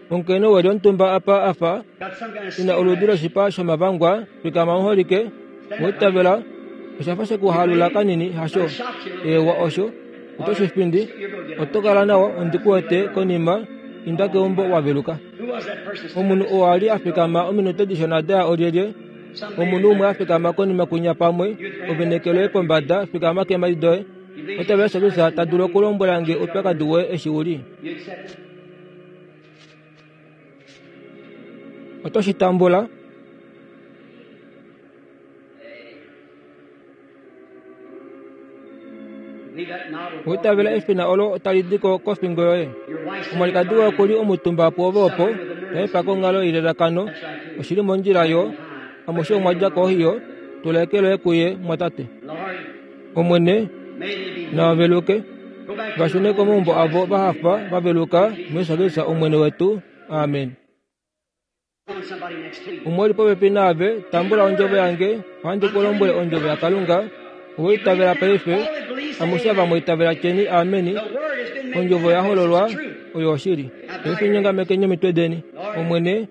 Omukainhu weli omutumba apa afa ina oludi loshipa shomavangwa fikama muholike. Owaitavela oshafa shekuhalula kanini hasho. Ewa osho oto shifindi. Oto kala nawa ondikuwete konima inda keumbo waveluka. Omunhu oo ali afikama ominute dishona daya olyelye. Omunhu umwe afikama konima kunya pamwe ovenekeloye pombada fikama keemhadi doye. Otavela Jesus Kristus ta dulu okulombwela nge oupyakadi woye eshi uli. Oto shi tambula. Oitavela efina olo tali diko kofingo yoye. Omwalikadi woye okuli omutumba pwoove opo taepa konghalo yelelakano. Oshili mondjila yo amushe omwa dja kohiyo. Tula eke loye kuye mwatate. Omwene navaveluke vashune komaumbo avo vahafa vaveluka muJesus Kristus Omwene wetu. Amen. Umwe oli popepi naave, tambula ondjovo yange, ohandi ku lombwele ondjovo yaKalunga. Owaitavela paife, amushe ava mwaitavela tyeni ameni. Ondjovo ya hololwa oyo oshili. Paife nyongamekeni omitwe deni. Omwene,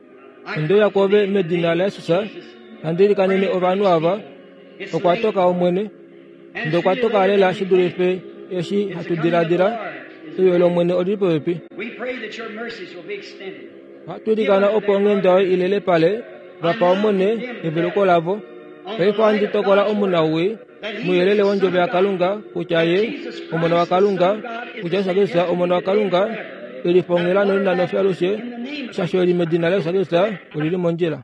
onde uya kwoove medina laJesus, handi ilikanene ovanhu ava. Okwa toka Omwene, ndele okwa toka lela shi dulife eshi hatu diladila. Euyo lOmwene olili popepi. Ohatu ilikana opo onghenda yoye ilele pale, vapa Omwene eveluko lavo. Paife ohandi tokola omunawii muyelele wondjovo yaKalunga kutya ye Omona waKalunga, kutya Jesus Kristus Omona waKalunga, elifongela nolina nofyalushe, shasho eli medina laJesus Kristus olili mondjila.